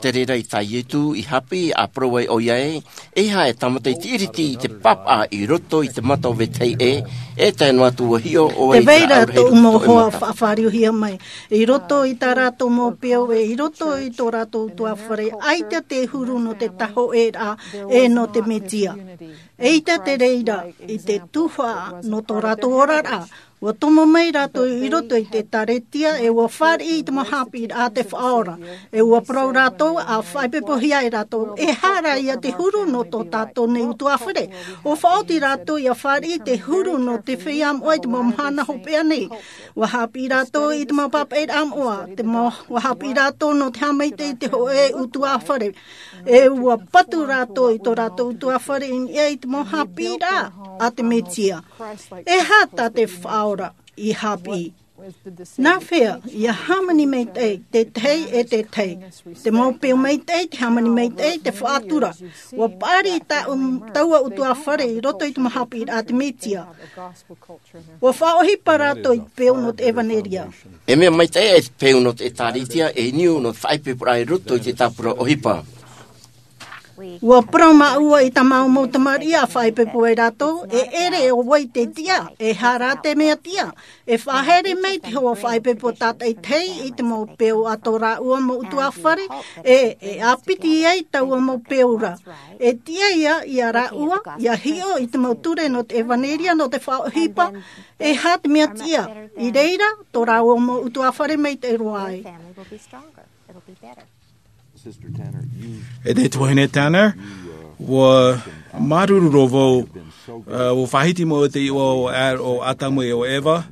Te reira i tā Iesu i haʻapiʻi, ʻa parau ai ʻoia ē, ʻeiaha e tāmata i te ʻiriti i te pāpaʻi i roto i te mata o vetahi ē, e tae noa atu ʻua hiʻo ʻoe i te raʻau rahi i roto i tō ʻoe mata. Tē vai ra tōʻu mau hoa faʻafāriuhia mai, i roto i tā rātou mau peau, e i roto i tō rātou ʻutuāfare, ʻaita te huru nō te tāhōʻēraʻa, e nō te Mesia. ʻEita te reira i te tuhaʻa nō tō rātou oraraʻa, Ua tomo mai rātou i roto i te ʻēkālesia, e ua fāriʻi i te mau haʻapiʻiraʻa a te Faʻaora. E ua parau rātou, ʻa faʻaipoipohia e rātou, e aha rā ia te huru nō tō tātou nei ʻutuāfare. ʻUa faʻaoti rātou ʻia fāriʻi te huru nō te feiā moʻa i te mau mahana hopeʻa nei. ʻUa haʻapiʻi rātou i te mau pāpaʻiraʻa moʻa, te mau, ʻua haʻapiʻi rātou nō te haʻamaitaʻi i te hōʻē ʻutuāfare. E ua patu rātou i tō rātou ʻutuāfare i niʻa i te mau haʻapiʻiraʻa a te Mesia. E aha tā te Faʻaora i haʻapiʻi? Nā hea ia hāmani maitaʻi te tahi e te tahi? Te mau peu maitaʻi, te hāmani maitaʻi, te faʻatura. ʻUa paʻari tā, taua ʻutuāfare i roto i te mau haʻapiʻiraʻa a te Mesia. ʻUa faʻaʻohipa rātou i te peu nō te ʻevanelia. E mea maitaʻi e te peu nō te ʻēkālesia, e niu nō te faʻaipoiporaʻa i roto i te tāpura ʻohipa. ʻUa parau māua i tā māua mau tamariʻi ʻa faʻaipoipo ai rātou, e ʻere ʻo vai te tiʻa, e aha rā te mea tiʻa. E faʻahaere mai te hoa faʻaipoipo tātaʻitahi i te mau peu a tō rāua mau ʻutuāfare, e, e ʻāpiti ai taua mau peu ra. E tiʻa ia, ia rāua, ʻia hiʻo i te mau ture nō te ʻevanelia, nō te faʻaʻohipa, e aha te mea tiʻa. I reira, tō rāua mau ʻutuāfare maitaʻi roa ai. E te tuahine Tanner, ʻua māuruuru roa vau, ʻua faʻahiti mai te iʻoa o Ad-, o Atamu e o Eva.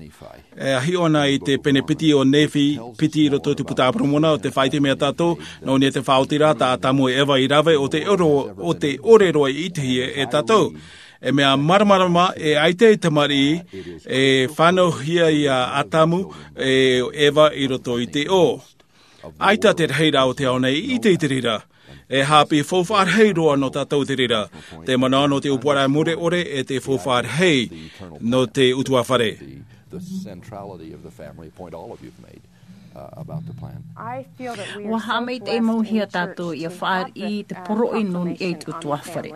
E hiʻo na i te pene piti o Nephi, piti i roto i te Puta a Moromona, ʻo tē faʻaʻite mai tātou, nō niʻa i te faʻaotiraʻa tā Atamu e Eva i rave, ʻo tē ʻore, ʻo tē ʻore roa i ʻitehia e tātou. E mea māramarama, e ʻaita e tamariʻi, e fānauhia ia Atamu e Eva i roto i te ʻō. ʻAita te rahiraʻa o te ao nei i ʻite i te reira. E haʻapiʻi faufaʻa rahi roa nō tātou te reira. Te manaʻo nō te ʻōpuaraʻa mure ʻore e te faufaʻa rahi nō te ʻutuāfare. The centrality of the family point all of you've made, uh, about the plan. ʻUa haʻamaitaʻi mau hia tātou ʻia fāriʻi te poroʻi nō niʻa i te ʻutuāfare.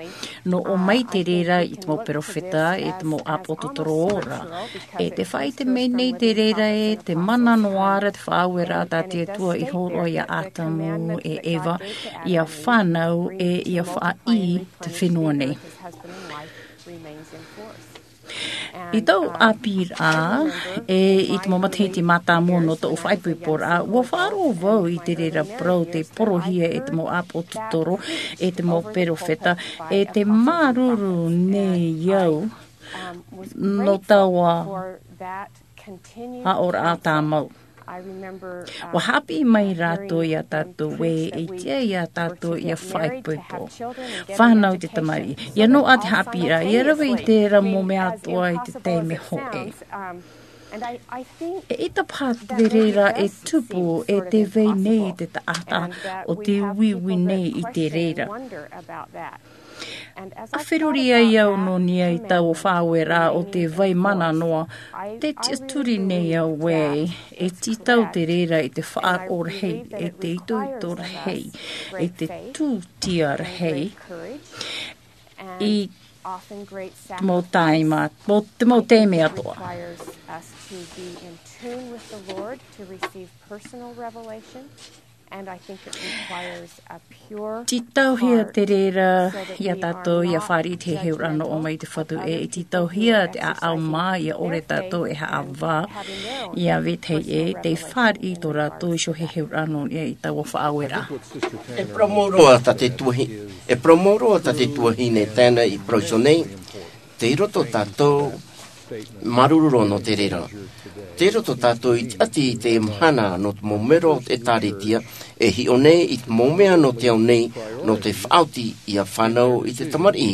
Nō ʻō mai te reira i te mau perofeta, e te mau ʻāpōsetolo ora. E tē faʻaʻite mai nei te reira ē, te mana noa ra te faʻaueraʻa tā te Atua i hōroʻa ia Atamu e Eva, ʻia fānau e ʻia faʻaʻī te fenua nei. I taua ʻāpīraʻa, e i te mau matahiti mātāmua nō tōʻu faʻaipoiporaʻa, ʻua faʻaroʻo vau i te reira parau tei porohia e te mau ʻāpōsetolo, e te mau perofeta, e tē māuruuru nei au nō taua aʻoraʻa tāmau. ʻUa haʻapiʻi mai rātou ia tātou ē, e tiʻa ia tātou ʻia faʻaipoipo. Fānau te tamariʻi. ʻIa noaʻa te haʻapiʻiraʻa, ʻia rave i terā mau mea atoʻa i te taime hōʻē. E ʻaita paha te reira e tupu, e tē vai nei te taʻata ʻo tē uiui nei i te reira. ʻA feruri ai au nō niʻa i taua faʻaueraʻa ʻo tē vai mana noa, tē tiʻaturi nei au ē, e tītau te reira i te faʻaroʻo rahi, e te itoito rahi, e te tūtia rahi, i te mau taime, mau, te mau taime atoʻa. Tītauhia te reira ia tātou ʻia fāriʻi i te heheuraʻa nō ʻō mai i te Fatu ē, e tītauhia te ʻāʻau mā ʻia ʻore tātou e haʻavā, ʻia vetahi ē, tē fāriʻi tō rātou iho heheuraʻa nō niʻa i taua faʻaueraʻa. E parau mau roa tā te tuahi-, e parau mau roa tā te tuahine Tanner i parau iho nei, tei roto tātou māuruuru roa nō te reira. Tei roto tātou i te ʻati i te mahana nō te mau mero o te ʻĒtārētia, e hiʻo nei i te mau mea nō te ao nei, nō te faʻaoti ʻia fānau i te tamariʻi.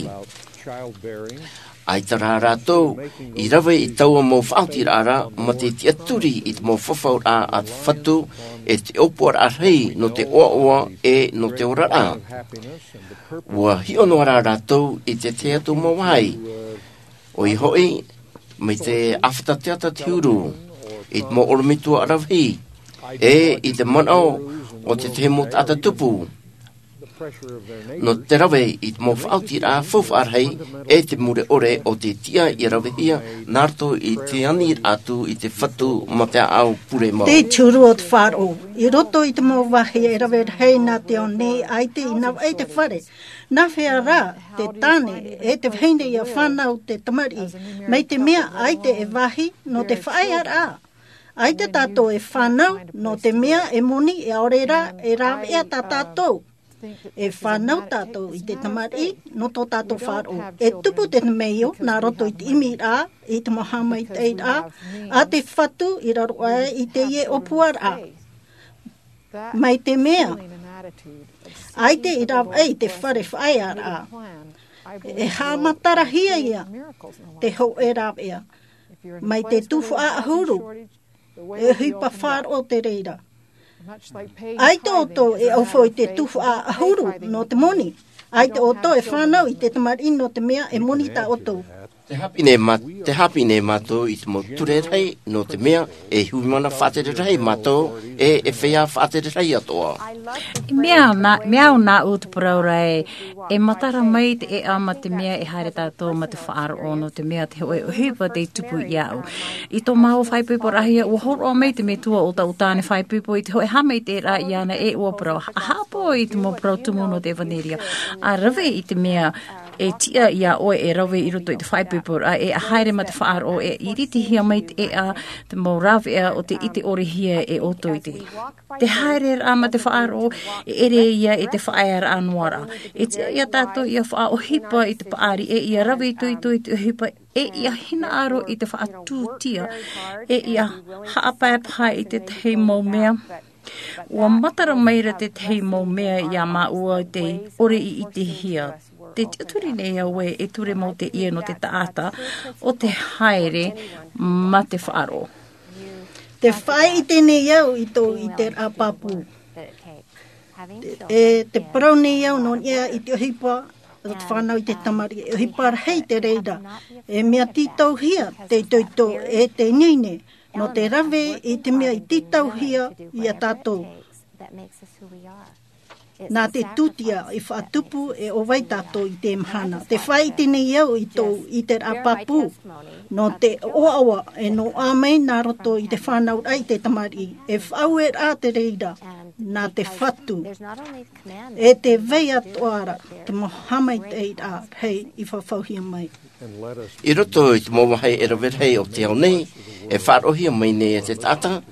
ʻAita rā rātou i rave i taua mau faʻaotiraʻa ra, mā te tiʻaturi i te mau fafauraʻa a te Fatu, e te ʻōpuaraʻa rahi nō te ʻoaʻoa e nō te oraraʻa. ʻUa hiʻo noa rā rātou i te tahi atu mau vāhi. ʻOia hoʻi, mai te ʻāfata teata te huru, i te mau ʻorometua ʻaravihi, e i te manaʻo o te tahi mau taʻata tupu. Nō te rave i te mau faʻaotiraʻa faufaʻa rahi e te mure ʻore o te tiʻa ia ravehia nā roto i te aniraʻa atu i te fatu mā te ʻāʻau pure mau. Te turu o te faʻaroʻo. I roto i te mau vāhi e rave rahi nā te ao nei, ʻaita i navaʻi te fare. Nā hea rā te tāne e te vahine ia fānau te tamariʻi, mai te mea ʻaita e vāhi nō te faʻaearaʻa. ʻAita tātou e fānau nō te mea e moni, e ʻaore rā e rāveʻa tā tātou. E fānau tātou i te tamariʻi nō tō tātou faʻaroʻo. E tupu te temeio nā roto i te ʻimiraʻa, i te mau haʻamaitaʻiraʻa a te fatu i raro aʻe i teie ʻōpuaraʻa. Mai te mea ʻaita i rāveʻa i te fare faʻaearaʻa, e haʻamatarahia ia te hōʻē rāveʻa. Mai te tuhaʻa ʻahuru, e ʻohipa faʻaroʻo te reira. ʻAita ʻoutou e ʻaufau i te tuhaʻa ʻahuru nō te moni. ʻAita ʻoutou e fānau i te tamariʻi nō te mea e moni tā ʻoutou. Te haʻapiʻi nei mā-, te haʻapiʻi nei mātou i te mau ture rahi nō te mea e hui mana faʻatere rahi mātou e, e feiā faʻatere rahi atoʻa. Mea nā, mea au nāʻu te parau ra e, e matara mai te ʻēʻa mā te mea e haere tātou mā te faʻaroʻo nō te mea te hōʻē ʻohipa tei tupu iāʻu. I tō māua faʻaipoiporaʻahia, ʻua hōroʻa mai te metua o taʻu tāne faʻaipoipo i te hōʻē haʻamaitaʻiraʻa iāna e ʻua parau, haʻapaʻo i te mau parau tumu nō te ʻevaneria. ʻA rave i te mea e tiʻa iā ʻoe e rave i roto i te faʻaipoiporaʻa, e ʻa haere mā te faʻaroʻo, e iritihia mai te ʻēʻa, te mau rāveʻa o te ʻite ʻore hia e ʻoutou i te. Te haereraʻa mā te faʻaroʻo, e ʻere ia e te faʻaearaʻa noa ra. E tiʻa iā tātou ia faʻaʻohipa i te paʻari, e ia rave itoito i te ʻohipa, e ia hinaʻaro i te faʻatūtia, e ia haʻapaepae i tētahi mau mea. ʻUa matara mai ra tētahi mau mea iā māua tei ʻore i ʻitehia. Te tiʻaturi nei au ē, e ture mau teie nō te taʻata o te haere mā te faʻaroʻo. Te faʻaʻite nei au i tō ʻiteraʻa pāpū. E te parau nei au nō niʻa i te ʻohipa o te fānau i te tamariʻi, e ʻohipa rahi te reira. E mea tītauhia te itoito e te ineine, nō te rave i te mea i tītauhia iā tātou. Nā te tūtia i faʻatupu e ʻo vai tātou i te mahana. Te faʻaʻite nei au i tō ʻiteraʻa pāpū, nō te ʻoaʻoa e noaʻa mai nā roto i te fānauraʻa i te tamariʻi, e faʻaueraʻa te reira, nā te fatu. E te vai atoʻa ra te mau haʻamaitaʻiraʻa rahi i fafauhia mai. I roto i te mau vāhi e rave rahi o te ao nei, e faʻaroʻohia mai nei e te taʻata,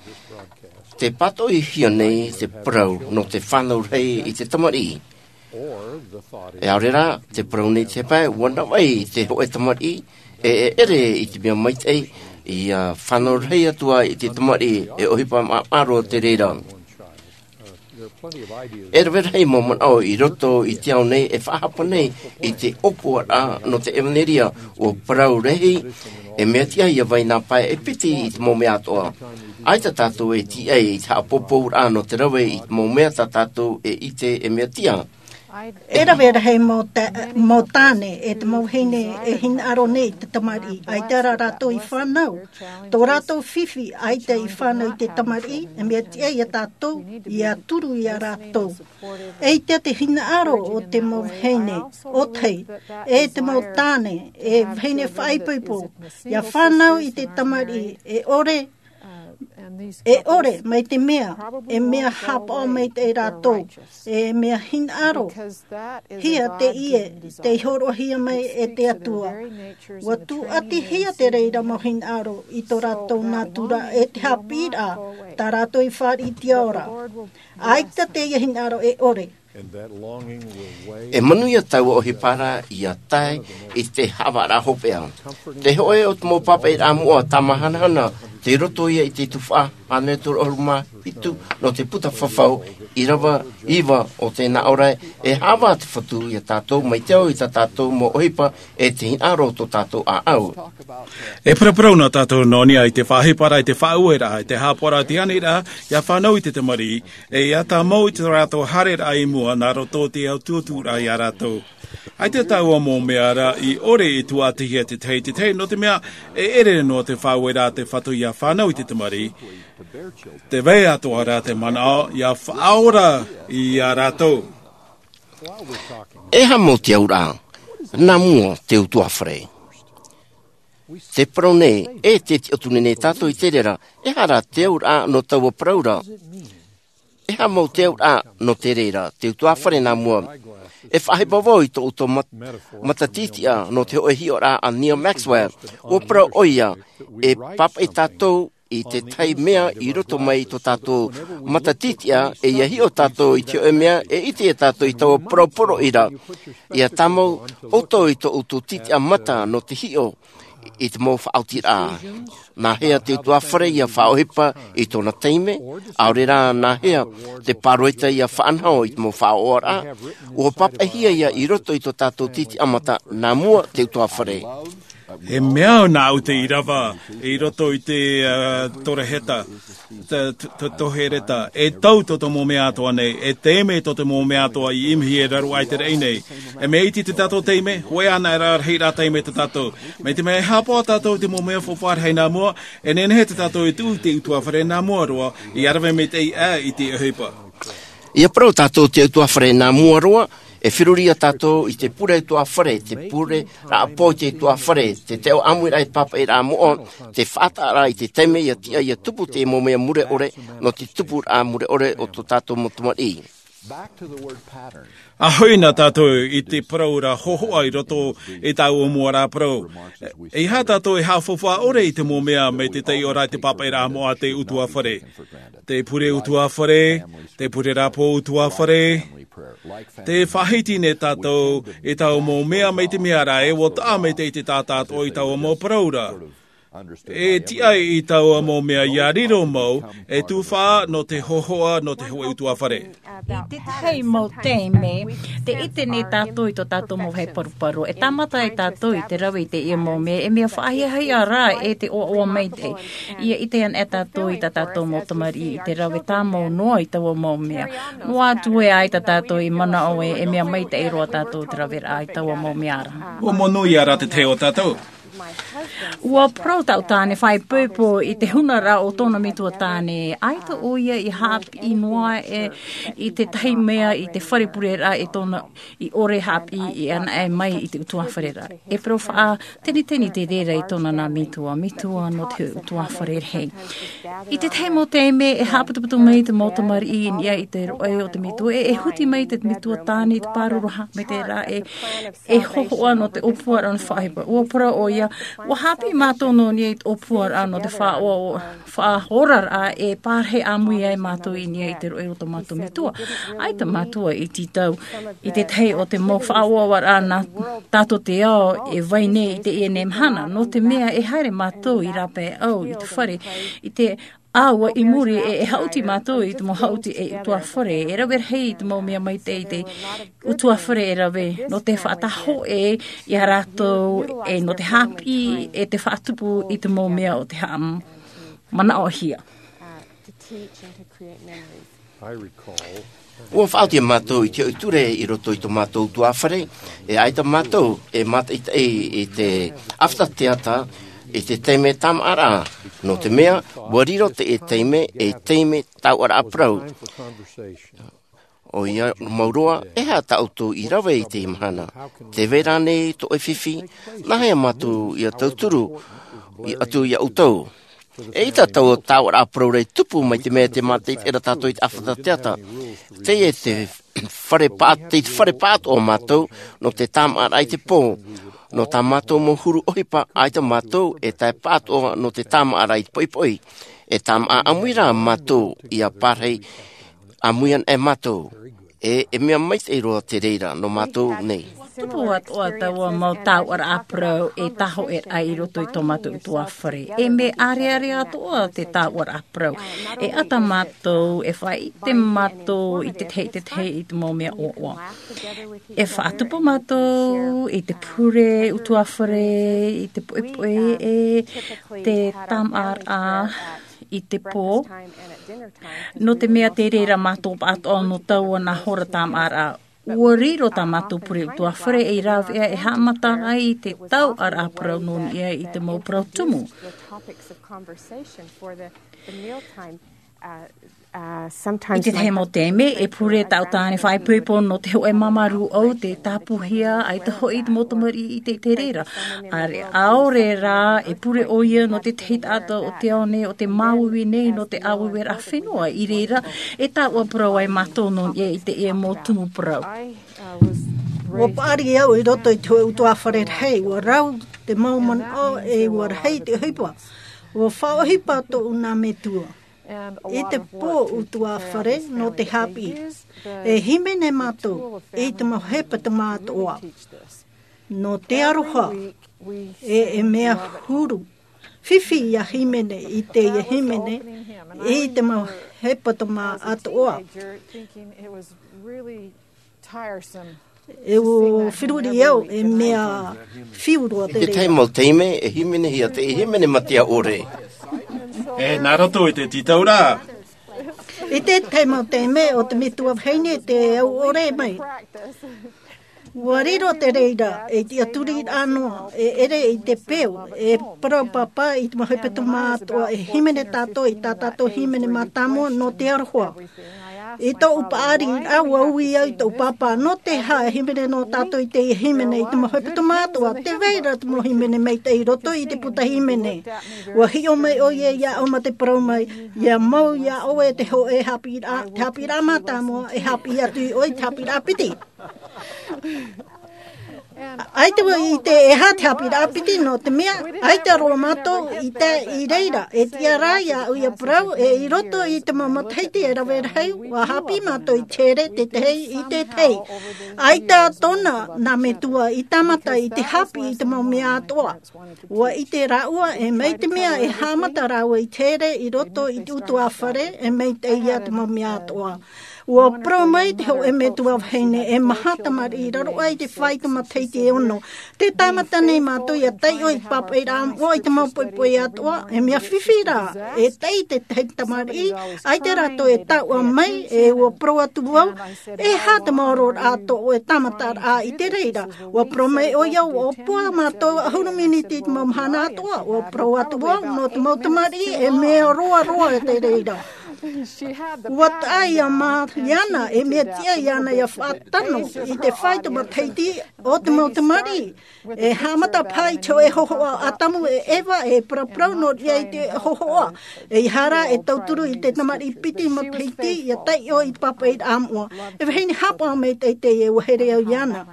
te pātoʻihia nei te parau nō te fānau rahi i te tamariʻi. E ʻaore rā, te parau nei te pae, ʻua navaʻi te hōʻē tamariʻi, e, e ʻere i te mea maitaʻi, ia fānau rahi atu ā i te tamariʻi, e ʻohipa māʻaro te reira. E rave rahi mau manaʻo i roto i te ao nei e faʻahapa nei i te ʻōpuaraʻa nō te ʻevaneria, ʻua parau rahi, e mea tiʻa ia vai nā pae e piti i te mau mea atoʻa. ʻAita tātou e tīaʻi i te haʻapōpōraʻa nō te rave i te mau mea tā tātou e ʻite e mea tiʻa. E rave rahi mau ta-, mau tāne, e te mau vahine e hinaʻaro nei i te tamariʻi, ʻaita rā rātou i fānau. Tō rātou fifi, ʻaita i fānau i te tamariʻi, e mea tiʻa ia tātou, ia turu ia rātou. ʻEita te hinaʻaro o te mau vahine, ʻōtahi, e te mau tāne, e vahine faʻaipoipo, ia fānau i te tamariʻi, e ʻore, e ʻore, mai te mea, e mea haʻapaʻo maitaʻi rātou, e mea hinaʻaro hia teie tei hōroʻahia mai e te Atua. ʻUa tūʻatihia te reira mau hinaʻaro i tō rātou nātura e te haʻapiʻiraʻa, tā rātou i fāriʻi i te ao ra. ʻAita teie hinaʻaro e ʻore. E manuia taua ʻohipa ra ia tae i te haʻavāraʻa hopeʻa. Te hōʻē o te mau pāpaʻiraʻa moʻa tāmāhanahana, tei roto ia i te tuhaʻa hānere toru ʻahuru mā hitu nō te puta fafau, ʻīrava iva o te nā ʻō ra, e haʻavā te Fatu ia tātou mai te ao i tā tātou mau ʻohipa e te hinaʻaro o tō tātou ʻāʻau. E paraparau na tātou nō niʻa i te faʻaʻohiparaʻa, i te faʻaueraʻa, i te haʻapaʻoraʻa, te aniraʻa, ia fānau i te tamariʻi, e ia tāmau i tō rātou haereraʻa i mua nā roto i te ao tūtūraʻa ia rātou. ʻAita taua mau mea ra i ʻore i tūʻatihia tētahi, tētahi, nō te mea e ʻere noa te faʻaueraʻa a te Fatu ia fānau i te tamariʻi. Te vai atoʻa ra te manaʻo ia faʻaora ia rātou. E aha mau te auraʻa nā mua te utuāfare? Te parau nei, e te tiʻaturi nei tātou i te reira, e aha rā te auraʻa nō taua parau ra? E aha mau te auraʻa nō te reira, te utuāfare nā mua? E faʻaʻohipa vau i tō ʻoutou mat-, matatītiʻa nō te hōʻē hiʻoraʻa a Neil Maxwell. ʻUa parau ʻoia, e pāpaʻi tātou i te tahi mea i roto mai i tō tātou matatītiʻa, e ʻia hiʻo tātou i te hōʻē mea, e ʻite ia tātou i taua poroporoʻi ra. ʻIa tāmau ʻoutou i tō ʻoutou tītiʻa mata nō te hiʻo i te mau faʻaotiraʻa. Nā hea te utuāfare ʻia faʻaʻohipa i tōna taime, ʻaore rā nā hea te pāroita ʻia faʻanaho i te mau faʻaʻoraʻa, ʻua pāpaʻihia ia i roto i tō tātou tītiʻa mata nā mua te utuāfare. E mea au nā ʻu te ʻīrava i roto i te, uh, toreheta, te, te, te tohereta, e tau tō te mau mea atoʻa nei, e taime tō te mau mea atoʻa i ʻimihi e raro ai te raʻi nei. E mea iti te tātou taime, hōʻē ana e rā rahi rā taime tō tātou. Mai te mea e haʻapaʻo tātou i te mau mea faufaʻa rahi nā mua, e nehenehe tō tātou e tuʻu i te utuāfare nā mua roa, ʻia rave maitaʻi ā i te ʻohipa. ʻIa parau tātou te utuāfare nā mua roa, e feruri ia tātou i te pure utuāfare, te pure rāʻau pō i te utuāfare, te taiʻo ʻāmuiraʻa i te pāpaʻiraʻa moʻa, te faʻataʻaraʻa i te taime ʻia tiʻa ʻia tupu te mau mea mure ʻore, nō te tupuraʻa mure ʻore o tō tātou mau tamariʻi. ʻA hoʻi nā tātou i te parau ra hōhoʻa i roto i taua mau ra parau. E aha tātou e haʻafaufaʻa ʻore i te mau mea mai te taiʻoraʻa i te pāpaʻiraʻa moʻa a te utuāfare. Te pure utuāfare, te pure rāʻau pō utuāfare, te faʻahiti nei tātou i taua mau mea mai te mea ra e ʻua taʻa maitaʻi te taʻata atoʻa i taua mau parau ra. E tiʻa i taua mau mea ʻia riro mau, e tufaʻa nō te hōhoʻa, nō te hōʻē utuāfare. I te tahi mau taime, tē ʻite nei tātou i tō tātou mau vāhi paruparu. E tāmata ai tātou i te rave i teie mau mea, e mea faʻahiahia rā e te ʻoaʻoa maitaʻi. ʻIa ʻite ana e tātou i tā tātou mau tamariʻi i te rave tāmau noa i taua mau mea. Noa atu ē ʻaita tātou i manaʻo ē, e mea maitaʻi roa tātou te raveraʻa i taua mau mea ra. ʻUa monū ia rā te tahi o tātou. ʻUa parau taʻu tāne faʻaipoipo i te hunaraʻa o tōna metua tāne. ʻAita ʻoia i haʻapiʻi noa ē i te tahi mea i te fare pureraʻa e tōna i ʻore haʻapiʻi anaʻe mai i te utuāfare ra. E parau faʻateniteni te reira i tōna nā metua, metua nō te utuāfare rahi. I te tahi mau taime, e haʻaputuputu mai te mau tamariʻi i niʻa i te roʻe o te metua, e, e huti mai te metua tāne i te pāruru haʻamaitaʻiraʻa, e, e hōhoʻa nō te ʻōpuaraʻa nō te faʻaʻohipa. ʻUa parau ʻoia, ʻua haʻapiʻi mātou nō niʻa i te ʻōpuaraʻa nō te faʻaʻo-, faʻaoraraʻa e pārahi ʻāmui ai mātou i niʻa i te roʻe o tō mātou metua. ʻAita mātou i tītau i te tahi o te mau faʻaʻoaʻoaraʻa nā tātou te ao e vai nei i teie nei mahana, nō te mea e haere mātou i rāpae ʻau i te fare, i te ʻāua i muri e, e haʻuti mātou i te mau haʻuti e utuāfare, e rave rahi i te mau mea maitaʻi i te utuāfare e rave, nō te faʻatahoʻe ia rātou, e nō te haʻapiʻi, e te faʻatupu i te mau mea o te haʻamanaʻohia. ʻUa faʻaoti mātou i te hōʻē ture i roto i tō mātou utuāfare, e ʻaita mātou e mātaʻitaʻi i te ʻāfata teata, i te taime tāmāʻaraʻa, nō te mea, ʻua riro te, e taime, e taime tauʻaraʻa parau. ʻOia mau roa, e aha tā ʻoutou i rave i teie mahana? Tē vai ra nei tō ʻoe fifi, nā hea mātou ʻia tauturu i, atu ia ʻoutou? E ʻita taua tauʻaraʻa parau ra i tupu mai te mea tē mātaʻitaʻi ra tātou i te ʻāfata teata. Teie te fare pā-, te fare pāʻatoʻa mātou nō te tāmāʻaraʻa i te pō. Nō tā mātou mau huru ʻohipa, ʻaita mātou e tae pāʻatoʻa nō te tāmāʻaraʻa i te poʻipoʻi. E tāmāʻa ʻāmui rā mātou ʻia pārahi ʻāmui ana e mātou. E, e mea maitaʻi roa te reira nō mātou nei. Tupu atoʻa taua mau tauʻaraʻa parau e tahoʻe raʻa i roto i tō mātou utuāfare. E mea ʻārearea atoʻa te tauʻaraʻa parau. E ʻata mātou, e faʻaʻite mātou i te tahi, i te tahi, i te mau mea ʻoaʻoa. E faʻatupu mātou i te pure utuāfare, i te poʻipoʻi, e te tāmāʻaraʻa i te pō. Nō te mea tē reira mātou pāʻatoʻa nō taua nā hora tāmāʻaraʻa. ʻUa riro tā mātou pure utuāfare ei rāveʻa e haʻamata ai i te tauʻaraʻa parau nō niʻa i te mau parau tumu. I te tahi mau taime, e pure taʻu tāne faʻaipoipo nō te hōʻē māmā rūʻau, te tāpūhia, ʻaita hoʻi te mau tamariʻi i te, i te reira. ʻĀre, ʻaore rā, e pure ʻoia nō te tahi taʻata o te ao nei, o te māuiui nei, nō te ʻāuiuiraʻa fenua i reira, e taʻu ā parau ai mātou nō niʻa i teie mau tumu parau. Ua paʻari au i roto i te hōʻē ʻutuāfare rahi, ua rau te mau manaʻo e ua rahi te ʻohipa. Ua faʻaʻohipa tōʻu nā metua. I te pō ʻutuāfare nō te haʻapiʻi. E hīmene mātou i te mau hepetoma atoʻa. Nō te aroha, e, e mea huru. Fifi ia hīmene i teie hīmene, i te mau hepetoma atoʻa. E ʻua feruri au, e mea fiu roa te reira. I te tahi mau taime, e hīmenehia te, e hīmene mātea ʻore. E nā roto i te tītauraʻa. I te tahi mau taime, ʻo te metua vahine te au ʻore mai. ʻUa riro te reira, e tiʻaturi noa, e ʻere i te peu, e parau pāpā i te mau hepetoma atoʻa, e hīmene tātou, i tā tātou hīmene mātāmua, nō te aroha. I tōʻu paʻari, ʻua ui au i tōʻu pāpā, nō te aha e hīmene noa tātou i teie hīmene, i te mau hepetoma atoʻa, tē vai ra te mau hīmene maitaʻi i roto i te puta hīmene. ʻUa hiʻo mai ʻoia iāʻu mā te parau mai, ʻia mau iā ʻoe te hōʻē haʻapiʻiraʻa, te haʻapiʻiraʻa mātāmua, e haʻapiʻi atu iā ʻoe te haʻapiʻiraʻa piti. ʻAita vau i ʻite e aha te haʻapiʻiraʻa piti, nō te mea, ʻaita roa mātou i tae i reira, e tiʻa rā iāʻu ʻia parau, e i roto i te mau matahiti e rave rahi, ʻua haʻapiʻi mātou i te here, te tahi i te tahi. ʻAita tōna nā metua i tāmata i te haʻapiʻi i te mau mea atoʻa. ʻUa ʻite rāua, e mai te mea e haʻamata rāua i te here i roto i te ʻutuāfare, e maitaʻi ia te mau mea atoʻa. ʻUa parau mai te hōʻē metua vahine, e maha tamariʻi i raro aʻe i te faito matahiti e ono. Tē tāmata nei mātou ʻia taiʻo i te pāpaʻiraʻa moʻa i te mau poʻipoʻi atoʻa, e mea fifi rā, e taʻi te tahi tamariʻi, ʻaita rātou e taʻua mai, e ʻua parau atu vau, e aha te maororaʻa tō ʻoe tāmataraʻa i te reira. ʻUa parau mai ʻoia, ʻua ʻōpua mātou ʻahuru miniti i te mau mahana atoʻa, ʻua parau atu vau, nō te mau tamariʻi, e mea roaroa te reira. ʻUa taʻa iā Mariana, e mea tiʻa iāna ʻia faʻatano i te faito matahiti o te mau tamariʻi. E haʻamata paʻi te hōʻē hōhoʻa ʻo Atamu e Eva, e paraparau noa i te hōhoʻa. ʻEiaha rā e tauturu i te tamariʻi piti matahiti ʻia taiʻo i te pāpaʻiraʻa moʻa. E vahine haʻapaʻo maitaʻi teie, ʻua here au iāna.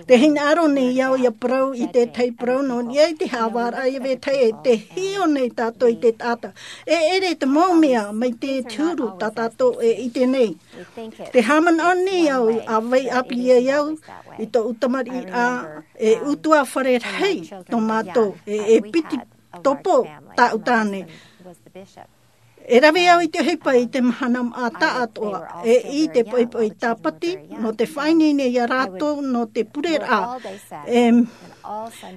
Tē hinaʻaro nei au ʻia parau i te tahi parau nō niʻa i te haʻavāraʻa ʻia vetahi, e tē hiʻo nei tātou i te taʻata. E ʻere te mau mea mai te huru tā tātou e ʻite nei. Tē haʻamanaʻo nei au, ʻa vai ʻāpī ai au i tōʻu tamariʻiraʻa, e ʻutuāfare rahi tō mātou, e, e piti topo tāʻu tāne. E rave au i te ʻohipa i te mahana māʻa taʻatoʻa, e i te poʻipoʻi tāpati, nō te faʻaineine iā rātou, nō te pureraʻa. E,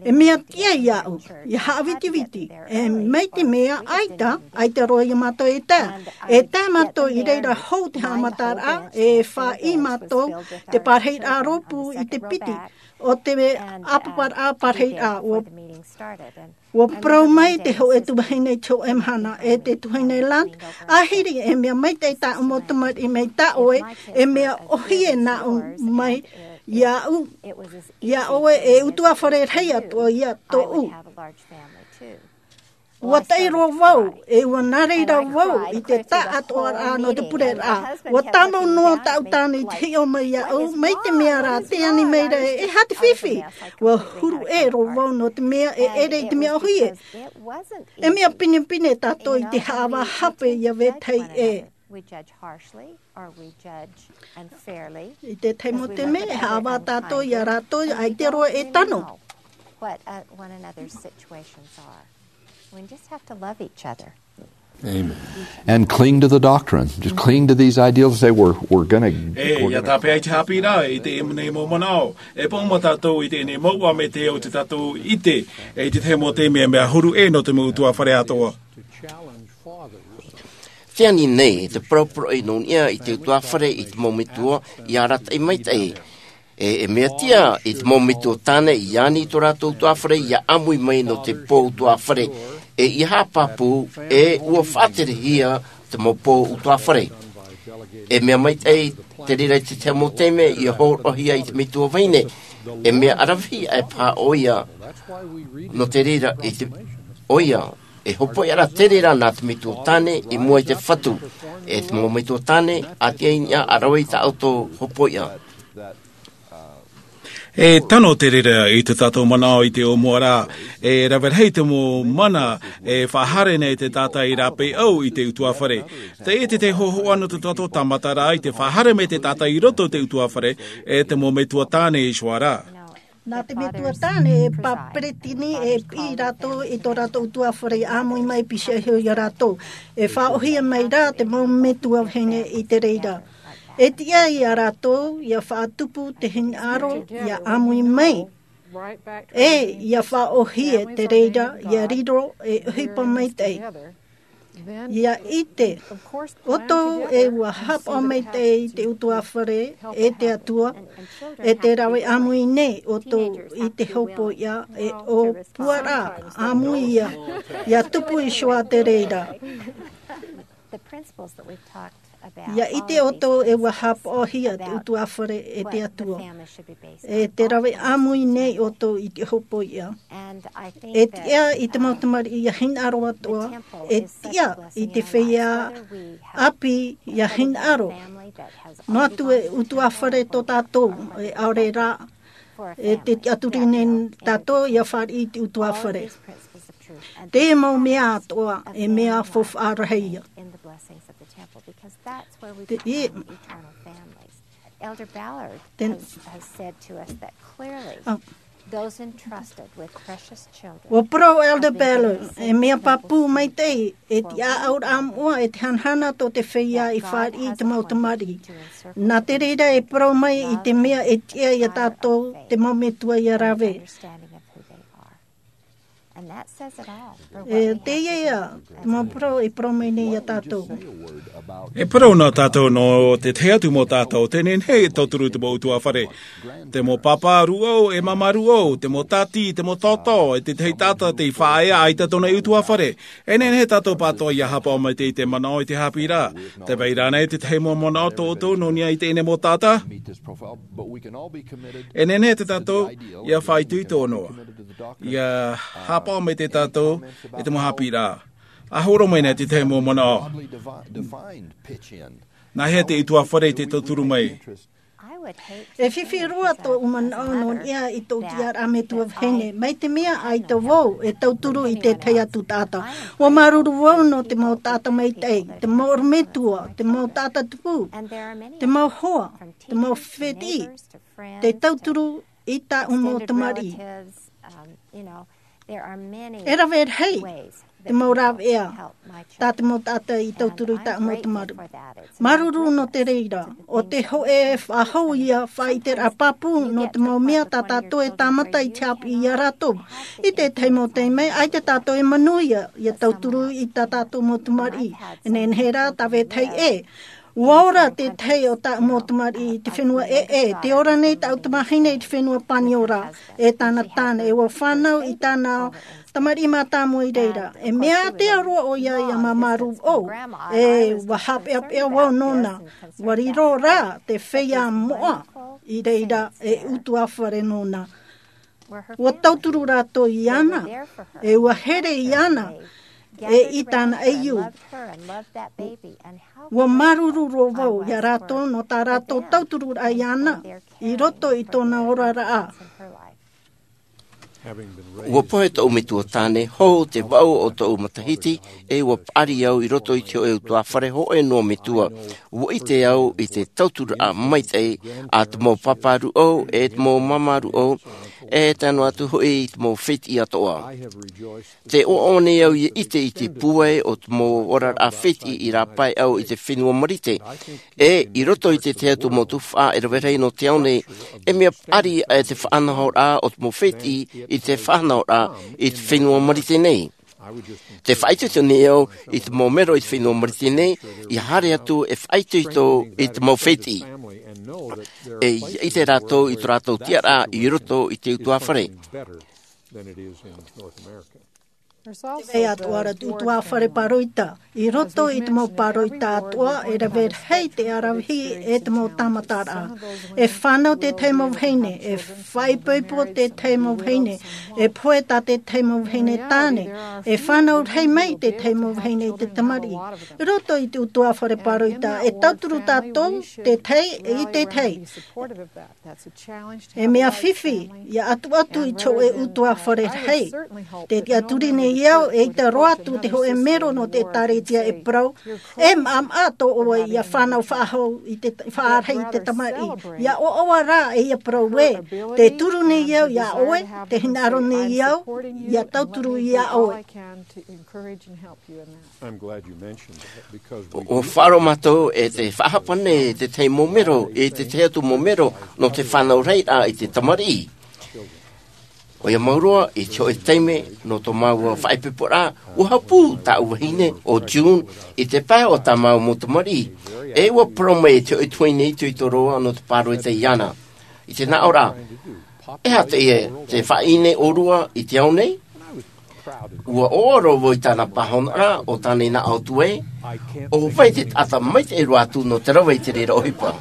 e mea tiʻa iāʻu, ʻia haʻavitiviti, e mai te mea ʻaita, ʻaita roa iā mātou e tae. E tae mātou i reira hou te haʻamataraʻa, e faʻaʻī mātou te parahiraʻa rōpū i te piti, ʻo te ʻāpaparaʻa parahiraʻa, ʻua ʻUa parau mai te hōʻē tuahine i te hōʻē mahana, e te tuahine Lunt, ʻāhiri e mea maitaʻi tāʻu mau tamariʻi mai tā ʻoe, e mea ʻōhie nāʻu mai iāʻu, iā ʻoe e ʻutuāfare rahi atoʻa ia tōʻu. ʻUa taʻi roa vau, e ʻua nā reira vau i te taʻatoʻaraʻa nō te pureraʻa. ʻUa tāmau noa tāʻu tāne i te hiʻo mai iāʻu, mai te mea rā, tē ani mai ra e, e aha te fifi. ʻUa huru ʻē roa vau nō te mea e ʻere i te mea ʻōhie. E mea pinepine tātou i te haʻavā hape ʻia vetahi ʻē. I te tahi mau taime, e haʻavā tātou iā rātou, ʻaita roa e tano. Amen. And cling to the doctrine. Just cling to these ideals and say, "We're, we're gonna, E, we're ia gonna." tāpeʻa i te haʻapiʻiraʻa, i teie nei mau manaʻo. E pāʻuma tātou i teie nei mau ʻā mai te au te tātou ʻite, e i te tahi mau taime mea huru ʻē nō te mau ʻutuāfare atoʻa. Tē ani nei, te paraparau nō niʻa i te ʻutuāfare i te mau metua, ʻia arataʻi maitaʻi. E, e mea tiʻa i te mau metua tāne i ani i tō rātou ʻutuāfare ʻia ʻāmui mai nō te pō ʻutuāfare. E ʻia haʻapāpū, e ʻua faʻaterehia te mau pō ʻutuāfare. E mea maitaʻi te reira i te tahi mau taime ia hōroʻahia i te metua vahine. E mea ʻaravihi ʻae paha ʻoia. Nō te reira i te ʻoia e hopoiʻa ra te reira nā te metua tāne i mua i te Fatu. E te mau metua tāne, ʻa tiʻa i niʻa ʻa rave i tā ʻoutou hopoiʻa. E tano te reira i tā tātou manaʻo i te ʻōmuaraʻa, e rave rahi te mau mana e faʻahaere nei te taʻata i rāpae au i te ʻutuāfare. Teie te hōhoʻa nō tō tātou tāmataraʻa i te faʻahaere mai te taʻata i roto i te ʻutuāfare, e te mau metua tāne i ʻō ra. Nā te metua tāne e paperetini e piʻi rātou i tō rātou ʻutuāfare ʻāmui mai piti iho ia rātou. E faʻaʻohie mai rā te mau metua vahine i te reira. E tiʻa ia rātou ia faʻatupu te hinaʻaro ia ʻāmui mai. E ia faʻaʻohie te reira ia riro e ʻohipa maitaʻi. Ia ʻite ʻoutou e ua haʻapaʻo maitaʻi i te ʻutuāfare e te Atua, e te rave ʻāmui nei ʻoutou i te hopoiʻa e ʻōpuaraʻa ʻāmui ia, ia tupu i ʻō ra te reira. Ia ʻite ʻoutou e ua haʻapaʻohia te ʻutuāfare e te Atua. E te rave ʻāmui nei ʻoutou i te hopoiʻa. E tiʻa i te mau tamariʻi ia hinaʻaro atoʻa, e tiʻa i te feiā ʻāpī ia hinaʻaro. Noa atu e ʻutuāfare tō tātou, e ʻaore rā, e te tiʻaturi nei tātou ia fāriʻi i te ʻutuāfare. Te mau mea atoʻa, e mea faufaʻa rahi ia. Te, e, te, ʻua parau Elder Ballard, e mea pāpū maitaʻi, e te ʻāʻauraʻa moʻa, e te hanahana tō te feiā i fāriʻi i te mau tamariʻi. Nā te reira e parau mai i te mea e tiʻa ia tātou te mau metua ia rave. E teie ia te mau parau e parau mai nei ia tātou. E parau nā tātou nō te tahi atu mau taʻata, tē nehenehe e tauturu te mau ʻutuāfare. Te mau pāpā rūʻau, e māmā rūʻau, te mau tāti, te mau taotao, e te tahi taʻata tei faʻaea ʻaita tōna ʻutuāfare. E nehenehe tātou pātoʻa ia haʻapaʻo maitaʻi i te manaʻo i te haʻapiʻiraʻa. Tē vai ra ānei te tahi mau manaʻo tō ʻoutou nō niʻa i teie nei mau taʻata? E nehenehe tātou ia faʻaitoito noa. Ia haʻapaʻo maitaʻi tātou i te mau haʻapiʻiraʻa. ʻA hōroʻa mai nei te tahi mau manaʻo. Nāhea te ʻutuāfare i te tauturu mai? E fifi roa tōʻu manaʻo nō niʻa i tōʻu tiʻaraʻa metua vahine, mai te mea ʻaita vau e tauturu i te tahi atu taʻata. ʻUa māuruuru vau nō te mau taʻata maitaʻi, te mau ʻorometua, te mau taʻata tupu, te mau hoa, te mau fētiʻi, te tauturu i tāʻu mau tamariʻi. E rave rahi te mau rāveʻa tā te mau taʻata i tauturu i tāʻu mau tamariʻi. Māuruuru nō te reira, ʻo te hōʻē faʻahou ia faʻaʻiteraʻa pāpū nō te mau mea tā tātou e tāmata i te haʻapiʻi ia rātou. I te tahi mau taime, ʻaita tātou e manuia ia tauturu i tā tātou mau tamariʻi. E nehenehe rā, tā vetahi ʻē. ʻUa ora te tahi o tāʻu mau tamariʻi i te fenua ʻē, ʻē, tē ora nei tāʻu tamahine i te fenua Paniora, e tāna tāne, e ʻua fānau i tāna tamariʻi mātāmua i reira. E mea ātea roa ʻoia ia māmā rūʻau, e ʻua haʻapeʻapeʻa vau nōna, ʻua riro rā te feiā moʻa i reira e ʻutuāfare nōna. ʻUa tauturu rātou iāna, e ʻua here iāna, e i tāna ʻaiū. ʻUa māuruuru roa vau ia rātou nō tā rātou tautururaʻa iāna, i roto i tōna oraraʻa. ʻUa pohe tōʻu metua tāne, hou te vaʻu o tōʻu matahiti, e ʻua paʻari au i roto i te hōʻē ʻutuāfare hōʻē noa metua. ʻUa ʻite au i te tauturaʻa maitaʻi a te mau pāpā rūʻau, e te mau māmā rūʻau, e tae noa atu hoʻi i te mau fētiʻi atoʻa. Tē ʻoaʻoa nei au ia ʻite i te pūai o te mau oraraʻa fētiʻi i rāpae au i te fenua Marite. E, i roto i te tahi atu mau tuhaʻa e rave rahi nō te ao nei, e mea paʻari aʻe te faʻanahoraʻa o te mau fētiʻi i te faʻanahoraʻa i te fenua Marite nei. Tē faʻaitoito nei au i te mau mero i te fenua Marite nei, ia haere atu e faʻaitoito i te mau fētiʻi. E ia ʻite rātou i tō rātou tiʻaraʻa i roto i te ʻutuāfare. E atu ara te ʻutuāfare pāroita. I roto i te mau pāroita atoʻa, e rave rahi te aravihi e te mau tāmataraʻa. E fānau te tahi mau vahine, e faʻaipoipo te tahi mau vahine, e pohe tā te tahi mau vahine tāne, e fānau rahi mai te tahi mau vahine i te tamariʻi. I roto i te ʻutuāfare pāroita, e tauturu tātou te tahi i te tahi. E mea fifi, ia atuatu i te hōʻē ʻutuāfare rahi. Te tiʻaturi nei au, eʻita roa atu te hōʻē mero nō te ʻĒtārētia e parau, e maʻamaʻa tō ʻoe ia fānau faʻahou i te, faʻarahi i te tamariʻi. Ia ʻoaʻoa rā e ia parau ē, te turu nei au ia ʻoe, te hinaʻaro nei au, ia tauturu ia ʻoe. ʻUa faʻaroʻo mātou e te faʻahapa nei te tahi mau mero, e te tahi atu mau mero, nō te fānau rahi rā i te tamariʻi. ʻOia mau roa, i te hōʻē taime, nō tō māua faʻaipoiporaʻa, ʻua hapū tāʻu vahine, ʻo June, i te pae o tā māua mau tamariʻi. E ʻua parau mai e te hōʻē tuahine itoito roa, nō te pāroita iāna. I te naʻo rā, e aha te, te faʻaʻī nei ʻōrua i te ao nei? ʻUa ʻoaʻoa roa vau i tāna pāhonoraʻa, ʻo tāna i naʻo atu ai, ʻo vai te taʻata maitaʻi roa atu nō te rave i te reira ʻohipa.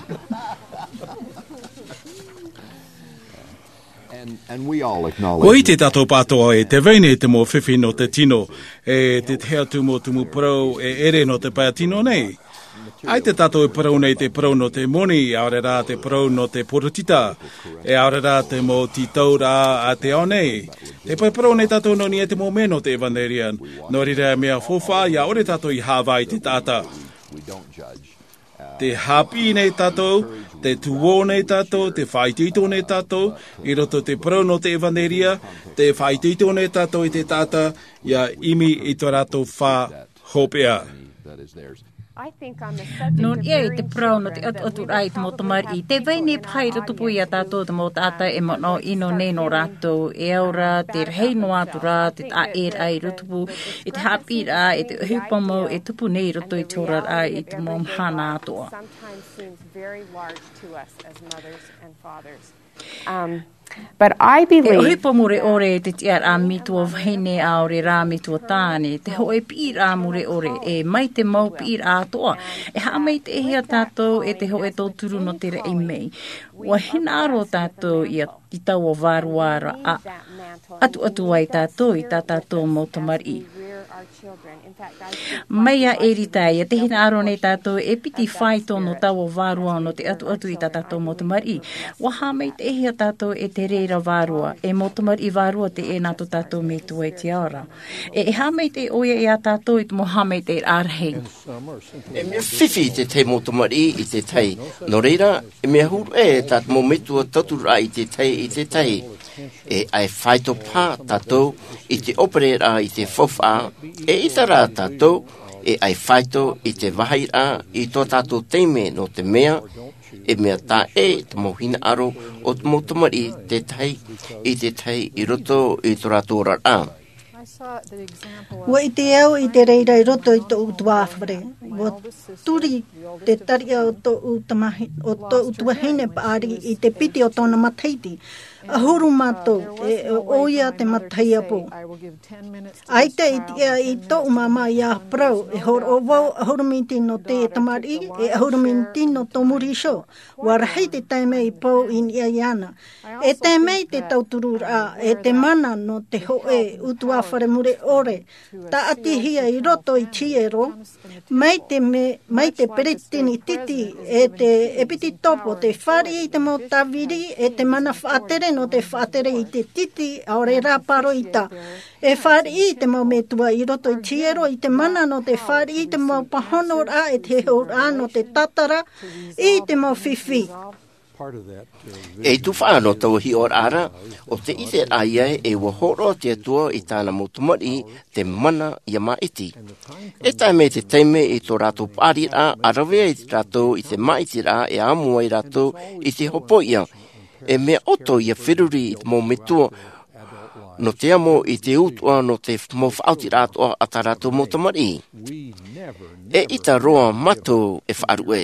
ʻUa ʻite tātou pātoʻa e te vai nei te mau fifi nō te tino, e te tahi atu mau tumu parau e ʻere nō te pae tino nei. ʻAita tātou e parau nei te parau nō te moni, ʻaore rā te parau nō te poritita, e ʻaore rā te mau tītauraʻa a te ao nei. Tē parau nei tātou nō niʻa i te mau mea nō te ʻevanelia, nō reira e mea faufaʻa, ʻia ʻore tātou i haʻavā i te taʻata. Te haʻapiʻi nei tātou, te tuō nei tātou, te faʻaitoito nei tātou, i roto i te parau nō te ʻevanelia, te faʻaitoito nei tātou i te taʻata, ʻia ʻimi i tō rātou fā hopeʻa. Nō niʻa i te parau nō te ʻatuʻaturaʻa i te mau tamariʻi, tē vai nei paha i rotopū ia tātou te mau taʻata e manaʻo ʻino nei nō rātou, e au ra, te rahi noa atu rā, te taʻa ʻē rā i rotopū, i te haʻapiʻiraʻa, i te ʻohipa mau e tupu nei i roto i te oraraʻa i te mau mahana atoʻa. E ʻohipa mure ʻore te tiʻaraʻa metua vahine ʻaore rā metua tāne, te hōʻē piʻiraʻa mure ʻore, e mai te mau piʻiraʻa atoʻa, e haʻamaitaʻihia tātou e te hōʻē tauturu nō te raʻi mai. ʻUa hinaʻaro tātou ʻia, i taua vārua ra ʻa, ʻatuʻatu ai tātou i tā tātou mau tamariʻi. Mai iā Erita, ʻia te hinaʻaro nei tātou e piti faito nō taua vārua nō te ʻatuʻatu i tā tātou mau tamariʻi. ʻUa haʻamaitaʻihia tātou e te reira vārua, e mau tamariʻi vārua teie nā tō tātou metua i te ao ra. E, e haʻamaitaʻi ʻoia iā tātou i te mau haʻamaitaʻiraʻa rahi. E mea fifi te tahi mau tamariʻi i te tahi. Nō reira, e mea huru ʻē tā te mau metua tauturu i te tahi i te tahi. E ʻae faito paha tātou i te ʻōperaraʻa i te faufaʻa, eʻita rā tātou e ʻae faito i te vāhiraʻa i tō tātou taime nō te mea, e mea taʻa ʻē te mau hinaʻaro o te mau tamariʻi te tahi i te tahi i roto i tō rātou oraraʻa. ʻUa ʻite au i te reira i roto i tōʻu tuāfare. ʻUa turi te tariʻa o tōʻu tamahi-, o tōʻu tuahine paʻari i te piti o tōna matahiti. ʻAhuru mātou, e, ʻoia te matahiapo. ʻAita i tiʻa i tōʻu māmā ʻia parau, e hōroʻa vau ʻahuru miniti nō te tamariʻi, e ʻahuru miniti nō tō muri iho. ʻUa rahi te taime i pou i niʻa iāna. E tae mai te tautururaʻa, e te mana nō te hōʻē ʻutuāfare mure ʻore, tāʻatihia i roto i te hiero, mai te me-, mai te peretiteni tītī, e te ʻepitetopo, tē fāriʻi i te mau tāviri, e te mana faʻatere nō te faʻatere i te tītī, ʻaore rā pāroita. E fāriʻi i te mau metua i roto i te hiero, i te mana nō te fāriʻi i te mau pāhonoraʻa, e te heheuraʻa nō te tātara, i te mau fifi. E tufaʻa nō taua hiʻoraʻa ra, ʻo te ʻiteraʻa ia e ʻua hōroʻa te Atua i tāna mau tamariʻi te mana ʻia māʻiti. E tae mai te taime i tō rātou paʻariraʻa, ʻa rave ai rātou i te māʻitiraʻa e amo ai rātou i te hopoiʻa. E mea ʻoto ʻia feruri i te mau metua, nō te amo i te utuʻa nō te mau faʻaotiraʻa atoʻa a tā rātou mau tamariʻi. E ʻita roa mātou e faʻaruʻe,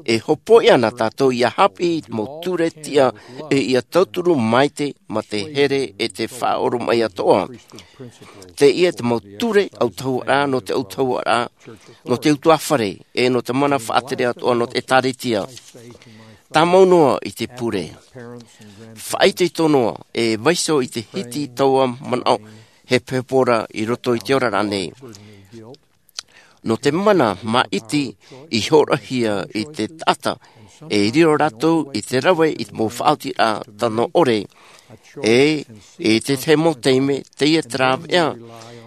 e hōpoiʻa na tātou ia haʻapiʻi i te mau ture tiʻa, e ia tauturu maite ma te here e te faʻaoromaʻi atoʻa. Teie te mau ture autahuʻaraʻa nō te autahuʻaraʻa nō te utuafare, e nō te mana faʻatere atoʻa nō te ʻēkālesia. Tāmau noa i te pure. Faʻaitoito noa e vaiiho i te hiti taua manaʻo hepohepo ra i roto i te oraraʻa nei. Nō te mana māʻiti i hōroʻahia i te taʻata, e riro rātou i te rave i te mau faʻaotiraʻa tano ʻore. E i te tahi mau taime, teie te rāveʻa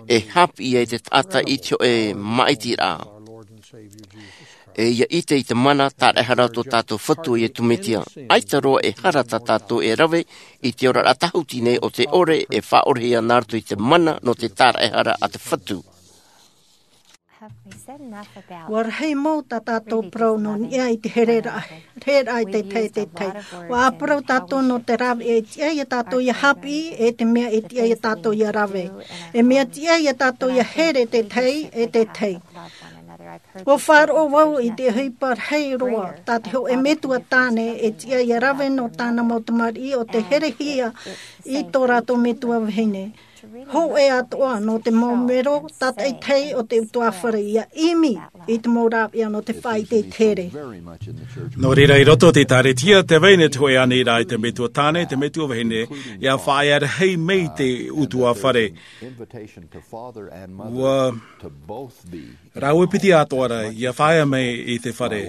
e haʻapiʻi ai te taʻata i te hōʻē māʻitiraʻa. E ia ʻite i te mana tāraʻehara o tō tātou Fatu ʻo Iesu Mesia. ʻAita roa e hara tā tātou e rave i te oraraʻa tāhuti nei o te ʻore e faʻaʻorehia nā roto i te mana nō te tāraʻehara a te Fatu. Ua rahi mau tā tātou parau nō niʻa i te hereraʻa, hereraʻa i te tahi, te tahi. Ua parau tātou nō te rāveʻa e tiʻa ia tātou ia haʻapiʻi, e te mea e tiʻa ia tātou ia rave. E mea tiʻa ia tātou ia here te tahi, e te tahi. Ua faʻaroʻo vau i te ʻohipa rahi roa, tā te hōʻē metua tāne e tiʻa ia rave nō tāna mau tamariʻi ʻo te herehia i tō rātou metua vahine. Hōʻē atoʻa nō te mau mero tātaʻitahi o te utuafare ia ʻimi i te mau rāveʻa nō te faʻaʻite i te here. Nō reira, i roto o te ʻēkālesia, tē vai nei te hōʻē aniraʻa i te metua tāne, te metua vahine, ia faʻaea rahi mai te utuafare. Ua rāua piti atoʻa ra ia faʻaea mai i te fare.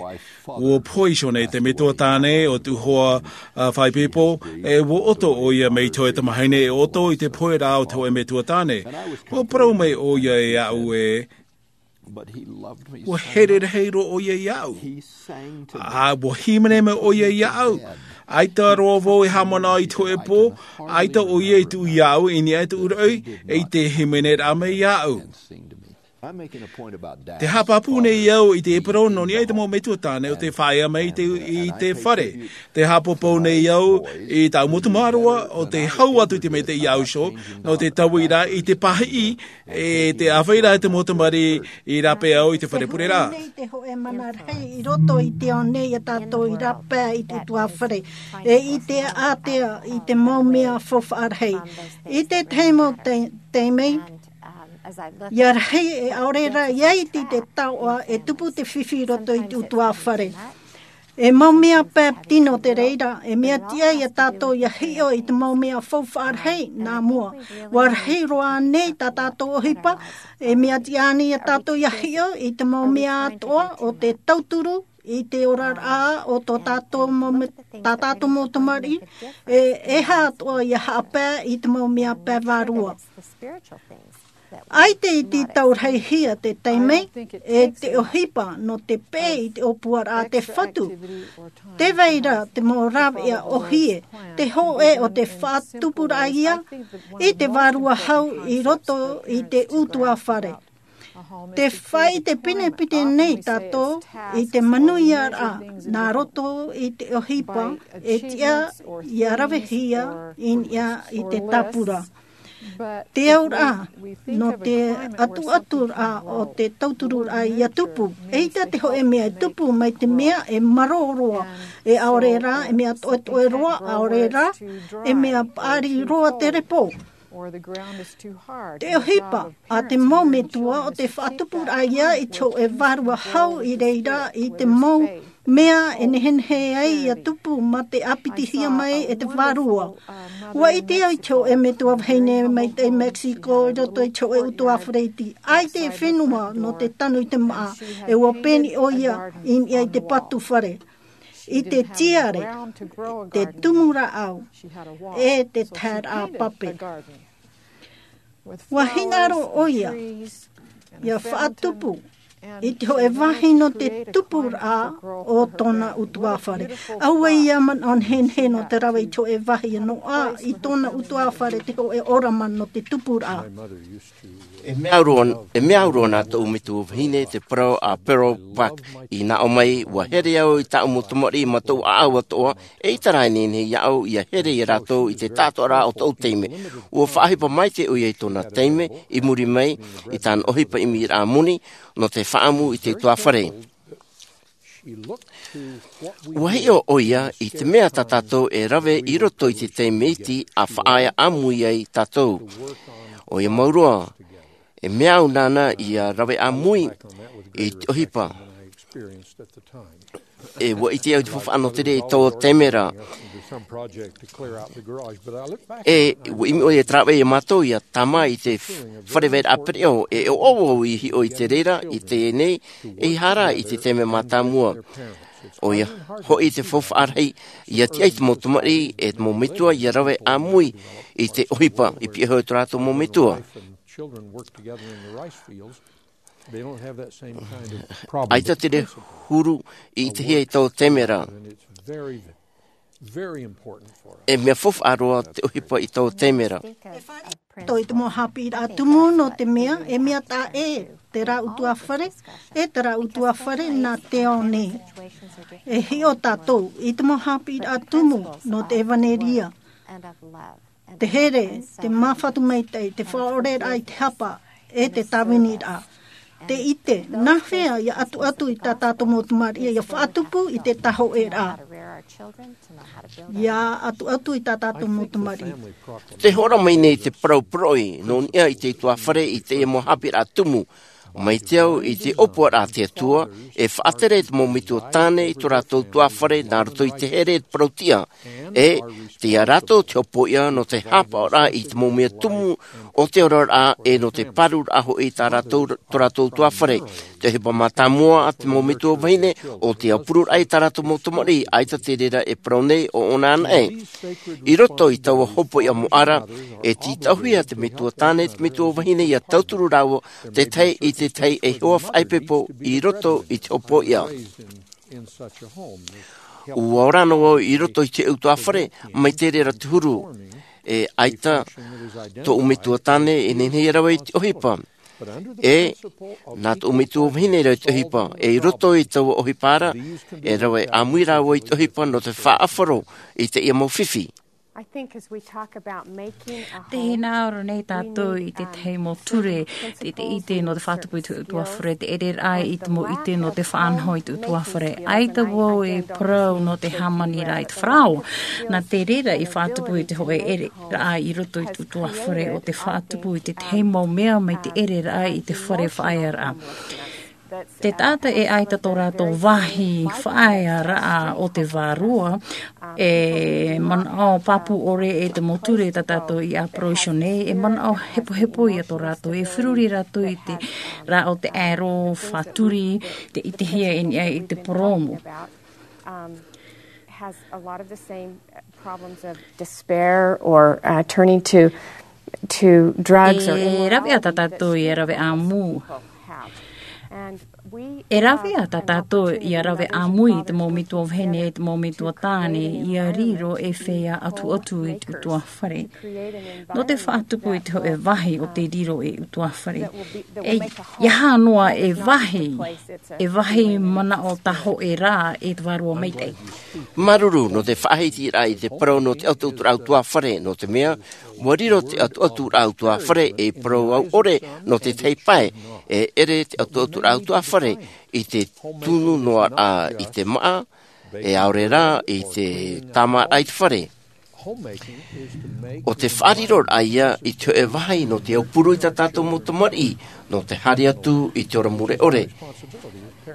Ua pohe iho nei te metua tāne ʻo tōʻu hoa, ā, faʻaipoipo, e ua ʻoto ʻoia mai te hōʻē tamahine e ʻoto i te pohe ra o te hōʻē metua tāne. Ua parau mai ʻoia iāʻu ē, ua here rahi roa ʻoia iāʻu. Ā, ua hīmene mai ʻoia iāʻu. ʻAita roa vau e haʻamanaʻo i te hōʻē pō, ʻaita ʻoia i tuʻu iāʻu i niʻa i tōʻu raʻi, e i te hīmeneraʻa mai iāʻu. Tē haʻapāpū nei au i te parau nō niʻa i te mau metua tāne ʻo tē faʻaea mai i te, i te fare. Tē haʻapāpū nei au i tāʻu mau tamāroa ʻo tē hau atu i te maitaʻi i ʻō iho, nō te tauiraʻa i te pāhiʻi, e te āfaʻiraʻa i te mau tamariʻi i rāpae au i te fare pureraʻa. Nei te hōʻē mana rahi i roto i te ao nei ia tātou i rāpae i te utuafare, e i te ātea i te mau mea faufaʻa rahi. I te tahi mau te, taime, ia rahi e ʻaore rā ia iti te taoʻa e tupu te fifi i roto i te utuafare. E mau mea pae tino te reira, e mea tiʻa ia tātou ia hiʻo i te mau mea faufaʻa rahi nā mua. Ua rahi roa nei tā tātou ʻohipa, e mea tiʻa ānei ia tātou ia hiʻo i te mau mea atoʻa o te tauturu i te oraraʻa o tō tātou mau me-, tā tātou mau tamariʻi, e, e aha atoʻa ia haʻapae i te mau mea pae vārua. ʻAita i tītau rahi hia te taime, e te ʻohipa nō te peʻe i te ʻōpuaraʻa a te Fatu. Tē vai ra te mau rāveʻa ʻōhie, te hōʻē o te faʻatupuraʻa ia, i te vārua hau i roto i te utuafare. Tē faʻaʻite pinepine nei tātou i te manuiaraʻa nā roto i te ʻohipa, e tiʻa ia ravehia i niʻa i te tāpura. Te auraʻa, nō te atuaturaʻa o te tautururaʻa ia tupu. ʻEita te hōʻē mea e tupu mai te mea e marō roa, e ʻaore rā, e mea toʻetoʻe roa, ʻaore rā, e mea paʻari roa te repo. Te ʻohipa a te mau metua ʻo te faʻatupuraʻa ia i te hōʻē vārua hau i reira i te mau mea e nehenehe ai ia tupu mā te ʻāpitihia mai e te vārua. Ua ʻite au i te hōʻē metua vahine mai te Mexico i roto i te hōʻē utuafare iti. ʻAita e fenua nō te tanu i te māʻa, e ua peni ʻoia i niʻa i te patu fare, i te tiare, te tumu rāʻau, e te taeraʻa pape. Ua hinaʻaro ʻoia ia faʻatupu I te hōʻē vāhi nō te tupuraʻa o tōna ʻutuāfare. ʻAuē ia manaʻo nehenehe nō te rave i te hōʻē vāhi e noaʻa i tōna ʻutuāfare te hōʻē ʻōrama nō te tupuraʻa. E mea au roa, e mea au roa nā tōʻu metua vahine te parau a Pearl Buck, i nā ʻō mai, ʻua here au i tāʻu mau tamariʻi mā tōʻu ʻāʻau atoʻa, e ʻaita rā e nehenehe iāʻu ʻia here ia rātou i te taʻatoʻaraʻa o tōʻu taime. ʻUa faʻaʻohipa maitaʻi ʻoia i tōna taime, i muri mai, i tāna ʻohipa ʻimiraʻa moni, nō te faʻaʻamu i te ʻutuāfare. ʻUa hiʻo ʻoia i te mea tā tātou e rave i roto i te taime iti a faʻaea ʻāmui ai tātou. ʻOia mau roa, e mea au nāna ʻia rave ʻāmui i te ʻohipa. E ʻua ʻite au i te faufaʻa nō te reira i taua taime ra. E ʻua ʻimi ʻoia e te rāveʻa iā mātou ʻia tāmā i te fare vairaʻa pereʻoʻo, e ʻoaʻoa au i hiʻo i te reira, i teie nei, e ʻeiaha rā i te taime mātāmua. ʻOia hoʻi te faufaʻa rahi, ʻia tiʻa i te mau tamariʻi, e te mau metua, ʻia rave ʻāmui i te ʻohipa, i pihaʻi iho i tō rātou mau metua. ʻAita te reira huru i ʻitehia i taua taime ra. E mea faufaʻa roa te ʻohipa i taua taime ra. Tō i te mau haʻapiʻiraʻa tumu nō te mea, e mea taʻa ʻē terā ʻutuāfare, e terā ʻutuāfare nā te ao nei. E hiʻo tātou i te mau haʻapiʻiraʻa tumu nō te ʻevaneria. Te here, te māfatu maitaʻi, te faʻaʻoreraʻa i te hapa, e te tāviniraʻa. Te ʻite, nā hea ʻia ʻatuʻatu i tā tātou mau tamariʻi ʻia faʻatupu i te tāhōʻēraʻa. ʻIa ʻatuʻatu i tā tātou mau tamariʻi. Tē hōroʻa mai nei te parau poroʻi, nō niʻa i te ʻutuāfare i teie mau haʻapiʻiraʻa tumu. Mai te au i te ʻōpuaraʻa a te Atua, e faʻatere te mau metua tāne i tō rātou ʻutuāfare nā roto i te here e te parau-tiʻa. E, tei ia rātou te hopoiʻa nō te haʻapaʻoraʻa i te mau mea tumu o te oraraʻa e nō te pāruriraʻa hoʻi tā rātou, tō rātou ʻutuāfare. Te ʻohipa mātāmua a te mau metua vahine, ʻo te aupururaʻa i tā rātou mau tamariʻi, ʻaita te reira e parau nei ʻo ʻōna anaʻe. I roto i taua hopoiʻa moʻa ra, e tītauhia te metua tāne, te metua vahine ʻia tauturu rāua, te tahi i te tahi ei hoa faʻaipoipo i roto i te hopoiʻa. ʻUa ora noa vau i roto i te ʻutuāfare, mai te reira te huru. E ʻaita tōʻu metua tāne e nehenehe ia rave i te ʻohipa. E, nā tōʻu metua vahine e rave i te ʻohipa. E i roto i taua ʻohipa ra, e rave ʻāmui rāua i te ʻohipa nō te faʻaʻafaro i teie mau fifi. Tē hinaʻaro nei tātou i te tahi mau ture, te, te ʻite nō te faʻatupu i te ʻutuāfare, te ʻereraʻa i te mau ʻite nō te faʻanaho i te ʻutuāfare. ʻAita vau e parau nō te hāmaniraʻa i te faraoa. Nā te reira i faʻatupu i te hōʻē ʻereraʻa i roto i te ʻutuāfare, ʻo te faʻatupu i te tahi mau mea mai te ʻereraʻa i te fare faʻaearaʻa. Te taʻata e ʻaita tō rātou vāhi faʻaearaʻa o te vārua, e manaʻo pāpū ʻore e te mau ture tā tātou i ʻaparau iho nei, e manaʻo hepohepo ia tō rātou, e feruri rātou i te rā o te aero, faʻaturi, te ʻitehia i niʻa i te purōmu. Um, has a lot of the same problems of despair or, uh, turning to, to drugs or E rave ā tā tātou ia rave ʻāmui. E rave ā tā tātou ia rave ʻāmui i te mau metua vahine, i te mau metua tāne, ia riro e feiā ʻatuʻatu i te ʻutuāfare. Nō te faʻatupu i te hōʻē vāhi o te riro ei ʻutuāfare. E, ʻeiaha noa e vāhi, e vāhi manaʻo tāhōʻēraʻa e te Vārua Maitaʻi. Māuruuru nō te faʻahitiraʻa i te parau nō te ʻatuʻaturaʻa ʻutuāfare, nō te mea, ʻua riro te ʻatuʻaturaʻa ʻutuāfare ei parau au ʻore nō te tahi pae, e ʻere te ʻatuʻaturaʻa ʻutuāfare i te tunu noa ra i te māʻa, e ʻaore rā i te tāmāraʻa i te fare. ʻO te faʻariroraʻa ia i te hōʻē vāhi nō te aupuru i tā tātou mau tamariʻi, nō te haere atu i te ora mure ʻore.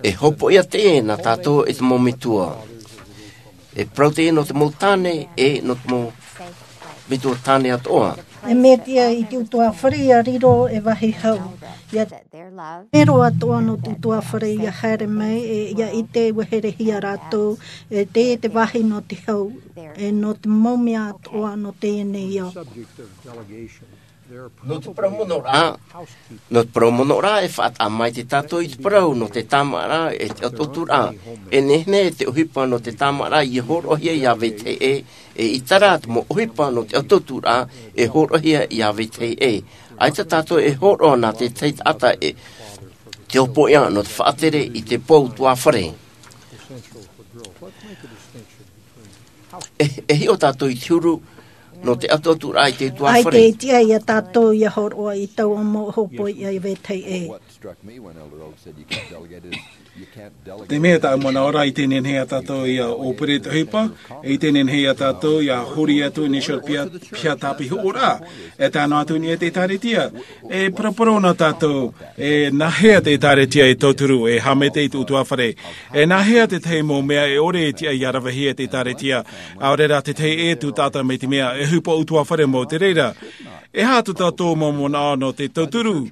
E hopoiʻa teie nā tātou e te mau metua. E parau teie nō te mau tāne, e nō te mau metua tāne atoʻa. E mea tiʻa i te ʻutuāfare ʻia riro e vāhi hau. ʻIa mero atoʻa nō te ʻutuāfare ʻia haere mai, e ʻia ʻite ʻua herehia rātou, e te, te vāhi nō te hau, e nō te mau mea atoʻa nō teie nei ao. Nō te parau monoraʻa, nō te parau monoraʻa e faʻataʻa mai te tātou i te parau nō te tāmāʻaraʻa e te ʻototuraʻa. E nehenehe te ʻohipa nō te tāmāʻaraʻa ia hōroʻahia iā vetahi ʻē, e ʻaita rā te mau ʻohipa nō te ʻototuraʻa e hōroʻahia iā vetahi ʻē. ʻAita tātou e hōroʻa nā te tahi taʻata e te ʻōpoʻia nō te faʻatere i te pou tuāfare. E hiʻo tātou i te huru nō te ʻototuraʻa i te tuāfare. ʻAita e tiʻa iā tātou ia hōroʻa i taua mau ʻōpoʻia iā vetahi ʻē. Te mea tāʻu manaʻo ra i te nehenehe iā tātou ia ʻōpere te ʻohipa, i te nehenehe iā tātou ia hori atu i niʻa i te piha tāpihoʻoraʻa. E tae noa atu i niʻa i te ʻēkālesia, e paraparau nā tātou, e nāhea te ʻēkālesia e tauturu, e haʻamaitaʻi i te utuāfare? E nāhea te tahi mau mea e ʻore e tiʻa ia ravehia e te ʻēkālesia, ʻaore rā te tahi ʻē atu taʻata mai te mea e ʻohipa utuāfare mau te reira? E aha tō tātou mau manaʻo nō te tauturu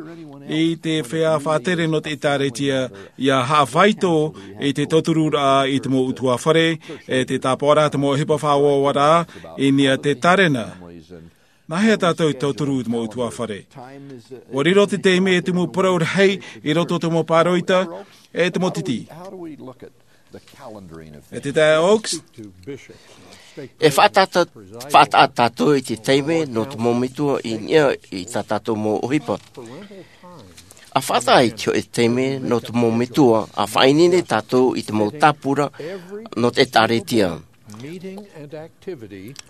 i te feiā faʻatere nō te ʻēkālesia ia haʻavāito i te tautururaʻa i te mau utuāfare, e te tāpaʻoraʻa te mau ʻohipa faʻaoaoaraʻa i niʻa i te tārena? Nāhea tātou e tauturu i te mau utuāfare? ʻUa riro te taime e tumu parau rahi i roto i te mau pāroita, e te mau titi. E te taeaʻe Oaks, e faʻataʻa, faʻataʻa tātou i te taime nō te mau metua i niʻa i tā tātou mau ʻohipa. ʻA faʻataʻa i te hōʻē taime nō te mau metua, ʻa faʻaineine tātou i te mau tāpura nō te ʻēkālesia.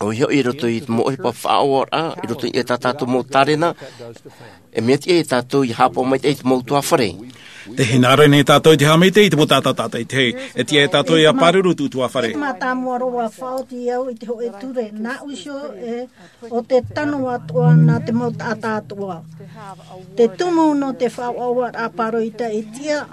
ʻOia hoʻi i roto i te mau ʻohipa faʻaoaoaraʻa, i roto i tā tātou mau tārena, e mea tiʻa iā tātou ia haʻapaʻo maitaʻi i te mau utuāfare. Tē hinaʻaro nei tātou i te haʻamaitaʻi i te mau taʻata tātaʻitahi. E tiʻa iā tātou ia pāruru i te utuāfare. E mātāmua roa faʻaoti au i te hōʻē ture, nā ʻō iho e, ʻo te tano atoʻa nā te mau taʻata atoʻa. Te tumu nō te faʻaoaoaraʻa pāroita e tiʻa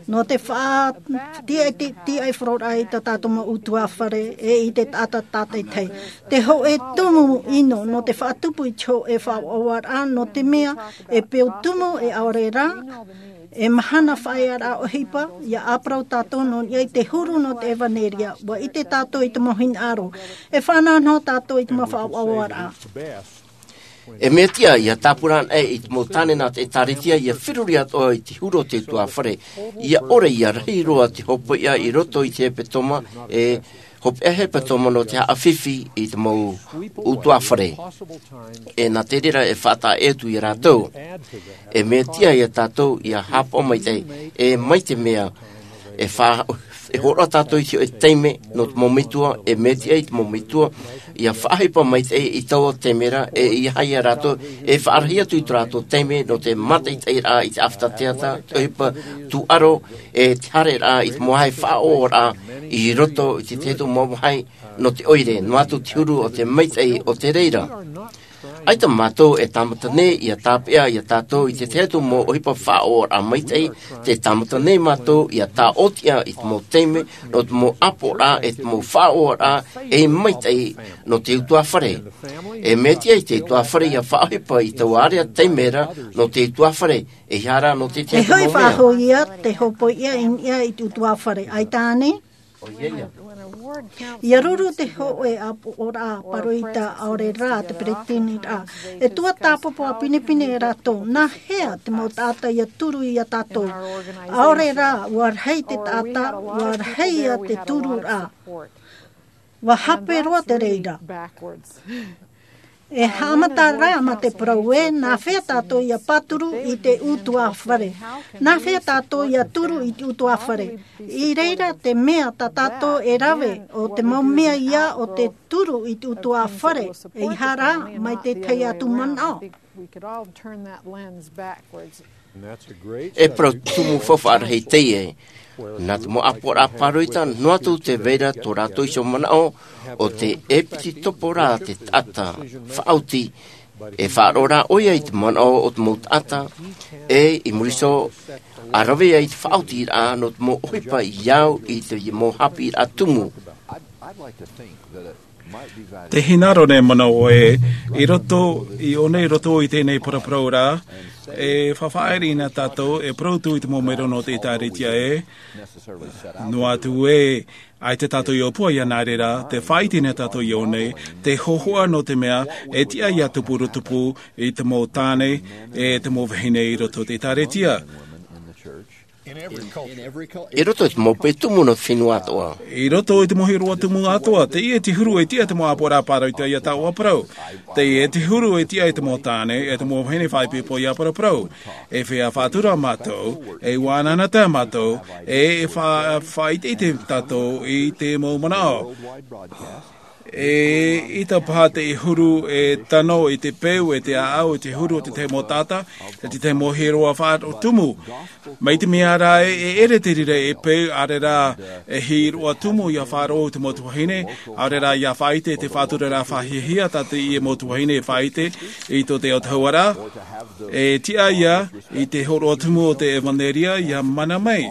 nō te faʻatiʻa, tiʻa, tiʻa i faroraʻa i tā tātou mau utuāfare, e i te taʻata tātaʻitahi. Te hōʻē tumu ʻino nō te faʻatupu i te hōʻē faʻaoaoaraʻa, nō te mea e peu tumu, e ʻaore rā, e mahana faʻaearaʻa ʻohipa, ia ʻāparau tātou nō niʻa i te huru nō te ʻevanelia, ʻua ʻite tātou i te mau hinaʻaro, e fānaʻo noa tātou i te mau faʻaoaoaraʻa. E mea tiʻa ia tāpura anaʻe i te mau tāne nā te ʻēkālesia ia feruri atoʻa i te huru o te utuāfare. Ia ʻore ia rahi roa te hōpoiʻa i roto i te hepetoma, e hōpeʻa hepetoma nō te haʻafifi i te mau utuāfare. E nā te reira e faʻataʻa atu iā rātou. E mea tiʻa iā tātou ia haʻapaʻo maitaʻi, e mai te mea e fa-, e hōroʻa tātou i te hōʻē taime nō te mau metua, e mea tiʻa i te mau metua ia faʻaʻohipa maitaʻi i taua taime ra, e ʻeiaha ia rātou e faʻarahi atu i tō rātou taime nō te mātaʻitaʻiraʻa i te ʻāfata teata, te ʻohipa tūʻaro, e te haereraʻa i te mau vāhi faʻaoaoaraʻa i roto i te tahi atu mau vāhi nō te ʻoire, noa atu te huru o te maitaʻi o te reira. ʻAita mātou e tāmata nei ia tāpeʻa iā tātou i te tahi atu mau ʻohipa faʻaoaoraʻa maitaʻi, tē tāmata nei mātou ia tāʻotiʻa i te mau taime nō te mau ʻāpoʻoraʻa, e te mau faʻaoaoraʻa e maitaʻi nō te utuāfare. E mea tiʻa i te utuāfare ia faʻaʻohipa i taua area taime ra nō te utuāfare, ʻeiaha rā nō te tahi atu mau mea. E hoʻi faʻahou ia te hōpoiʻa i niʻa i te utuāfare, ʻaita ānei? ʻOia ia. Ia ruru te hōʻē ʻāpoʻoraʻa pāroita ʻaore rā te peretiteniraʻa. E tuatāpapa pinepine rātou, nāhea te mau taʻata ia turu iā tātou? ʻAore rā, ʻua rahi te taʻata, ʻua rahi ia te tururaʻa. ʻUa hape roa te reira. E haʻamata rā mā te parau ē, nāhea tātou ia pāturu i te utuāfare? Nāhea tātou ia turu i te utuāfare? I reira te mea tā tātou e rave, ʻo te mau mea ia o te turu i te utuāfare, ʻeiaha rā mai te tahi atu manaʻo. E parau tumu faufaʻa rahi teie. Nā te mau ʻāpoʻoraʻa pāroita, noa atu tē vai ra tō rātou iho manaʻo, ʻo te ʻēpititopo rā te taʻata faʻaoti, e faʻaroʻo rā ʻoia i te manaʻo o te mau taʻata, e i muri iho, ʻa rave ai te faʻaotiraʻa nō te mau ʻohipa i au i te mau haʻapiʻiraʻa tumu. Te hinaʻaro nei manaʻo ē, i roto, i ʻō nei i roto i teie nei paraparau ra, e faʻaʻite nei tātou, e parau atu i te mau mero nō te ʻĒtārētia ē. Noa atu ē, ʻaita tātou i ʻōpua iāna, nā reira, tē faʻaʻite nei tātou i ʻō nei, te hōhoʻa nō te mea, e tiʻa ʻia tupu roa tupu i te mau tāne, e te mau vahine i roto i te ʻĒtārētia. I roto i te mau pē tumu nō te fenua atoʻa. I roto i te mau hīroʻa tumu atoʻa, teie te huru e tiʻa te mau ʻāpoʻoraʻa pāroita ʻia tāʻoʻa parau. Teie te huru e tiʻa i te mau tāne, e te mau vahine faʻaipoipo ʻia paraparau. E feiā faʻatura mātou, e ʻua anaanatae mātou, e, e fa-, faʻaʻiteʻite tātou i te mau manaʻo. E ʻaita paha te huru e tano i te peu, e te ʻāʻau, i te huru o te tahi mau taʻata, e te tahi mau hīroʻa faʻaroʻo tumu. Mai te mea ra ē, e ʻere te reira e peu, ʻaore rā, e hīroʻa tumu ʻia faʻaroʻo te mau tuahine, ʻaore rā ʻia faʻaʻite te faʻaturaraʻa faʻahiahia tā teie mau tuahine e faʻaʻite i tō te autahuʻaraʻa, e tiʻa ïa i te hōroʻa tumu o te ʻevanelia ʻia mana mai.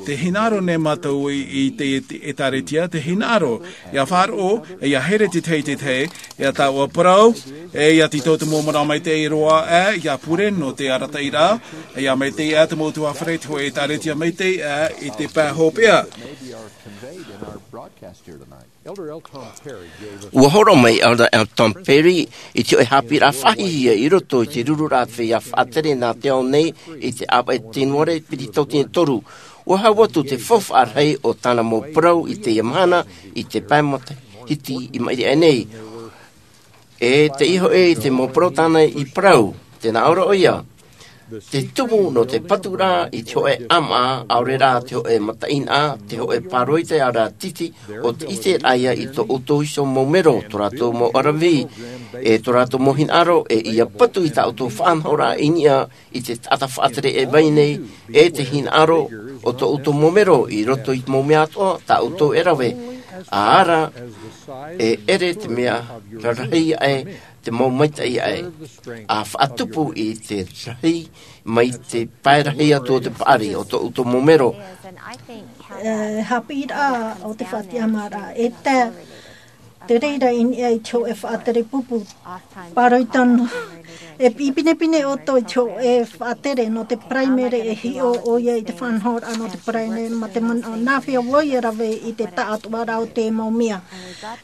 Te hinaʻaro nei mātou i, i te, te ʻĒtārētia, te hinaʻaro, ʻia faʻaroʻo, e ʻia haere te tahi i te tahi, ʻia tāʻoʻa parau, e ʻia tītau te mau manaʻo maitaʻi roa, e ʻia pure nō te arataʻiraʻa, e ʻia maitaʻi ā te mau ʻutuāfare i te hōʻē ʻĒtārētia maitaʻi, e i te pae hopeʻa. ʻUa hōroʻa mai Elder L. Tom Perry i te hōʻē haʻapiʻiraʻa faʻahiahia i roto i te rururaʻa a te feiā faʻatere nā te ao nei i te ʻāvaʻe Tēnuare piti tauatini e toru. ʻUa hau atu te faufaʻa rahi o tāna mau parau i teie mahana i te pae matahiti i maʻiri aʻe nei. E te iho ē i te mau parau tāna i parau, tē nā ʻō ra ʻoia. Te tumu nō te paturaʻa i te hōʻē ʻāmaʻa, ʻaore rā te hōʻē mataʻeinaʻa, te hōʻē pāroita ʻaore rā titi, ʻo te ʻiteraʻa ïa i tō ʻoutou iho mau mero, tō rātou mau ʻaravihi, e tō rātou mau hinaʻaro, e ʻia patu i tā ʻoutou faʻanahoraʻa i niʻa i te taʻata faʻatere e vai nei, e te hinaʻaro o tō ʻoutou mau mero i roto i te mau mea atoʻa tā ʻoutou e rave. ʻĀ rā, e ʻere te mea rarahi aʻe, te mau maitaʻi aʻe, ʻa faʻatupu i te rahi mai te pae rahi atu o te paʻari o tō ʻoutou mau mero. E haʻapiʻiraʻa o te faʻatiʻamāraʻa, e te, te reira i niʻa i te hōʻē faʻatere pupu. Pāroita noa, e piʻi pinepine ʻoutou i te hōʻē faʻatere nō te paraimere e hiʻo ʻoia i te faʻanahoraʻa nō te paraimere mā te manaʻo nā hea vau e rave i te taʻatoʻaraʻa o te mau mea.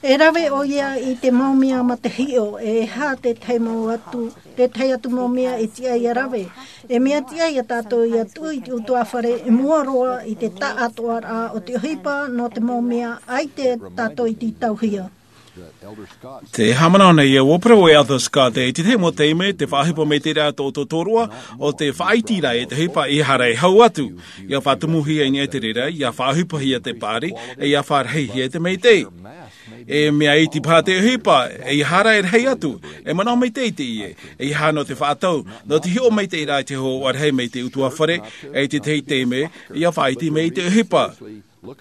E rave ʻoia i te mau mea mā te hiʻo, e aha te tahi mau atu, te tahi atu mau mea e tiʻa ʻia rave. E mea tiʻa ia tātou ʻia tuʻu i te ʻutuāfare i mua roa i te taʻatoʻaraʻa o te ʻohipa nō te mau mea ʻaita tātou i tītauhia. Te haʻamanaʻo nei ē, ʻua parau e Elder Scott, e te tahi mau taime, te faʻaʻohipa maitaʻi ra tō ʻoutou tōroʻa, ʻo te faʻaʻiteraʻa i te ʻohipa, ʻeiaha rā e hau atu, ʻia faʻatumuhia i niʻa i te reira, ʻia faʻaʻohipahia te paʻari, e ʻia faʻarahihia te maitaʻi. E mea iti paha te ʻohipa, ʻeiaha rā e rahi atu, e manaʻo maitaʻi teie, ʻeiaha nō te faʻatau, nō te hiʻo maitaʻi ra i te hōhoʻa rahi mai te ʻutuāfare, e te tahi taime, ʻia faʻaʻite mai i te ʻohipa. E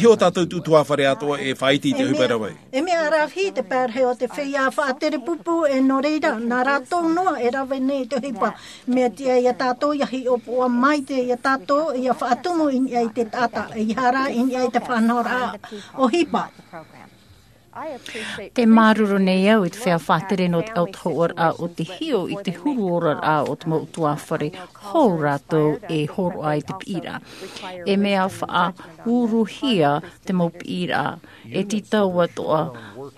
hiʻo tātou te ʻutuāfare atoʻa e faʻaʻite i te ʻohipa e rave. E mea ʻaravihi te pae rahi o te feiā faʻatere pupu, e nō reira, nā rātou noa e rave nei i te ʻohipa. Mea tiʻa ia tātou ʻia hiʻopoʻa maitaʻi ia tātou, ʻia faʻatumu i niʻa i te taʻata, ʻeiaha rā i niʻa i te faʻanahoraʻa ʻohipa. Te māuruuru nei au i te feiā faʻatere nō te autahuʻaraʻa o te hiʻo i te huru oraraʻa o te mau ʻutuāfare, hou rātou e hōroʻa i te piʻiraʻa. E mea faʻauruhia te mau piʻiraʻa, e tītau atoʻa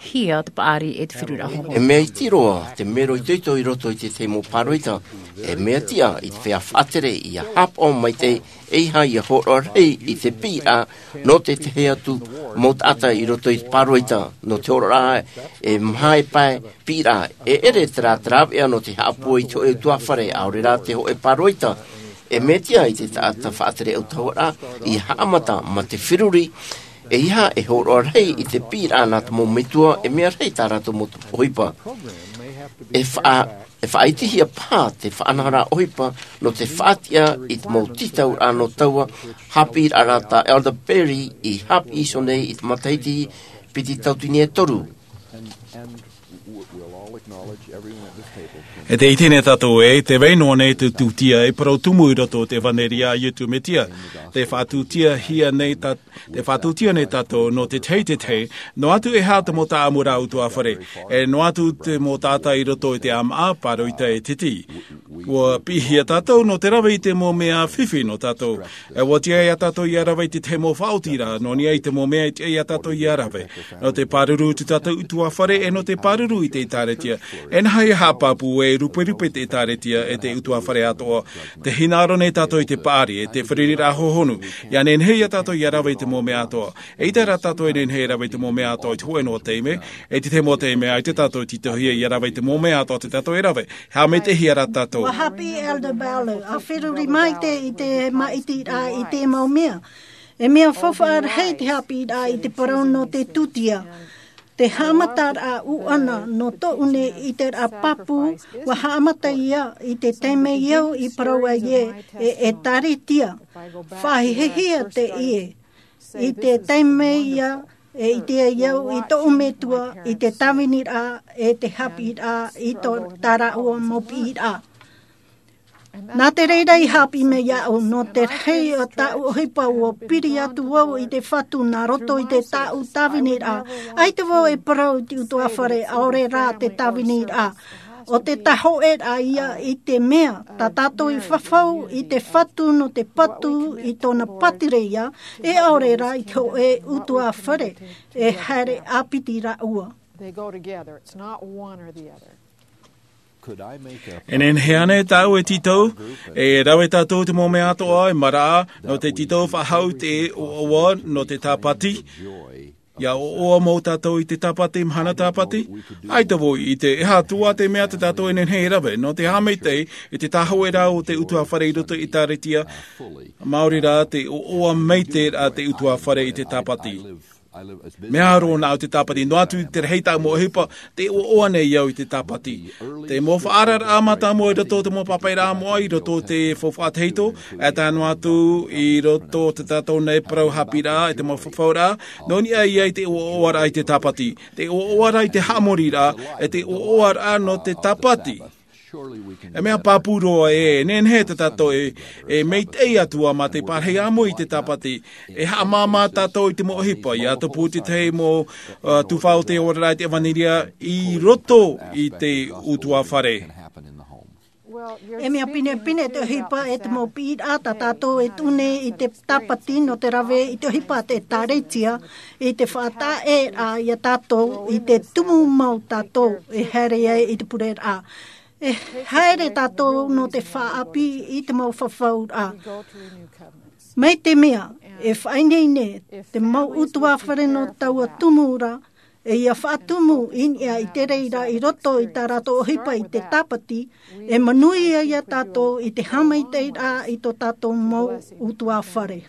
hia te paʻari e te feruriraʻa hōhoʻa. E mea iti roa te mero itoito i roto i te tahi mau pāroita, e mea tiʻa i te feiā faʻatere ʻia haʻapaʻo maitaʻi, ʻeiaha ʻia hōroʻa rahi i te piʻiraʻa nō te tahi atu mau taʻata i roto i te pāroita, nō te hōroʻaraʻa e maha e pae piʻiraʻa, e ʻere terā te rāveʻa nō te haʻapūai i te hōʻē ʻutuāfare, ʻaore rā te hōʻē pāroita. E mea tiʻa i te taʻata faʻatere autahuʻaraʻa ʻia haʻamata mā te feruri, ʻeiaha e hōroʻa rahi i te piʻiraʻa nā te mau metua, e mea rahi tā rātou mau ʻohipa. E faʻa-, e faʻaʻitehia paha te faʻanahoraʻa ʻohipa nō te faʻatiʻa i te mau tītauraʻa nō taua haʻapiʻiraʻa tā Elder Perry i haʻapiʻi iho nei i te matahiti piti tauatini e toru. E tē ʻite nei tātou ē, tē vai noa nei te tūtia e parau tumu i roto i te ʻevanelia a Iesu Mesia. Tē faʻatūtiahia nei tā-, tē faʻatūtia nei tātou nō te tahi i te tahi, noa atu e aha te mau taʻamuraʻa ʻutuāfare, e noa atu te mau taʻata i roto i te ʻāmaʻa, pāroita e titi. ʻUa piʻihia tātou nō te rave i te mau mea fifi nō tātou. E ʻua tiʻa ia tātou ʻia rave i te tahi mau faʻaotiraʻa, nō niʻa i te mau mea e tiʻa ia tātou ʻia rave. Nō te pāruru i tō tātou ʻutuāfare, e nō te pāruru i te ʻĒtārētia. E nehenehe e haʻapāpū e ruperupe te ʻĒtārētia e te ʻutuāfare atoʻa. Tē hinaʻaro nei tātou i te paʻari, e te fārereiraʻa hōhonu. ʻIa nehenehe ia tātou ʻia rave i te mau mea atoʻa. Eʻita rā tātou e nehenehe e rave i te mau mea atoʻa i te hōʻē noa taime, e te tahi mau taime, ʻaita tātou e tītauhia ʻia rave i te mau mea atoʻa tē tātou e rave. Haʻamaitaʻihia rā tātou. ʻUa haʻapiʻi Elder Ballard, ʻa feruri maitaʻi i te māʻitiraʻa i te mau mea. E mea faufaʻa rahi te haʻapiʻiraʻa i te parau nō te tūtia. Te haʻamataraʻa ʻuʻana nō tōʻu nei ʻiteraʻa pāpū, ʻua haʻamata ia i te taime i au i parau ai ē, e, ʻĒtārētia. Faʻahiahia teie. I te taime ia, e ʻite ai au i tōʻu metua, i te tāviniraʻa, e te haʻapiʻiraʻa, i tō tā rāua mau piʻiraʻa. Nā te reira i haʻapiʻi mai iāʻu, nō te rahi o tāʻu ʻohipa ʻua piri atu vau i te Fatu nā roto i te tāʻu tāviniraʻa. ʻAita vau e parau i te ʻutuāfare, ʻaore rā te tāviniraʻa. ʻO te tāhōʻēraʻa ia i te mea, tā tātou i fafau i te Fatu nō te patu i tōna pātireia, e ʻaore rā i te hōʻē ʻutuāfare, e haere ʻāpiti rāua. They go together. It's not one or the other. E nehenehe ānei tāʻu e tītau, e rave tātou te mau mea atoʻa, e maraʻa, nō te tītau faʻahou i te ʻoaʻoa, nō te tāpati. ʻIa ʻoaʻoa mau tātou i te tāpati, mahana tāpati. ʻAita vau i ʻite, e aha atoʻa te mea tē tātou e nehenehe e rave, nō te haʻamaitaʻi, i te tāhōʻēraʻa o te ʻutuāfare i roto i te ʻĒtārētia. Maori rā te ʻoaʻoa maitaʻi rā te ʻutuāfare i te tāpati. Mea roa nāʻu te tāpati, noa atu te rahi tāʻu mau ʻohipa, tē ʻoaʻoa nei au i te tāpati. Te mau faʻaararaʻa mātāmua i roto i te mau pāpaʻiraʻa moʻa, i roto i te faufaʻa tahito, e tae noa atu i roto i tā tātou nei parau haʻapiʻiraʻa, e te mau fafauraʻa, nō niʻa ia i te ʻoaʻoaraʻa i te tāpati. Te ʻoaʻoaraʻa i te haʻamoriraʻa, e te ʻoaʻoaraʻa nō te tāpati. E mea pāpū roa ē, e nehenehe tā tātou e, e maitaʻi atu ā mā te pārahi ʻāmui i te tāpati. E haʻamāmā tātou i te mau ʻohipa, ʻia tupu te tahi mau, ā, tuhaʻa o te oraraʻa i te ʻevanelia i roto i te ʻutuāfare. E mea pinepine te ʻohipa e te mau piʻiraʻa tā tātou e tuʻu nei i te tāpati nō te rave i te ʻohipa a te ʻĒtārētia, i te faʻataʻeraʻa ia tātou, i te tumu mau tātou e haere ai i te pureraʻa. E haere tātou nō te faʻaʻāpī i te mau fafauraʻa. Mai te mea, e faʻaineine te mau ʻutuāfare nō taua tumu ra, e ʻia faʻatumu i niʻa i te reira i roto i tā rātou ʻohipa i te tāpati, e manuia ia tātou i te haʻamaitaʻiraʻa i tō tātou mau ʻutuāfare.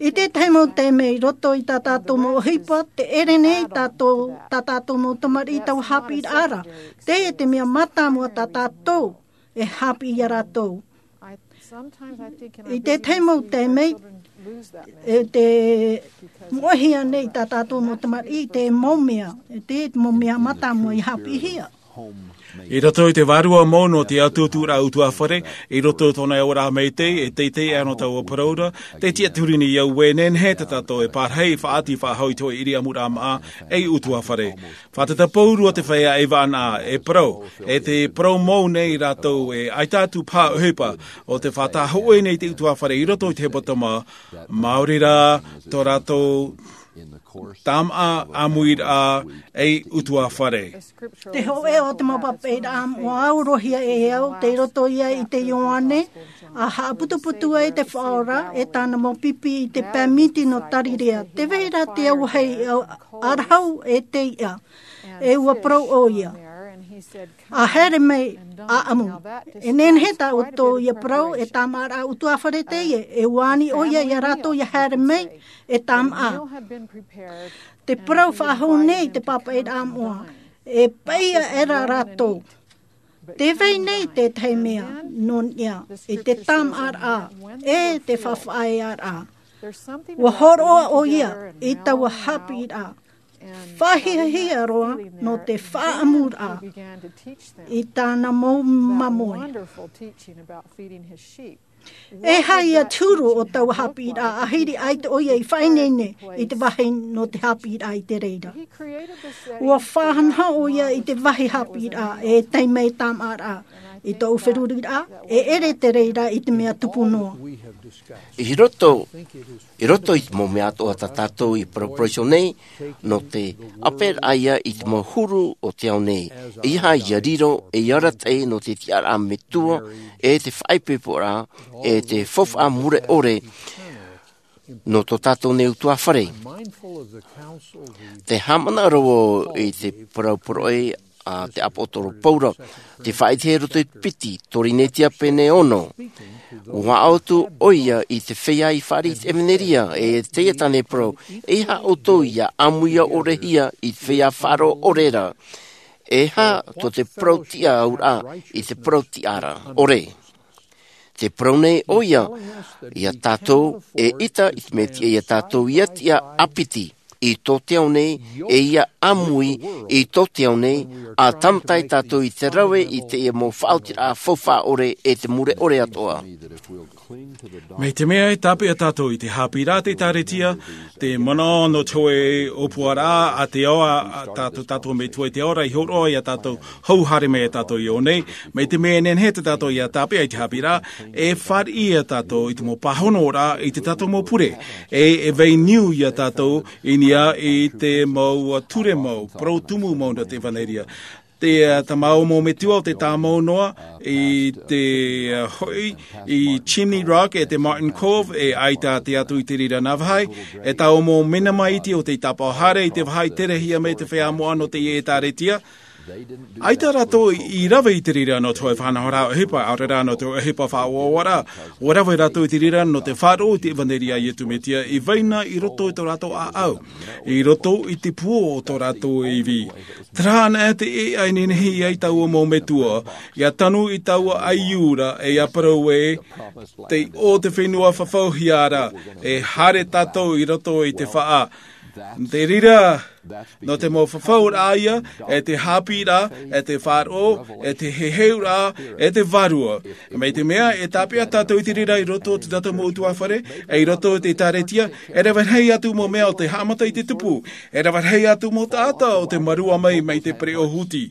I te tahi mau taime i roto i tā tātou mau ʻohipa, tē ʻere nei tātou, tā tātou mau tamariʻi i taua haʻapiʻiraʻa ra. Teie te mea mātāmua tā tātou e haʻapiʻi ia rātou. I te tahi mau taime, e tē moʻehia nei tā tātou mau tamariʻi i te mau mea, e te mau mea mātāmua i haʻapiʻihia. I roto i te vārua mau nō te ʻatuʻaturaʻa ʻutuāfare, i roto i tōna e ora maitaʻi, e teitei ʻana taua parau ra, tē tiʻaturi nei au ē, nehenehe tā tātou e pārahi, faʻaʻati, faʻahou i te hōʻē ʻiriʻamuraʻa māʻa, ei ʻutuāfare. Fātata paurua te feiā e vānaʻa, e parau, e te parau mau nei rātou e ʻaita atu paha ʻohipa, ʻo te faʻatāhōʻē nei te ʻutuāfare i roto i te hepetoma, maori rā tō rātou tāmaʻa ʻāmuiraʻa ei ʻutuāfare. Te hōʻē o te mau pāpaʻiraʻa moʻa ʻua aurohia e au, tei roto ia i te Ioane, ʻa haʻaputuputu ai te Faʻa Ora, e tāna mau pipi i te pae miti nō Tarirea. Tē vai ra te auahi ʻarahu e tei ʻā, e ʻua parau ʻoia. ʻA haere mai ʻāʻamu. E nehenehe tā ʻoutou ʻia parau, e tāmaʻaraʻa ʻutuāfare teie, e ʻua ani ʻoia ia rātou ʻia haere mai, e tāmaʻa. Te parau faʻahou nei te pāpaʻiraʻa moʻa, e paʻi aʻera rātou. Tē vai nei te tahi mea, nō niʻa, i te tāmaʻaraʻa, e te faʻafaʻaearaʻa. ʻUa hōroʻa ʻoia, i taua haʻapiʻiraʻa. Faʻahiahia roa nō te faʻaʻamuraʻa i tāna mau māmoe. E aha ia te huru o taua haʻapiʻiraʻa, ʻahiri ʻaita ʻoia i faʻaineine i te vāhi nō te haʻapiʻiraʻa i te reira. Ua faʻanaho ʻoia i te vāhi haʻapiʻiraʻa e taime tāmāʻaraʻa i tōʻu feruriraʻa, e ʻere te reira i te mea tupu noa. I roto, i roto i te mau mea atoʻa tā tātou i parauparau iho nei, nō te ʻāperaʻa ia i te mau huru o te ao nei. E aha ia riro ei arataʻi nō te tiʻaraʻa metua, e te faʻaipoiporaʻa, e te faufaʻa mure ʻore nō tō tātou nei ʻutuāfare. Te haʻamanaʻo roa i te parauparau a te ʻāpōsetolo Paula, tē faʻaʻite i roto i te piti Korinetia pene ono. Ua ʻaʻau atu ʻoia i te feiā i fāriʻi i te ʻevanelia, e teie tāna e parau, e aha ʻoutou ia ʻāmui ʻore hia i te feiā faʻaroʻo ʻore ra? E aha tō te parau tiʻa auraʻa i te parau tiʻa ra ʻore? Tē parau nei ʻoia ia tātou, eʻita i te mea tiʻa ia tātou ia tiʻa ʻāpiti i tō te ao nei, e ia ʻāmui i tō te ao nei, ʻa tāmata ai tātou i te rave i teie mau faʻaotiraʻa faufaʻa ʻore e te mure ʻore atoʻa. Mai te mea e tāpeʻa tātou i te haʻapiʻiraʻa a te ʻĒkālesia, te manaʻo nō te hōʻē ʻōpuaraʻa a te ao, a tātou, tātou metua i te ao ra, i hōroʻa ia tātou hou haere mai ia tātou i ʻō nei, mai te mea e nehenehe tō tātou ia tāpeʻa i te haʻapiʻiraʻa, e fāriʻi ia tātou i te mau pāhonoraʻa i tō tātou mau pure, e, e vai niu ia tātou i niʻa i te mau ture mau, parau tumu mau nō te ʻevanelia. Te, ā, tā māua mau metua o tē tāmau noa i te, ā, hoʻi i Chimney Rock e te Martin Cove, e ʻaita tē atu i te reira nā vāhi, e tāua mau mena maʻiti o tē tāpaʻo haere i te vāhi terehia mai te feiā moʻa nō te ʻĒkālesia. ʻAita rātou i rave i te reira nō te hōʻē faʻanahoraʻa ʻohipa, ʻaore rā nō te hōʻē ʻohipa faʻaʻoaʻoaraʻa. ʻUa rave rātou i te reira nō te faʻaroʻo i te ʻevanelia a Iesu Mesia i vai na i roto i tō rātou ʻāʻau, i roto i te puo o tō rātou ivi. Terā anaʻe te ʻēʻa i nehenehe ai tāua mau metua, ʻia tanu i taua ʻaiū ra, e ʻia parau ē, tei ʻō te fenua fafauhia ra, e haere tātou i roto i te faʻa. Te reira, nō te mau fafauraʻa ia, e te haʻapiʻiraʻa, e te faʻaroʻo, e te heheuraʻa, e te vārua. Mai te mea, e tāpeʻa tātou i te reira i roto o tō tātou mau ʻutuāfare, e i roto i te ʻĒkālesia, e rave rahi atu mau mea o te haʻamata i te tupu, e rave rahi atu mau taʻata o tē mārua mai, mai te pereʻoʻo huti.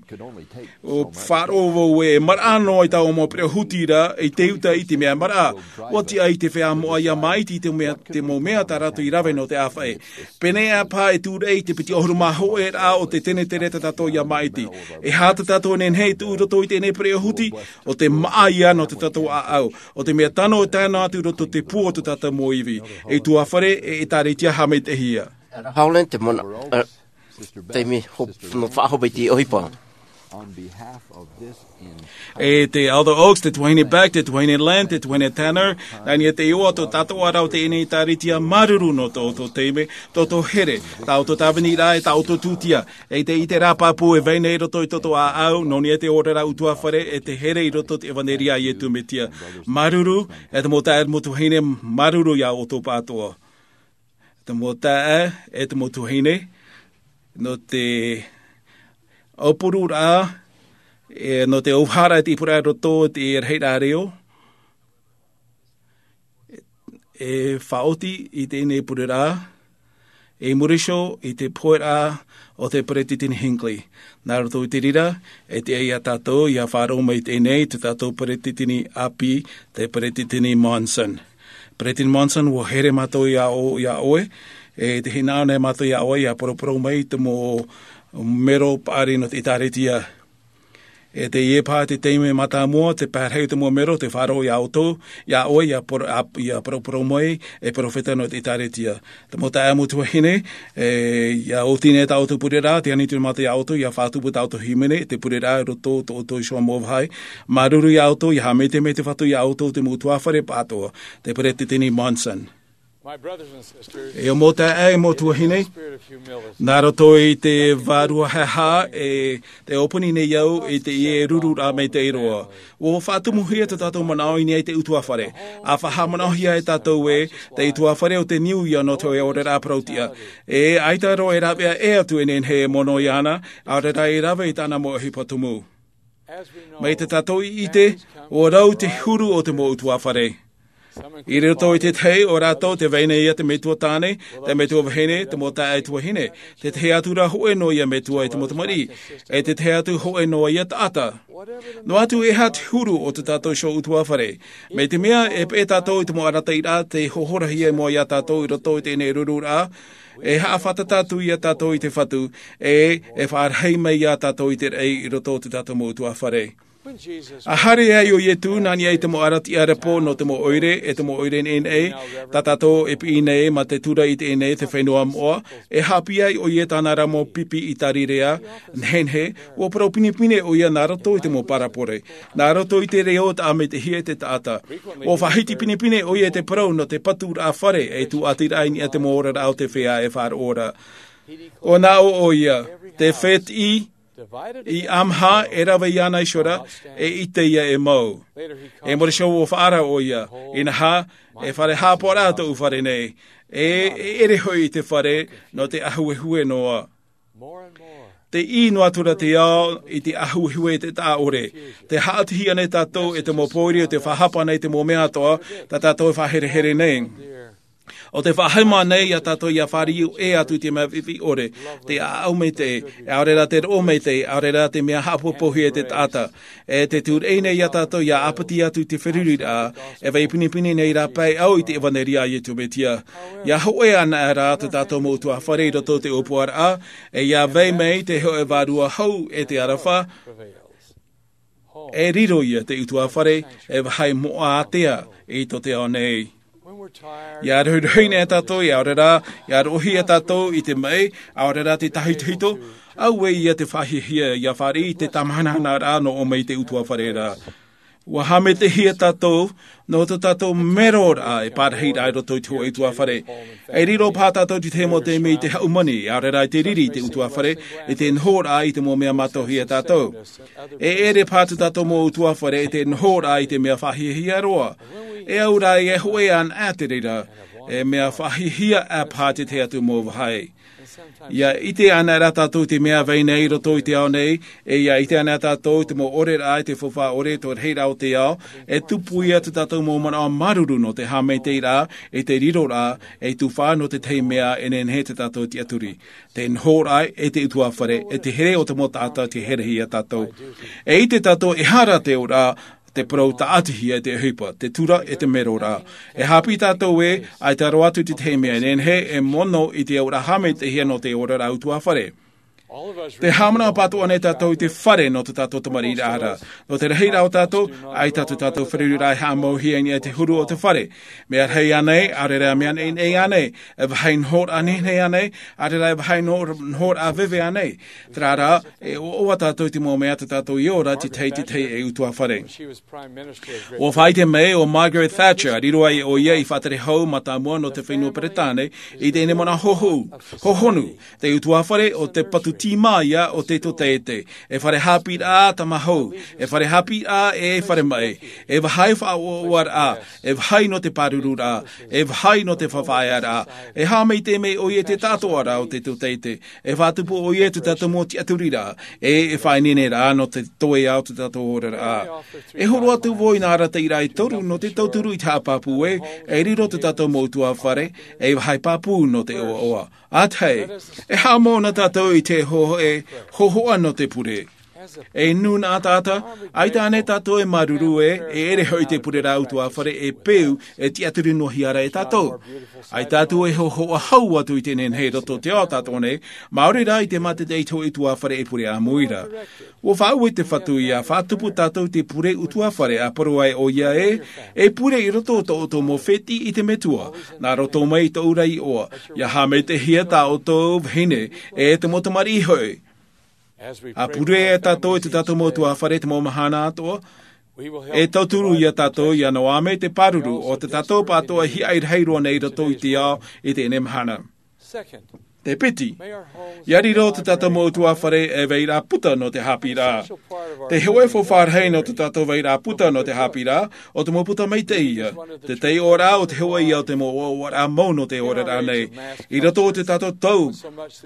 ʻUa faʻaroʻo vau ē, maraʻa noa i taua mau pereʻoʻo huti ra, i te uta i te mea maraʻa. ʻUa tiʻa i te feiā moʻa ʻia māʻiti i te mea, te mau mea tā rātou i rave nō te ʻāfaʻi. Pēneiaʻe paha e tūraʻi i te piti ʻahuru mā hōʻē raʻa o te tenetere tā tātou ʻia māʻiti. E aha tā tātou e nehenehe e tuʻu i roto i teie pereʻoʻo huti, ʻo te māʻa ia nō tō tātou ʻāʻau. ʻO te mea tano e tae noa atu i roto i te puo o tō tātou mau ivi. E ʻutuāfare, e ʻĒkālesia haʻamaitaʻihia. Howland, te manaʻo, ā, te mea hop-, nō faʻahope i te ʻohipa. E te Elder Oaks, te tuahine Beck, te tuahine Lynn, te tuahine Tanner, nā niʻa i te iʻoa tō tātou ā rā o teie ʻĒkālesia, māuruuru nō tō ʻoutou taime, tō ʻoutou here, tā ʻoutou tāviniraʻa, e tā ʻoutou tūtia, e te, i te rā pāpū e vai nei i roto i tō ʻoutou ʻāʻau, nō niʻa i te oraraʻa ʻutuāfare, e te here i roto i te ʻevanelia a Iesu Mesia. Māuruuru, e te mau taeaʻe, te mau tuahine, māuruuru ia ʻoutou pāʻatoʻa. Te mau taeaʻe, e te mau tuahine, nō te ʻaupururaʻa, e, nō te ʻauharaʻa i te ʻīpuraraʻa i roto i te rahiraʻa reo, e faʻaoti i teie pureraʻa, e muri iho i te poheraʻa o te Peretiteni Hinckley. Nā roto i te reira, e tiʻa ia tātou, ʻia faʻaroʻo mai teie, tō tātou Peretiteni ʻāpī, te Peretiteni Monson. Peretiteni Monson, ʻua here mātou ia ʻo-, ia ʻoe, e tē hinaʻaro nei mātou ia ʻoe, ʻia paraparau mai i te mau mero paʻari nō te ʻĒkālesia. E teie paha te taime mātāmua, te pae rahi o te mau mero, tē faʻaroʻo ia ʻoutou, ia ʻoe, ʻia par-, ʻa, ʻia paraparau mai, e perofeta nō te ʻĒkālesia. Te mau taeaʻe, mau tuahine, e, ʻia oti nei tā ʻoutou pureraʻa, tē ani atu mātou ia ʻoutou, ʻia faʻatupu tā ʻoutou hīmene, te pureraʻa i roto i tō ʻoutou iho mau vāhi. Māuruuru ia ʻoutou, ʻia haʻamaitaʻi mai te Fatu ia ʻoutou, te mau ʻutuāfare pāʻatoʻa, te Peretiteni Monson. E ʻo mau taeaʻe, mau tuahine, nā roto i te vārua haʻehaʻa, e te ʻōpani nei au i te ʻie ruru rā mai te iroa. Ua faʻatumuhia tā tātou manaʻo i niʻa i te ʻutuāfare. ʻA faʻahaʻamanaʻohia e tātou ē, te ʻutuāfare ʻo te niu ia nō te hōʻē oraraʻa parauʻtiʻa. E ʻaita roa e rāveʻa ʻē atu e nehenehe e mono iāna, ʻaore rā e rave i tāna mau ʻohipa tumu. Mai tā tātou i ʻite, ʻua rau te huru o te mau ʻutuāfare. I roto i te tahi o rātou te vai nei ia te metua tāne, te metua vahine, te mau taeaʻe tuahine, te tahi atu rā hōʻē noa ia metua e te mau tamariʻi, e te tahi atu hōʻē noa ia taʻata. Noa atu e aha te huru o tā tātou iho ʻutuāfare. Mai te mea e peʻe tātou i te mau arataʻiraʻa tei hohorahia i mua iā tātou i roto i teie rururaʻa, e haʻafātata atu ia tātou i te Fatu, e, e faʻarahi mai iā tātou i te raʻi i roto i tā tātou mau ʻutuāfare. ʻA haere ai ʻo Ietu nā niʻa i te mau arataʻi ʻārepo nō te mau ʻoire, e te mau ʻoire neʻineʻi, tā tātou e piʻi nei mā te tura i teie nei te fenua moʻa, e haʻapiʻi ai ʻoia i tāna ra mau pipi i Tarirea, nehenehe, ʻua parau pinepine ʻoia nā roto i te mau parabole, nā roto i te reo tāʻamitehia e te taʻata. ʻUa faʻahiti pinepine ʻoia i te parau nō te paturaʻa fare, e tūʻatiraʻa i niʻa i te mau oraraʻa o te feiā e faʻaroʻo ra. ʻUa nā ʻō ʻoia, te fētiʻi, i ʻamaha e rave iāna iho ra, e ʻite ia e mau. E mōrī iho ʻua faʻaara ʻoia, inaha, e fare hāpaʻo rā tōʻu fare nei, e, e ʻere hoʻi i te fare, nō te ʻāhuehue noa. Te ʻī noa atu ra te ao i te ʻāhuehue e te taʻa ʻore. Tē haʻatihia nei tātou e te mau pōiri o tē faʻahapa nei te mau mea atoʻa, tā tātou e faʻaherehere nei. ʻO tē faʻahaʻamanaʻo nei iā tātou ʻia fāriu ʻē atu i te mea viʻiviʻi ʻore, te ʻāʻau maitaʻi, ʻaore rā te roʻo maitaʻi, ʻaore rā te mea haʻapopohia e te taʻata. E tē tūraʻi nei iā tātou ʻia ʻāpiti atu i te feruriraʻa, e vai pinepine nei rāpae au i te ʻevaneria a Iesu Mesia. ʻIa hōʻē anaʻe rā tā tātou mau ʻutuāfare i roto i te ʻōpuaraʻa, e ʻia vai mai te hōʻē vārua hou e te aroha, e riro ia te ʻutuāfare, e vāhi moʻa ātea i tō te ao nei. ʻIa rohirohi nei tātou, ʻaore rā, ʻia roʻohia tātou i te maʻi, ʻaore rā te tahitohito, auē ia te faʻahiahia, ʻia fāriʻi i te tāmāhanahana rā nō ʻō mai i te ʻutuāfare ra. ʻUa haʻamaitaʻihia tātou, nō tō tātou mero rā e pārahi rā i roto i te hōʻē ʻutuāfare. E riro paha tātou i te tahi mau taime i te haʻamani, ʻaore rā i te riri i te ʻutuāfare, i te noho rā i te mau mea mātauhia tātou. E ʻere paha tā tātou mau ʻutuāfare i te noho rā i te mea faʻahiahia roa. E au rā e hōʻē anaʻe te reira, e mea faʻahiahia ʻā paha te tahi atu mau vāhi. ʻIa ʻite anaʻe rā tātou i te mea vai nei i roto i te ao nei, e ʻia ʻite anaʻe tātou i te mau ʻoreraʻa i te faufaʻa ʻore, tō te rahiraʻa o te ao, e tupu ia tā tātou mau manaʻo māuruuru nō te haʻamaitaʻiraʻa, i te riroraʻa, e tufaʻa nō te tahi mea e nehenehe tā tātou e tiʻaturi. Te noho rā e te ʻutuāfare, e te here o te mau taʻata tē herehia iā tātou. E ʻite tātou e aha rā te auraʻa, te parau tāʻatihia e te ʻohipa, te tura e te mero rā. E haʻapiʻi tātou ē, ʻaita roa atu te tahi mea e nehenehe e mono i te auraʻa haʻamaitaʻihia nō te oraraʻa ʻutuāfare. Tē haʻamanaʻo pātoʻa nei tātou i te fare nō tō tātou tamariʻiraʻa ra. Nō te rahiraʻa o tātou, ʻaita tō tātou feruriraʻa e haʻamauhia i niʻa i te huru o te fare. Mea rahi ānei, ʻaore rā mea neʻineʻi ānei, e vāhi nohoraʻa nehenehe ānei, ʻaore rā e vāhi noho-, nohoraʻa veve ānei. Terā rā, e ʻoaʻoa tātou i te mau mea tā tātou i ora i te tahi i te tahi ei ʻutuāfare. ʻUa faʻaʻite mai ʻo Margaret Thatcher, riro ai ʻoia ei faʻatere hau mātāmua nō te fenua Peretāne, i teie nei manaʻo hohonu, te ʻutuāfare ʻo te patu tīmā ia o te tōtaiete, e fare haʻapiʻiraʻa tāmāhou, e fare haʻapiʻiraʻa e fare maʻi, e vāhi faʻaʻoaʻoaraʻa, e vāhi nō te pārururaʻa, e vāhi nō te faʻaearaʻa, e haʻamaitaʻi mai ʻoia i te taʻatoʻaraʻa o te tōtaiete, e faʻatupu ʻoia i tō tātou mau tiʻaturiraʻa, e, e faʻaineineraʻa nō te toeʻa o tō tātou oraraʻa. E horo atu vau i nā arataʻiraʻa e toru nō te tauturu i te haʻapāpū ē, e riro tō tātou mau ʻutuāfare, ei vāhi pāpū nō te ʻoaʻoa. ʻA tahi, e haʻamau na tātou i te hō-, e hōhoʻa nō te pure. E nūnaʻa taʻata, ʻaita ānei tātou e māuruuru ē, e ʻere hoʻi te pureraʻa ʻutuāfare e peu, e tiʻaturi noa hia ra e tātou. ʻAita atu e hōhoʻa hau atu i te nehenehe i roto i te ao tātou nei, maori rā i te mātaʻitaʻi i te hōʻē ʻutuāfare e pure ʻāmui ra. ʻUa faʻaue te Fatu ʻia faʻatupu tātou i te pure ʻutuāfare ʻa parau ai ʻoia ē, e pure i roto o tō ʻoutou mau fētiʻi i te Metua, nā roto mai i tōʻu ra iʻoa, ʻia haʻamaitaʻihia tā ʻoutou vahine, e te mau tamariʻi hoʻi. ʻA pure e tātou i tō tātou mau ʻutuāfare i te mau mahana atoʻa, E tauturu ia tātou ia noa mai te pāruru o te tātou pātoʻa hiaʻai rahi roa nei i roto i te ao i teie mahana. Te piti, ia riro te tātou mau utuafare e vairaʻa puta nō te haʻapiʻiraʻa. Te hoʻe faufaʻa rahi nō te tātou vairaʻa puta nō te haʻapiʻiraʻa, o te mau puta maitaʻi ia. Te taiʻoraʻa o te hoʻe ia o te mau ʻoaʻoaraʻa mau nō te oraraʻa nei. I roto o te tātou tau,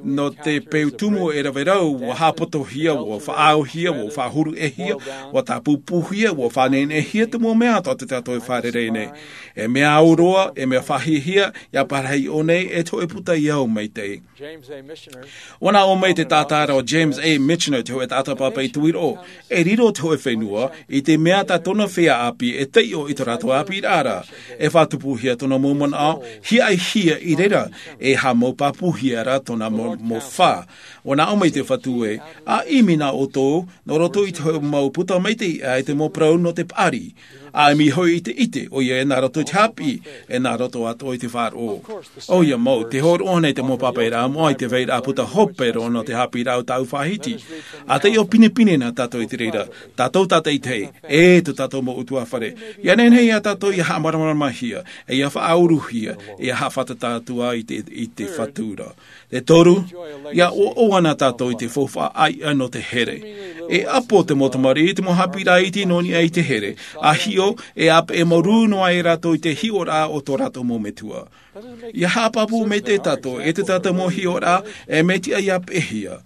nō te peu tumu e rave rau, ua haʻapotohia, ua faʻaauhia, ua faʻahuruʻehia, ua tāpūpūhia, ua faʻanehenehe te mau mea atoʻa o te tātou e fārerei nei. E mea au roa, e mea faʻahiahia, ia parahi ʻō nei, e te hoʻe puta i au maitaʻi. Ua nā ʻō mai te tātara o James A. Michener, te hoʻe taʻata pāpaʻi tuiroʻo, e riro te hoʻe fenua i te mea tā tōna feiā ʻāpī e taiʻo i tō rātou ʻāpīraʻa. E faʻatupuhia tōna mau manaʻo, hiaʻaihia i reira, e haʻamau pāpūhia rā tōna mau, mau fā. Ua nā ʻō mai te Fatu ē, a ʻimi na ʻoutou, nō roto i te hoʻe mau puta maitaʻi ʻā i te mau parau nō te paʻari. A ʻimi hoʻi i te ʻite, ʻoia e nā roto i te haʻapiʻi, e nā roto atoʻa i te faʻaroʻo. ʻOia mau, te hōroʻa nei te mau pāpaʻiraʻa moʻa i te vairaʻa puta hope roa nō te haʻapiʻiraʻa o tāʻu faʻahiti. A taiʻo pinepine na tātou i te reira, tātou tātaʻitahi, e tō tātou mau utuafare. Ia nehenehe ia tātou ia haʻamāramaramahia, e ia faʻauruhia, e ia haʻafātata atu ā i te, i te Fatu ra. Te toru, ia ʻoaʻoa na tātou i te faufaʻa ʻāiʻa nō te here. E ʻapo te mau tamariʻi i te mau haʻapiʻiraʻa iti nō niʻa i te here, a hiʻo, e ʻāpeʻe mau rū noa ai rātou i te hiʻoraʻa o tō rātou mau metua. Ia haʻapāpū maitaʻi tātou, e te tātou mau hiʻoraʻa, e mea tiʻa ia peʻehia.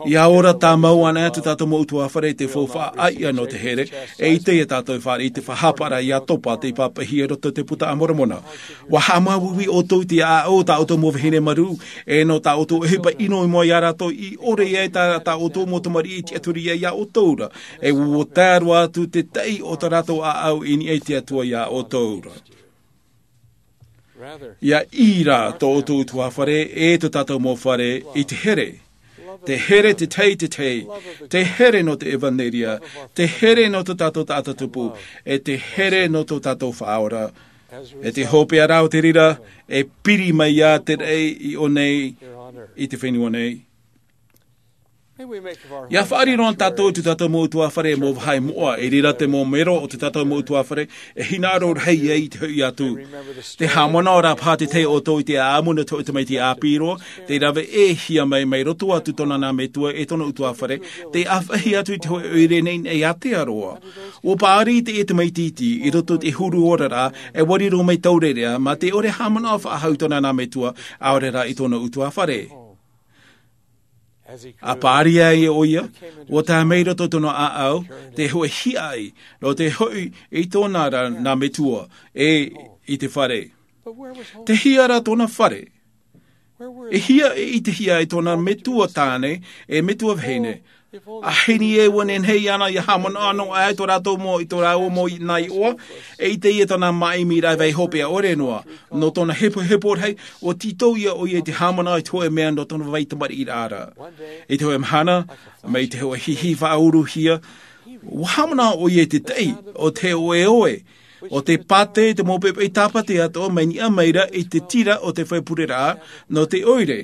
Ia ora tāmau ana atu tātou mau utuafare i te faufaʻa ʻāiʻa nō te here, e ʻite ia tātou e fāriʻi i te faʻahaparaʻa ia topa tei pāpaʻihia i roto i te Puta a Moromona. Ua haʻamāuiui ʻoutou i te ʻāʻau o tā ʻoutou mau vahine marū, e nō tā ʻoutou ʻohipa ʻino i mua ia rātou i ʻore ai tā, tā ʻoutou mau tamariʻi i tiʻaturi ai ia ʻoutou ra. E ua tae roa atu te taʻi o tā rātou ʻāʻau i niʻa i te Atua ia ʻoutou ra. Ia ʻī rā tō ʻoutou utuafare, e tō tātou mau fare, i te here. Te here te tahi, te tahi, te here nō te ʻevaneria, te here nō tō tātou taʻata tupu, e te here nō tō tātou Faʻaora. E te hopeʻa ra o te reira, e piri mai ia te raʻi i ʻō nei, i te fenua nei. Ia faʻariro na tātou i tō tātou mau utuafare mau vāhi moʻa, i reira te mau mero o tō tātou mau utuafare, e hinaʻaro rahi ai i te hoʻi atu. Te haʻamanaʻo ra paha te tahi o ʻoutou i te ʻāʻamu nō te hoʻi tamaiti ʻāpī roa, tei rave ʻē hia mai, mai roto atu tōna nā metua e tōna utuafare, tei ʻāfaʻi atu i te hoʻi ʻoire nei, nei Aotearoa. Ua paʻari teie tamaiti iti, i roto i te huru oraraʻa, e ua riro mai taureʻareʻa, mā te ʻore haʻamanaʻo faʻahou i tōna nā metua, ʻaore rā i tōna utuafare. A paʻari ai ʻoia, ua tae mai roto tōna ʻāʻau, te hoʻi hiaʻai, nō te hoʻi i tōna ra nā metua, e i te fare. Tei hea rā tōna fare? E hia e ʻitehia e tōna metua tāne, e metua vahine. A heni e ua nehenehe iāna ia haʻamanaʻo noa ai tō rātou mau, i tō rāua mau nā iʻoa, e ʻite ia tōna māʻimiraʻa vai hopeʻa ʻore noa. Nō tōna hepohepo rahi, ua tītau ia ʻoia i te haʻamanaʻo i te hoʻi mea nō tōna vai tamariʻiraʻa ra. I te hoʻi mahana, mai te hoʻi hihi faʻauruhia, ua haʻamanaʻo ʻoia i te taʻi o te ʻoeʻoe, o te pātē, te mau pepeʻi tāpati atoʻa mai niʻa mai ra i te tira o te fare pureraʻa, nō te ʻoire.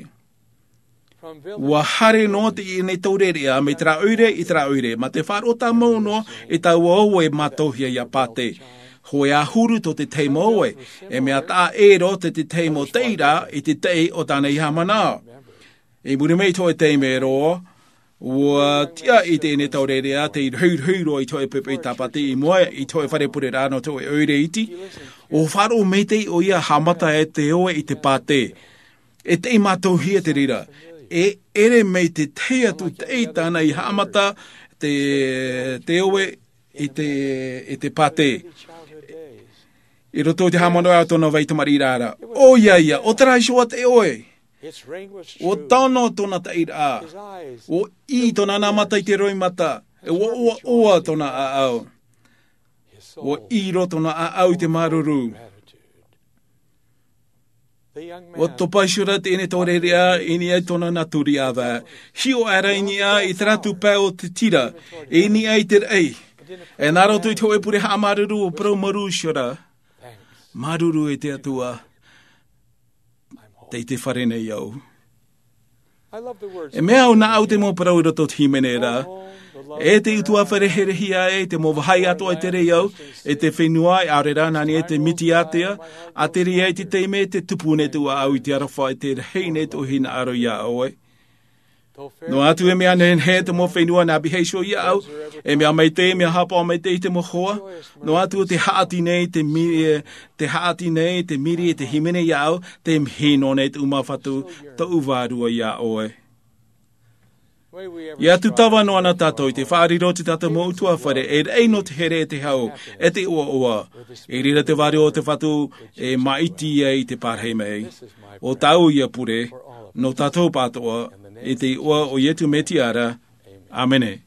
Ua haere noa teie nei taureʻareʻa, mai terā ʻoire i terā ʻoire, mā te faʻaroʻo tāmau noa i taua ʻoe mātauhia ia pātē. Hōʻē ʻahuru tō te tahi mau ʻoe, e mea taʻa ʻē roa tō te tahi mau taʻi ra i te taʻi o tāna i haʻamanaʻo. I muri mai i te hoʻi taime roa, ua tiʻa i teie nei taureʻareʻa, tei rohirohi roa i te hoʻi pepeʻi tāpati i mua, i te hoʻi fare pureraʻa nō te hoʻi ʻoire iti. Ua faʻaroʻo maitaʻi ʻoia haʻamata e te ʻoe i te pātē. E tei mātauhia te reira. E ʻere mai te tahi atu taʻi tāna i haʻamata te, te ʻoe i te, i te pātē. I roto i te haʻamanaʻo o tōna vai tamariʻiraʻa. ʻOia ia, ʻo terā iho ā te ʻoe. Ua tano tōna taʻiraʻa. Ua ʻī tōna nā mata i te roimata. E ua ʻoaʻoa tōna ʻāʻau. Ua ʻī roa tōna ʻāʻau i te māuruuru. Ua topa iho ra teie nei taureʻareʻa i niʻa i tōna nā tūriʻi ʻāvae. Hiʻo aʻera i niʻa i terā atu pae o te tira, i niʻa i te raʻi. E nā roto i te hoʻi pure haʻamāuruuru, ua parau māuruuru iho ra. Māuruuru e te Atua. Tei te fare nei au. E mea au nā au te mau parau i roto i te hīmene ra. E te utuafare here hia e te mau vahi atoʻa i te reo, e te fenua e ʻaore rā nā niʻa i te mitiatea, a te reo i te taime te tupu nei tō ʻoe i te aroha e te rahi nei tō hinaʻaro iā ʻoe. Noa atu e mea nehenehe te mau fenua nā biheisio iā ʻoe, e mea maitaʻi e mea hāpaʻo maitaʻi i te mau hoa. Noa atu te haʻati nei te miri e te haʻati nei te miri e te hīmene iā ʻoe, te mihi nō nei tō ʻu mafatu, tō ʻu vārua iā ʻoe. Ia tūtava noa na tātou i te faʻariro o te tātou mau utuafare e raʻi nō te here e te hau, e te ʻoaʻoa. I reira te vārua o te fatu e māʻiti ai i te pārahi mai. O tāʻu ia pure nō tātou pātoʻa, i te iʻoa o iesu mesia ra. Āmene.